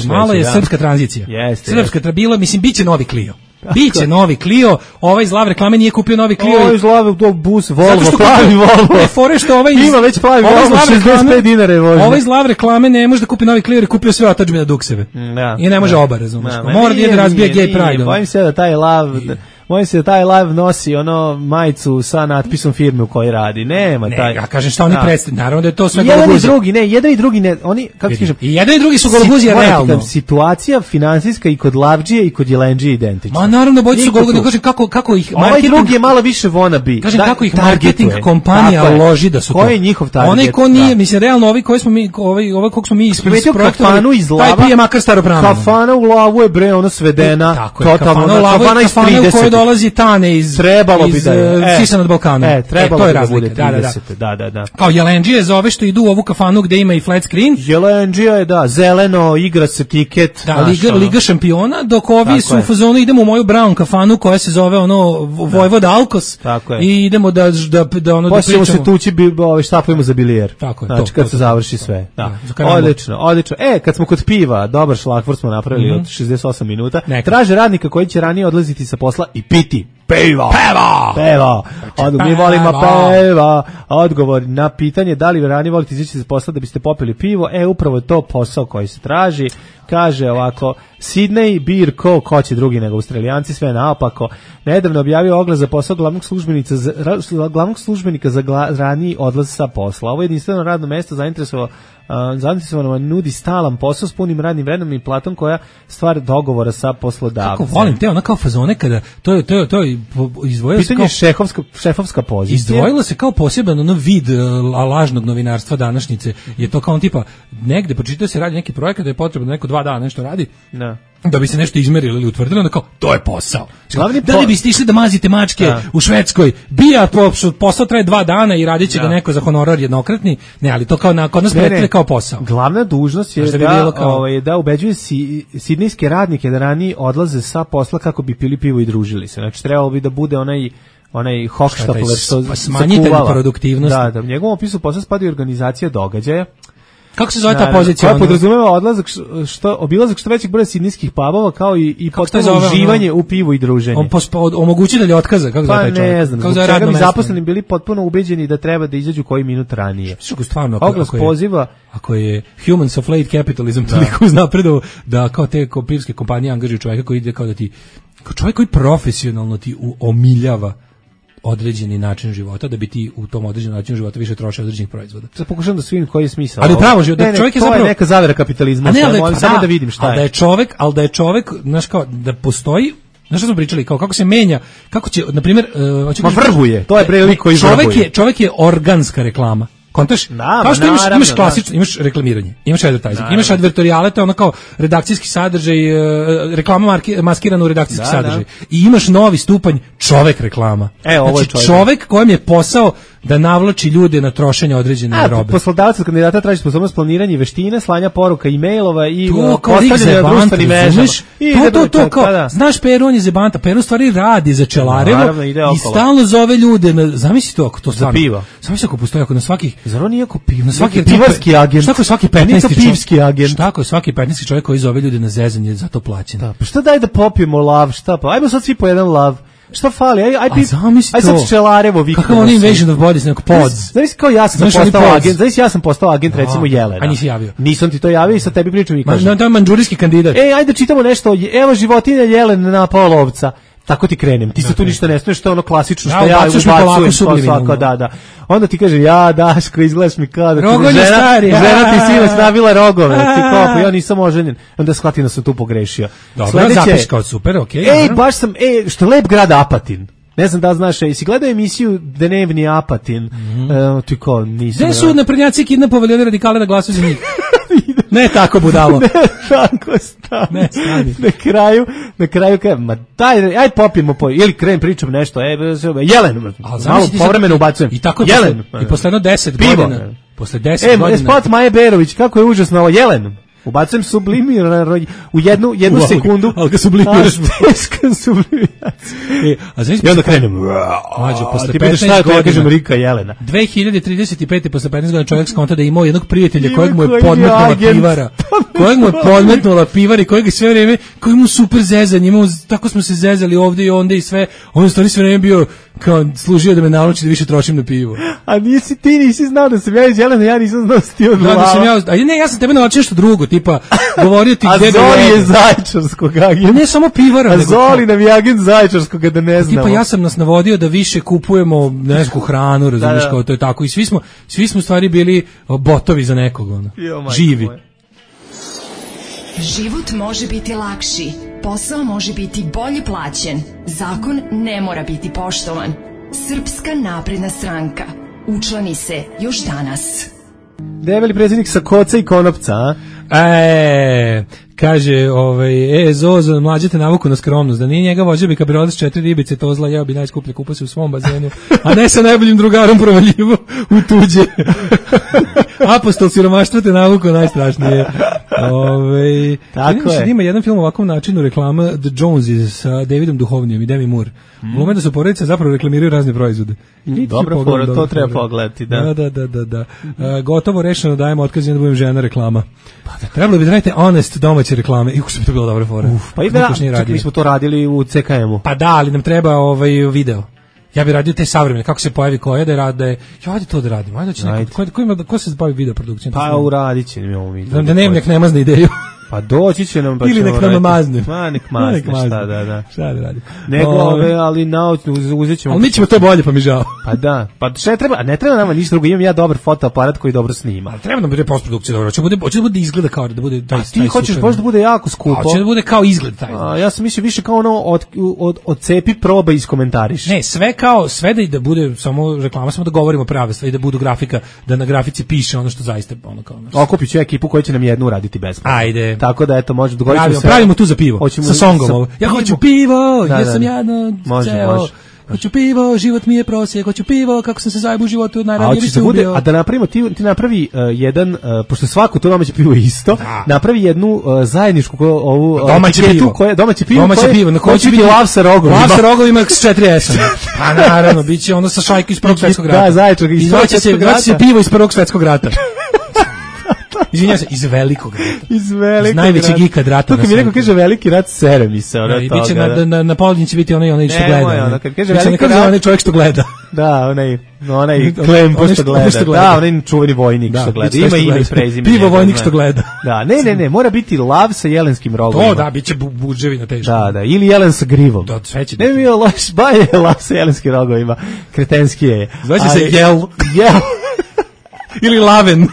E: malo je srpska tranzicija. Srpska bila, mislim, biće novi Clio. Biće novi Clio, ovaj iz Lav reklame nije kupio novi Clio.
F: Ovaj iz Lav bus Volvo, plavi Volvo.
E: Ne, fore što ovaj
F: ima već plavi Volvo, 65 dinara je vožnja.
E: Ovaj iz Lav reklame ne može da kupi novi Clio jer je kupio sve otadžbine dukseve. I ne može oba, razumiješ. Mora da ide razbija gay pride.
F: Bojim se da taj Lav nosi ono majicu sa natpisom firme u kojoj radi. Nema taj.
E: Ja kažem šta oni predstavljaju. Naravno da je to sve
F: gologuzija. Jedan i drugi ne, oni kako kažem.
E: I jedan i drugi su gologuzija realno.
F: Situacija finansijska i kod Lavdžije i kod Jelendžije identična.
E: Ma naravno boji su gologuzija. Kažem kako ih
F: marketing. Ovaj drugi je malo više wannabe.
E: Kažem kako ih marketing kompanija loži da su to.
F: Koji je njihov target?
E: Onaj ko nije, mislim realno ovi koji smo mi, ovaj kog smo mi isprojektovali. Taj pije makar staropravno.
F: Kafana u Lavu je bre ono svedena. Totalno kafana iz 30.
E: Koji dolazi Tane iz Sisa nad Balkanom.
F: To je razlika. Da.
E: Kao Jelendžije zove što idu u ovu kafanu gde ima i flat screen.
F: Jelendžija je zeleno, igra se tiket.
E: Da, Liga šampiona, dok ovi su u fazonu idemo u moju brown kafanu koja se zove Vojvoda Alkos. I idemo da ono da pričamo.
F: Poslije se tući štapujemo za bilijer. Znači kad se završi sve. Odlično. Kad smo kod piva, dobar šlagvort smo napravili od 68 minuta. Traže radnika koji će ranije odlaziti sa posla i piti pivo. Mi volimo piva. Odgovor na pitanje da li ranije volite izaći sa posla da biste popili pivo, upravo je to posao koji se traži. Kaže ovako, Sydney Beer Co. Ko će drugi nego Australijanci, sve naopako. Nedavno objavio oglas za posao glavnog službenika za raniji odlaz sa posla. Ovo je jedinstveno radno mesto zainteresovano nudi stalan posao s punim radnim vremenom i platom koja stvar dogovora sa poslodavcem.
E: Kako volim te, ona kao fazone kada to izdvojilo se kao
F: šefovska pozicija.
E: Izdvojilo se kao poseban vid lažnog novinarstva današnjice. Je to kao tipa negde pročitao se radi neki projekat da je potrebno neko 2 dana nešto radi. Da bi se nešto izmerilo ili utvrdilo, onda kao, to je posao. Da li biste išli da mazite mačke u Švedskoj? Posao traje 2 dana i radit će ga neko za honorar jednokratni. Ne, ali to kao kod nas predstavlja kao posao.
F: Glavna dužnost je da ubeđuje sidnejske radnike da ranije odlaze sa posla kako bi pili pivo i družili se. Znači, trebalo bi da bude onaj Hochstapler što
E: smanjitelj produktivnosti.
F: Da, u njegovom opisu posla spada i organizacija događaja.
E: Kako se zove ta pozicija?
F: Koja podrazumeva obilazak što većeg broja sidnijskih pubova, kao i potpuno uživanje u pivu i druženje.
E: Omogućitelj otkaza, kako zove taj čovjek?
F: Ne znam, zbog čega bi zaposleni bili potpuno ubeđeni da treba da izađu koji minut ranije.
E: Stvarno,
F: ako
E: je humans of late capitalism toliko uznapredo da kao te pivske kompanije angažuju čovjeka koji ide kao da ti, kao čovjek koji profesionalno ti omiljava određeni način života, da bi ti u tom određenom načinu života više trošio određenih proizvoda.
F: Sad pokušam da svijem koji je smisao.
E: Ali pravo život, da čovjek je zapravo...
F: To je neka zavera kapitalizma, samo da vidim šta je.
E: Ali da je čovjek, znaš kao, da postoji, znaš što smo pričali, kao kako se menja, kako će, na primjer...
F: vrhuje, to je lik koji vrhuje.
E: Čovjek je organska reklama. Kontaš? Kao što imaš klasično, imaš reklamiranje, imaš advertising, imaš advertoriale, to je ono kao redakcijski sadržaj, reklama maskirana u redakcijski sadržaj. I imaš novi stupanj čovek reklama. Znači čovek kojem je posao da navlači ljude na trošenje određene robe.
F: Poslodavac od kandidata traži sposobnost planiranja veštine, slanja poruka e-mailova i postavljanja na društvenim mrežama.
E: To kao, znaš Peru, on je zebanta, Peru stvari radi za Čelarevo i stalno zove ljude, zamisli to ako to stvarno. Zamisli ako postoji, ako na svakih...
F: Zar on nije ako
E: pivarski agent? Šta ako svaki
F: 15.
E: Šta ako svaki 15. čovjek koji zove ljude na zezanje za to plaćen?
F: Pa šta daj da popijemo lav, šta pa? Ajmo sad svi po jedan lav. Šta fali? Aj sad Čelarevo vikend.
E: Kako on Invasion of Bodies, neko pod.
F: Znaš kao ja sam postao agent recimo Jelena.
E: A nisi javio.
F: Nisam ti to javio i sad tebi pričam i kažem.
E: To je manđurijski kandidat.
F: Ajde čitamo nešto. Evo životinja Jelena napao lovca. Tako ti krenem. Ti se tu ništa ne smiješ, što je ono klasično što ja ubacujem svako, da. Onda ti kažem, Daško, izgledaš mi kao da žena ti sinoć nabila rogove. Ti kao, ja nisam oženjen. Onda shvatim da sam tu pogrešio.
E: Dobro, zapiš kao super, okej.
F: Baš sam, što lep grad Apatin. Ne znam da znaš, jesi gledao emisiju Dnevni Apatin? Ti kao, nisam.
E: Gde su naprednjaci kidnapovali one radikale da glasuju za njih? Ne tako budalo.
F: Ne tako stani. Na kraju kaj, ma daj, aj popijemo ili krenem pričam nešto, Jelen, malo povremeno ubacujem.
E: I tako Jelen. I posle 10 godina. Posle 10 godina.
F: Spot Maje Berović, kako je užasno ovo, Jelen. Ubacujem sublimirano u jednu sekundu.
E: Ali ga sublimiraš.
F: I onda krenem.
E: Mađo, posle
F: 15 godina. Kažem Rika Jelena.
E: 2035. posle 15 godina čovjek skonta da je imao jednog prijatelja kojeg mu je podmetnula pivara. Kojeg mu je podmetnula pivar i kojeg sve vreme, koji mu super zezanje. Tako smo se zezali ovdje i onda i sve. On je stvarno sve vreme bio kao služio da me nauči da više trošim na pivo.
F: A nisi znao da sam ja iz Jelena, ja nisam znao da si ti od glava.
E: Ja sam tebe naučio nešto drugo, tipa govorio ti gde
F: Zoli je Zaječarskog agenta.
E: Ne samo pivara.
F: A Zoli nam je agent Zaječarskog, da ne znamo.
E: Tipa ja sam nas navodio da više kupujemo neku hranu, razumiješ, kao to je tako. I svi smo stvari bili botovi za nekog, živi.
B: Život može biti lakši, posao može biti bolje plaćen, zakon ne mora biti poštovan. Srpska napredna stranka. Učlani se još danas.
F: Debeli predsjednik sa koca i konopca, a?
E: Kaže, Zozo, mlađete navuku na skromnost, da nije njega vođe bi kabriolet s 4 ribice, to zla jeo bi najskuplje kupase u svom bazenu, a ne sa najboljim drugarom provaljivo u tuđe. Apostol siromaštva te navuku najstrašnije.
F: Tako je.
E: Ima jedan film ovakvom načinu reklama The Joneses sa Davidom Duhovnijom i Demi Moore. U momentu su porodice zapravo reklamiraju razne proizvode.
F: Dobro, to treba pogledati, da.
E: Da. Gotovo rešeno, dajemo otkaz da budem žena reklama. Trebalo bi da radite honest domaće reklame. Iako bi to bilo dobra fora.
F: Pa mi smo to radili u CKM-u.
E: Pa da, ali nam treba video. Ja bih radio te savremene, kako se pojavi koja da rade. Ajde to da radimo. Ko se bavi video produkcijom?
F: Pa uradit će mi ovo video.
E: Da Dnevnik nema zna ideju.
F: Pa doći će nam, pa
E: ili nek nam mazne.
F: Nek mazne,
E: šta da radi.
F: Nego ali uzet ćemo.
E: Ali mi ćemo to bolje, pa mi žao.
F: Pa da, pa šta treba, ne treba nama ništa drugo, imam ja dobar fotoaparat koji dobro snima.
E: Ali treba nam bude postprodukcija dobro, hoće da bude izgleda kao da bude taj.
F: Ti hoćeš baš da bude jako skupo.
E: Hoće da bude kao izgled taj.
F: Ja sam mislio više kao ono od cepi proba iz komentariš.
E: Ne, sve da bude samo reklama, samo da govorimo prave stvari, da budu grafika, da na grafici piše ono što zaista ono kao.
F: Okupit ću ekipu koja će nam jednu uraditi besplatno.
E: Ajde.
F: Tako da eto može dogovoriti se.
E: Pravimo tu za pivo. Sa songom. Ja hoću pivo, ja sam jadno.
F: Može.
E: Hoću pivo, život mi je prosjek, hoću pivo, kako sam se zajebao u životu, najranije bi se ubio.
F: A da napravimo, ti napravi jedan, pošto svako to domaće pivo je isto, napravi jednu zajedničku ovu domaće pivo,
E: na koje će biti
F: lav sa rogovima.
E: Lav sa rogovima s 4 S. Pa naravno, bit će ono sa šajke iz Prvog svjetskog rata.
F: Da, Zaječar iz Prvog
E: svjetskog rata. Se pivo iz Prvog svjetskog rata. Izvinjavam se, iz velikog rata.
F: Iz velikog
E: iz najvećeg ikad rata.
F: To kad mi neko kaže veliki rat, sere mi se.
E: I biće na Poldin će biti onaj što gleda.
F: Ono, kad kaže veliki
E: rat, onaj čovjek što gleda.
F: Da, onaj Klempo što gleda. Da, onaj čuveni vojnik što gleda. Ima ime i prezime.
E: Pivo vojnik što gleda.
F: Da, ne, mora biti lav sa jelenskim rogom.
E: To da, biće buđevi na teško.
F: Da, ili jelen sa grivom.
E: Da, sve će.
F: Ne bi bio loš, baje lav sa jelenskim rogovima. Kretenski je.
E: Zvaće se jel. Ili laven.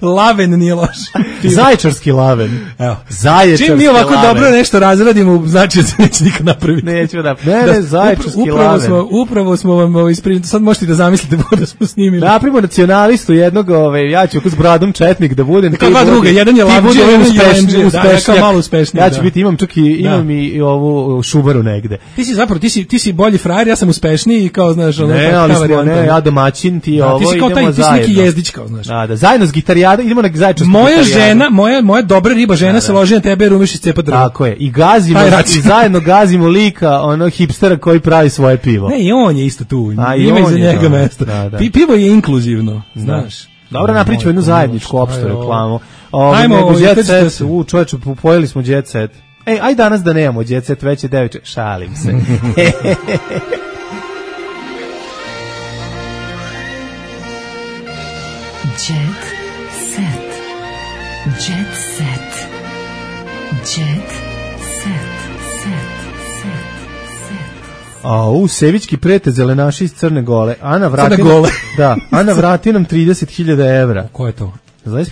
E: Laven nije loš.
F: Zaječarski laven.
E: Evo.
F: Zaječarski
E: čim mi ovako
F: laven.
E: dobro nešto razradimo, znači da se neće nikad napraviti.
F: Nećemo napraviti. Ne, zaječarski laven.
E: Upravo smo vam isprinili, sad možete da zamislite da smo snimili.
F: Napravimo nacionalistu jednog, ja ću s bradom četnik da budem.
E: Kao dva druga, jedan je lavđe, jedan je jelenđe. Da, malo uspešniji.
F: Ja ću biti, imam i ovu šubaru negde.
E: Ti si zapravo, ti si bolji frajer, ja sam uspešniji, kao znaš, ono.
F: Ne, ali smo, ja domaćin, ti ovo, idemo
E: ti si neki jezdić kao, znaš.
F: Da, zajedno s gitarijadom, idemo na zaječarsku
E: gitarijadu. Moja dobra riba žena se loži na tebe, rumiš i cepa drvo.
F: Tako je, i zajedno gazimo lika, ono hipstera koji pravi svoje pivo.
E: Ne, i on je isto tu, ima iza njega mesto. Pivo je inkluzivno, znaš.
F: Dobro, napričamo jednu zajedničku opštu reklamu.
E: Ajmo,
F: Jet Set, čovječe, pojeli smo Jet Set. Aj danas da nemamo Jet Set, već je 9, šalim se.
B: Jet set. Jet set. Jet set.
F: Sevićki prete zelenaši iz Crne Gole. Ana vrati nam 30.000 evra.
E: Ko je to?
F: Znaš,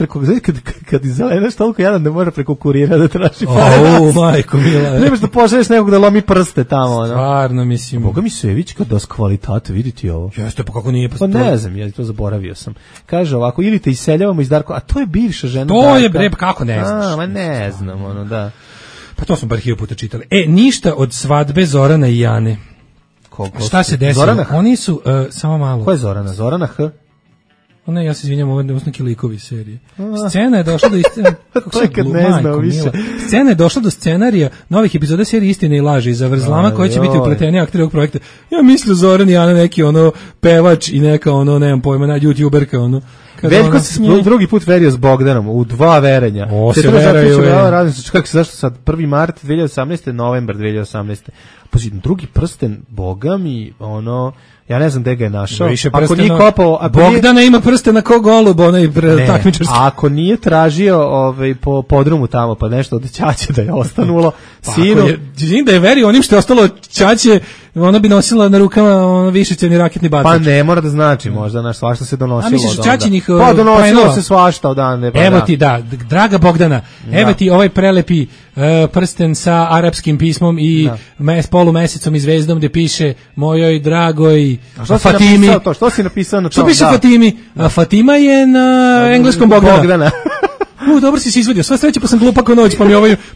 F: kad zelenaš toliko jadan da mora preko kurira da traži pare.
E: Majko mila.
F: Nemaš da pošalješ nekog da lomi prste tamo.
E: Stvarno, mislim.
F: Boga mi Sevićka da s kvalitate, vidite ovo.
E: Jeste, pa kako nije?
F: Pa ne znam, ja to zaboravio sam. Kaže ovako, ili te iseljavamo iz Darko, a to je bivša žena
E: to
F: Darka.
E: To je bre, kako ne znaš?
F: Ma ne znam, da.
E: Pa to smo bar 1000 puta čitali. Ništa od svadbe Zorana i Jane. Šta se desilo?
F: Zorana H?
E: Oni su, samo malo.
F: Ko je Zorana? Zorana H?
E: Ne, ja se izvinjam, ovo je neki likovi serije. Scena je došla do Scena je došla do scenarija novih epizoda serije Istine i laži i zavrzlama koji će biti upleteni akteri ovog projekta. Ja mislim Zoran i Ana neki pevač i neka nemam pojma, youtuberka
F: Veljko se drugi put verio s Bogdanom u 2 verenja.
E: Se veraju.
F: Kako se zašto sad 1. mart 2018. novembar 2018. Pazi, drugi prsten, boga mi, ja ne znam gde ga je našao. Ako nije kopao,
E: Bogdana ima prsten na ko golub, takmičarski.
F: Ako nije tražio po podrumu tamo, pa nešto od ćaće da je ostanulo, sinu.
E: Da je verio onim što je ostalo ćaće, ona bi nosila na rukama višecjevni raketni batač.
F: Pa ne mora da znači, možda svašta se donosilo.
E: A misliš ćaćinih
F: pa donosilo se svašta odande.
E: Evo ti, draga Bogdana, evo ti ovaj prelepi prsten sa arapskim pismom i polumesecom i zvezdom gde piše mojoj dragoj Fatimi.
F: Što si napisao na to?
E: Što piše Fatimi? Fatima je na engleskom Bogdana. Dobro si se izvodio, sva sreća pa sam glupa ko noć,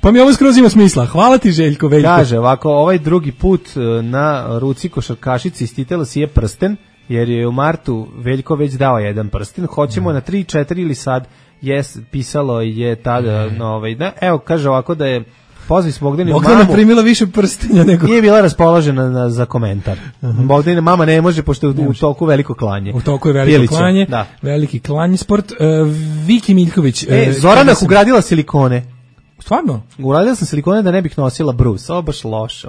E: pa mi ovo skroz ima smisla. Hvala ti Željko, Veljko.
F: Kaže ovako, ovaj drugi put na ruci košarkašici istitela si je prsten, jer je u martu Veljko već dao jedan prsten. Hoćemo na 3, 4 ili sad, pisalo je tada, evo kaže ovako da je pozvi s Bogdanom mamu.
E: Bogdana primila više prstenja nego...
F: Nije bila raspoložena za komentar. Bogdana mama ne može, pošto je u toku veliko klanje.
E: U toku je veliko klanje, veliki klanj sport. Viki Miljković.
F: Zorana ugradila silikone.
E: Stvarno?
F: Ugradila sam silikone da ne bih nosila brus. Ovo baš loše.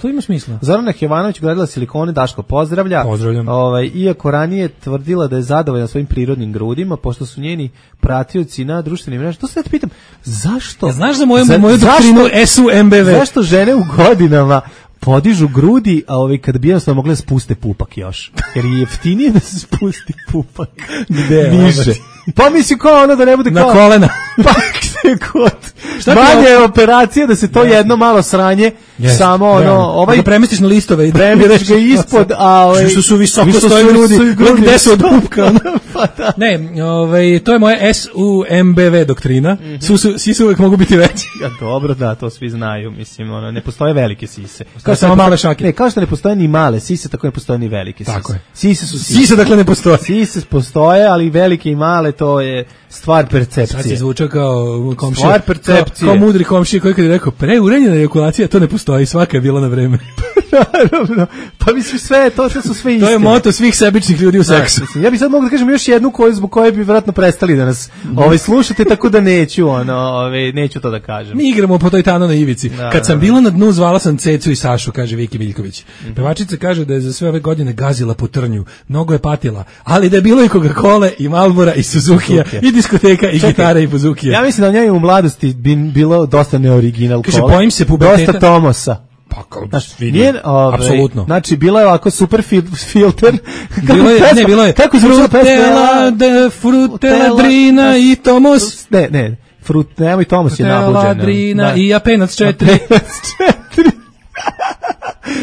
E: To ima smisla.
F: Zorana Hevanović ugradila silikone, Daško pozdravlja.
E: Pozdravljam.
F: Iako ranije tvrdila da je zadovoljna svojim prirodnim grudima, pošto su njeni pratioci na društvenim mrežama. To se da te pitam, zašto?
E: Ja znaš za moju doktrinu SUMBV?
F: Zašto žene u godinama podižu grudi, a kad bi jednostavno mogle spuste pupak još? Jer je jeftinije da se spusti pupak.
E: Gde?
F: Niže. Pa misli kao da ne bude
E: na kolena.
F: Pa gde god. Manje je operacija da se to jedno malo sranje, samo
E: da premestiš na listove.
F: Premestiš ga ispod, a
E: što su visoko stoji grudi. Gde su od pupka? Ne, to je moja SUMBV doktrina. Sise uvek mogu biti veći.
F: Dobro, da, to svi znaju. Mislim, ne postoje velike sise.
E: Kao samo male šake.
F: Ne, kao što ne postoje ni male sise, tako ne postoje ni velike sise.
E: Tako je.
F: Sise su sise.
E: Sise dakle ne postoje.
F: Sise postoje, ali velike i male to je stvar percepcije.
E: Sad si zvučao kao komšija.
F: Stvar percepcije.
E: Kao mudri komšija koji kad je rekao preuranjena ejakulacija, to ne postoji, svaka je bila na vreme.
F: Naravno. Pa mislim sve, to su sve istine.
E: To je moto svih sebičnih ljudi u seksu.
F: Ja bih sad mogu da kažem još jednu zbog koje bi vjerojatno prestali da nas slušate, tako da neću neću to da kažem.
E: Mi igramo po toj Tano na ivici. Kad sam bila na dnu, zvala sam Cecu i Sašu, kaže Viki Viljković. Pevačica kaže da je za sve ove godine gazila po trnju, mnogo je patila, ali da je bilo i Coca-Cola i Marlbora i Suzukija i diskoteka i gitara i buzukija.
F: Ja mislim da u njoj u mladosti bilo dosta neoriginal
E: kaže,
F: kola.
E: Bojim se puberteta.
F: Dosta Tomosa.
E: Apsolutno.
F: Znači, bila je ovako super filter.
E: Bilo je.
F: Kako zvučila pesma?
E: Frutela, Drina i Tomos.
F: Ne. Nemoj Tomos je nabuđena.
E: Frutela, Drina i Apenac 4.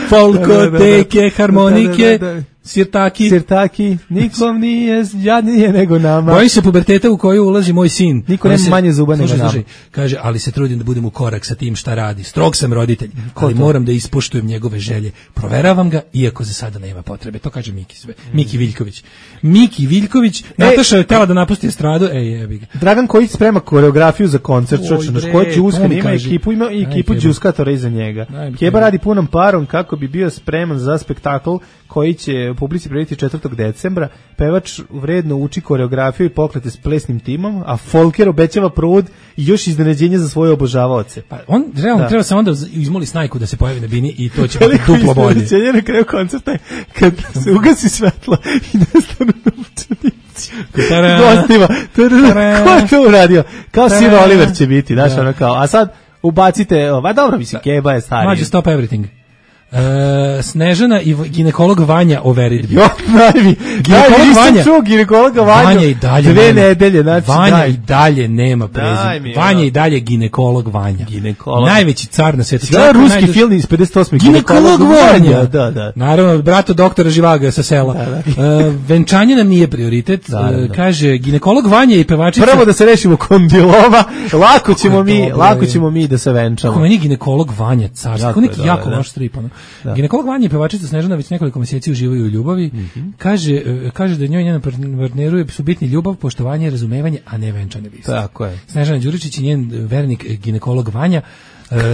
E: Folkoteke, harmonike, sirtaki, nikom nije jadnije nego nama. Bojim se puberteta u koju ulazi moj sin.
F: Niko nema manje zuba nego nama.
E: Kaže, ali se trudim da budem u korak sa tim šta radi. Strog sam roditelj, ali moram da ispoštujem njegove želje. Proveravam ga, iako za sada nema potrebe. To kaže Miki Viljković. Miki Viljković, Nataša je htjela da napusti estradu, jebi ga.
F: Dragan Kojić sprema koreografiju za koncert, ko je Đuskan, ima ekipu Đuskatora iza njega. Keba radi punom parom kako bi bio spreman za spektakl koji će publici predstaviti 4. decembra. Pevač vredno uči koreografiju i pokrete s plesnim timom, a Folker obećava provod i još iznenađenje za svoje obožavaoce.
E: Pa on realno treba samo da izmoli Snajku da se pojavi na bini i to će biti duplo bolje.
F: Iznenađenje na kraju koncerta je kad se ugasi svetlo i nestanu novčanici. Gostima. Ko je to uradio? Kao Sir Oliver će biti, znaš, ono kao. A sad ubacite, dobro, mislim, Keba je stariji.
E: Mađe, stop everything. Snežana i ginekolog Vanja overit.
F: Ginekologa Vanja
E: i dalje
F: 2 nedelje, znači
E: Vanja i dalje nema prezime. Vanja i dalje ginekolog Vanja. Najveći car na svijetu.
F: Da, ruski film iz 58.
E: Ginekolog Vanja.
F: Da.
E: Naravno, brato doktora Živaga sa sela. Venčanje nam nije prioritet. Kaže, ginekolog Vanja i pevačica.
F: Prvo da se rešimo kondilova, lako ćemo mi da se venčamo.
E: Kako meni ginekolog Vanja car. Kako neki jako loš strip. Ginekolog Vanja i pevačica Snežana već nekoliko mjeseci uživaju u ljubavi. Kaže da njoj i njenom partneru su bitni ljubav, poštovanje, razumevanje, a ne venčane vijesti.
F: Tako je.
E: Snežana Đuričić i njen vernik ginekolog Vanja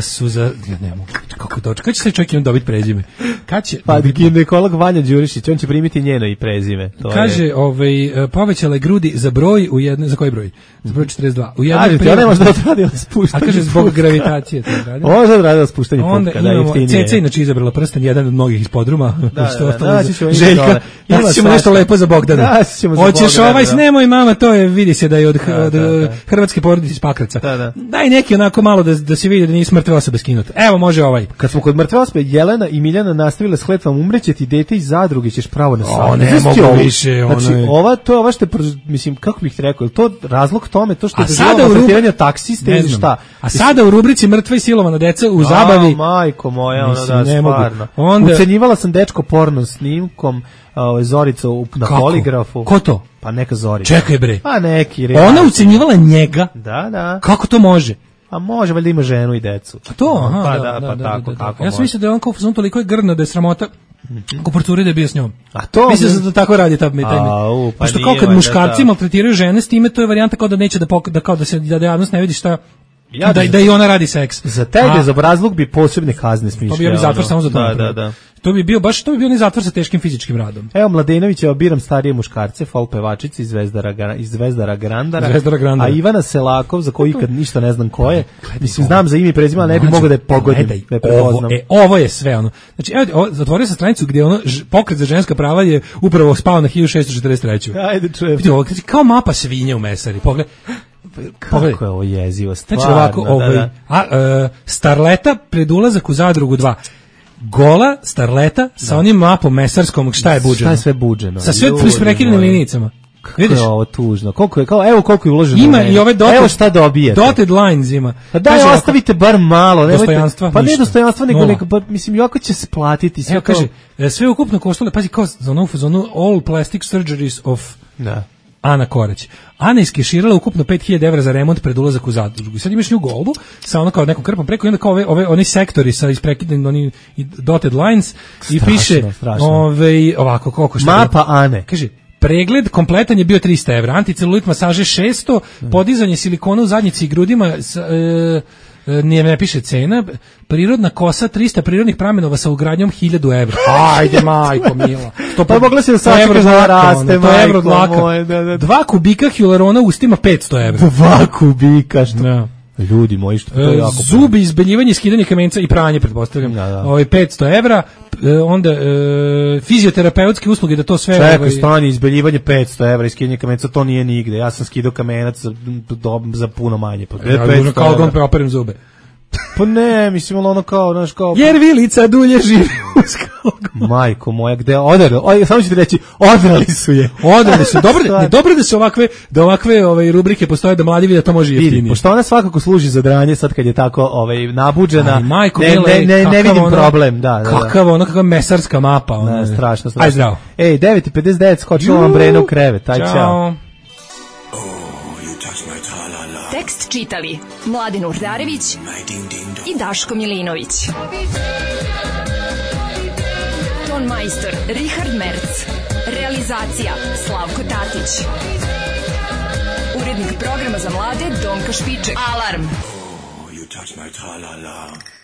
E: su za... Ja ne mogu, kako doći? Kad će se čovjek dobiti prezime?
F: Pa ginekolog Vanja Đurišić, on će primiti njeno i prezime.
E: Kaže, povećala je grudi za broj u jednoj... Za koji broj? Za broj 42. U
F: jednoj ja ne možda odradila spuštanje.
E: A kaže, zbog gravitacije to odradila.
F: Možda odradila spuštanje
E: onda
F: kada je jeftinije.
E: Ceca inače izabrala prsten, jedan od mnogih iz podruma. Željka, naći ćemo nešto lepo za Bogdana. Hoćeš nemoj mama, to je, vidi se da je od hrvatske porodice iz Pakraca. Daj neki onako malo da se vidi da nije mrtve osobe skinuti. Evo, može ovaj.
F: Kad smo kod mrtve osobe, Jelena i Miljana nastavile s kletvom, umreće ti dete iz zadruge, ćeš pravo na sam.
E: Ne mogu više.
F: Znači, ova što, mislim, kako bih rekao, to razlog tome, to što je doživljava maltretiranja taksista ili šta?
E: A sada u rubrici mrtva i silovana deca u zabavi.
F: Majko moja, stvarno. Ucenjivala sam dečko porno snimkom, Zorica na poligrafu.
E: Ko to?
F: Pa neka Zorica.
E: Čekaj bre.
F: Pa neki.
E: Ona ucenjivala njega?
F: Da.
E: Kako to može?
F: A može, valjda ima ženu i decu.
E: A to?
F: Tako.
E: Ja sam mislio da je on kao fazon toliko je grno da je sramota ko procuri da je bio s njom.
F: A to?
E: Mislim da tako radi ta pošto kao kad muškarci maltretiraju žene s time, to je varijanta kao da neće da javnost ne vidi šta da i ona radi seks.
F: Za tebe, za obrazluk bi posebne kazne smišljao.
E: To bi bio zatvor samo za to.
F: Da.
E: To bi bio ne zatvor sa teškim fizičkim radom.
F: Evo, Mladenovića biram starije muškarce, folk pevačici iz Zvezdara Grandara, a Ivana Selakov, za koju ikad ništa ne znam ko je, mislim, znam za ime i prezime, ali ne bi mogao da je pogodim.
E: Ovo je sve ono. Znači, evo, zatvorio sam stranicu gdje ono, pokret za ženska prava je upravo spao na 1643.
F: Ajde, čujem.
E: Kao mapa svinje u mesari, pogledaj.
F: Kako je ovo jezivo, stvarno.
E: Znači ovako, Starleta pred ulazak u zadrugu 2. Gola Starleta sa onim mapom mesarskom, šta je buđeno?
F: Šta je sve buđeno?
E: Sa sve prekidanim linijicama.
F: Kako je ovo tužno? Koliko je uloženo?
E: Ima i ove
F: evo šta dobijete.
E: Dotted lines ima.
F: Pa daj, ostavite bar malo.
E: Dostojanstva.
F: Pa ne dostojanstva, nego pa, mislim, jako će se platiti.
E: Evo kaže, sve ukupno koštalo, pazi, kao za onu all plastic surgeries of... Da. Ana Korać. Ana iskeširala ukupno 5.000 € za remont pred ulazak u zadrugu. Sad imaš nju golbu sa ono kao nekom krpom preko i onda kao oni sektori sa isprekidanim oni dotted lines i piše ovako koliko šta.
F: Mapa Ane.
E: Kaže, pregled kompletan je bio 300 €, anticelulit masaže 600, podizanje silikona u zadnjici i grudima ne piše cena, prirodna kosa 300 prirodnih pramenova sa ugradnjom 1000 evra. Ajde, majko mila.
F: Pa mogla se sačekati da raste, majko moje.
E: 2 kubika hilarona ustima 500 evra.
F: 2 kubika, što? Da. Ljudi moji, što to je jako...
E: Zubi, izbeljivanje, skidanje kamenca i pranje, pretpostavljam. 500 evra, onda fizioterapeutske usluge, da to sve...
F: Čekaj, stani, izbeljivanje 500 evra i skidanje kamenca, to nije nigde. Ja sam skidao kamenac za puno manje.
E: Ja, kao da on preoperim zube.
F: Pa ne, mislim, ono kao, znaš, kao...
E: Jer vilica dulje živi uz
F: kao... Majko moja, gde odrali? Samo ću ti reći, odrali su je.
E: Odrali su. Dobro da se ovakve rubrike postoje, da mladi vide da to može jeftinije.
F: Pošto ona svakako služi za dranje, sad kad je tako nabuđena,
E: aj, majko,
F: ne vidim problem.
E: Kakva mesarska mapa.
F: Ne, strašno.
E: Aj, zdravo.
F: 9:59, skočilo vam Breno u krevet. Aj, čao.
B: Tekst čitali Mladin Urdarević i Daško Milinović. Ton majstor Richard Merc. Realizacija Slavko Tatić. Urednik programa za mlade Donka Špiček. Alarm! Oh, you touch my tra-la-la.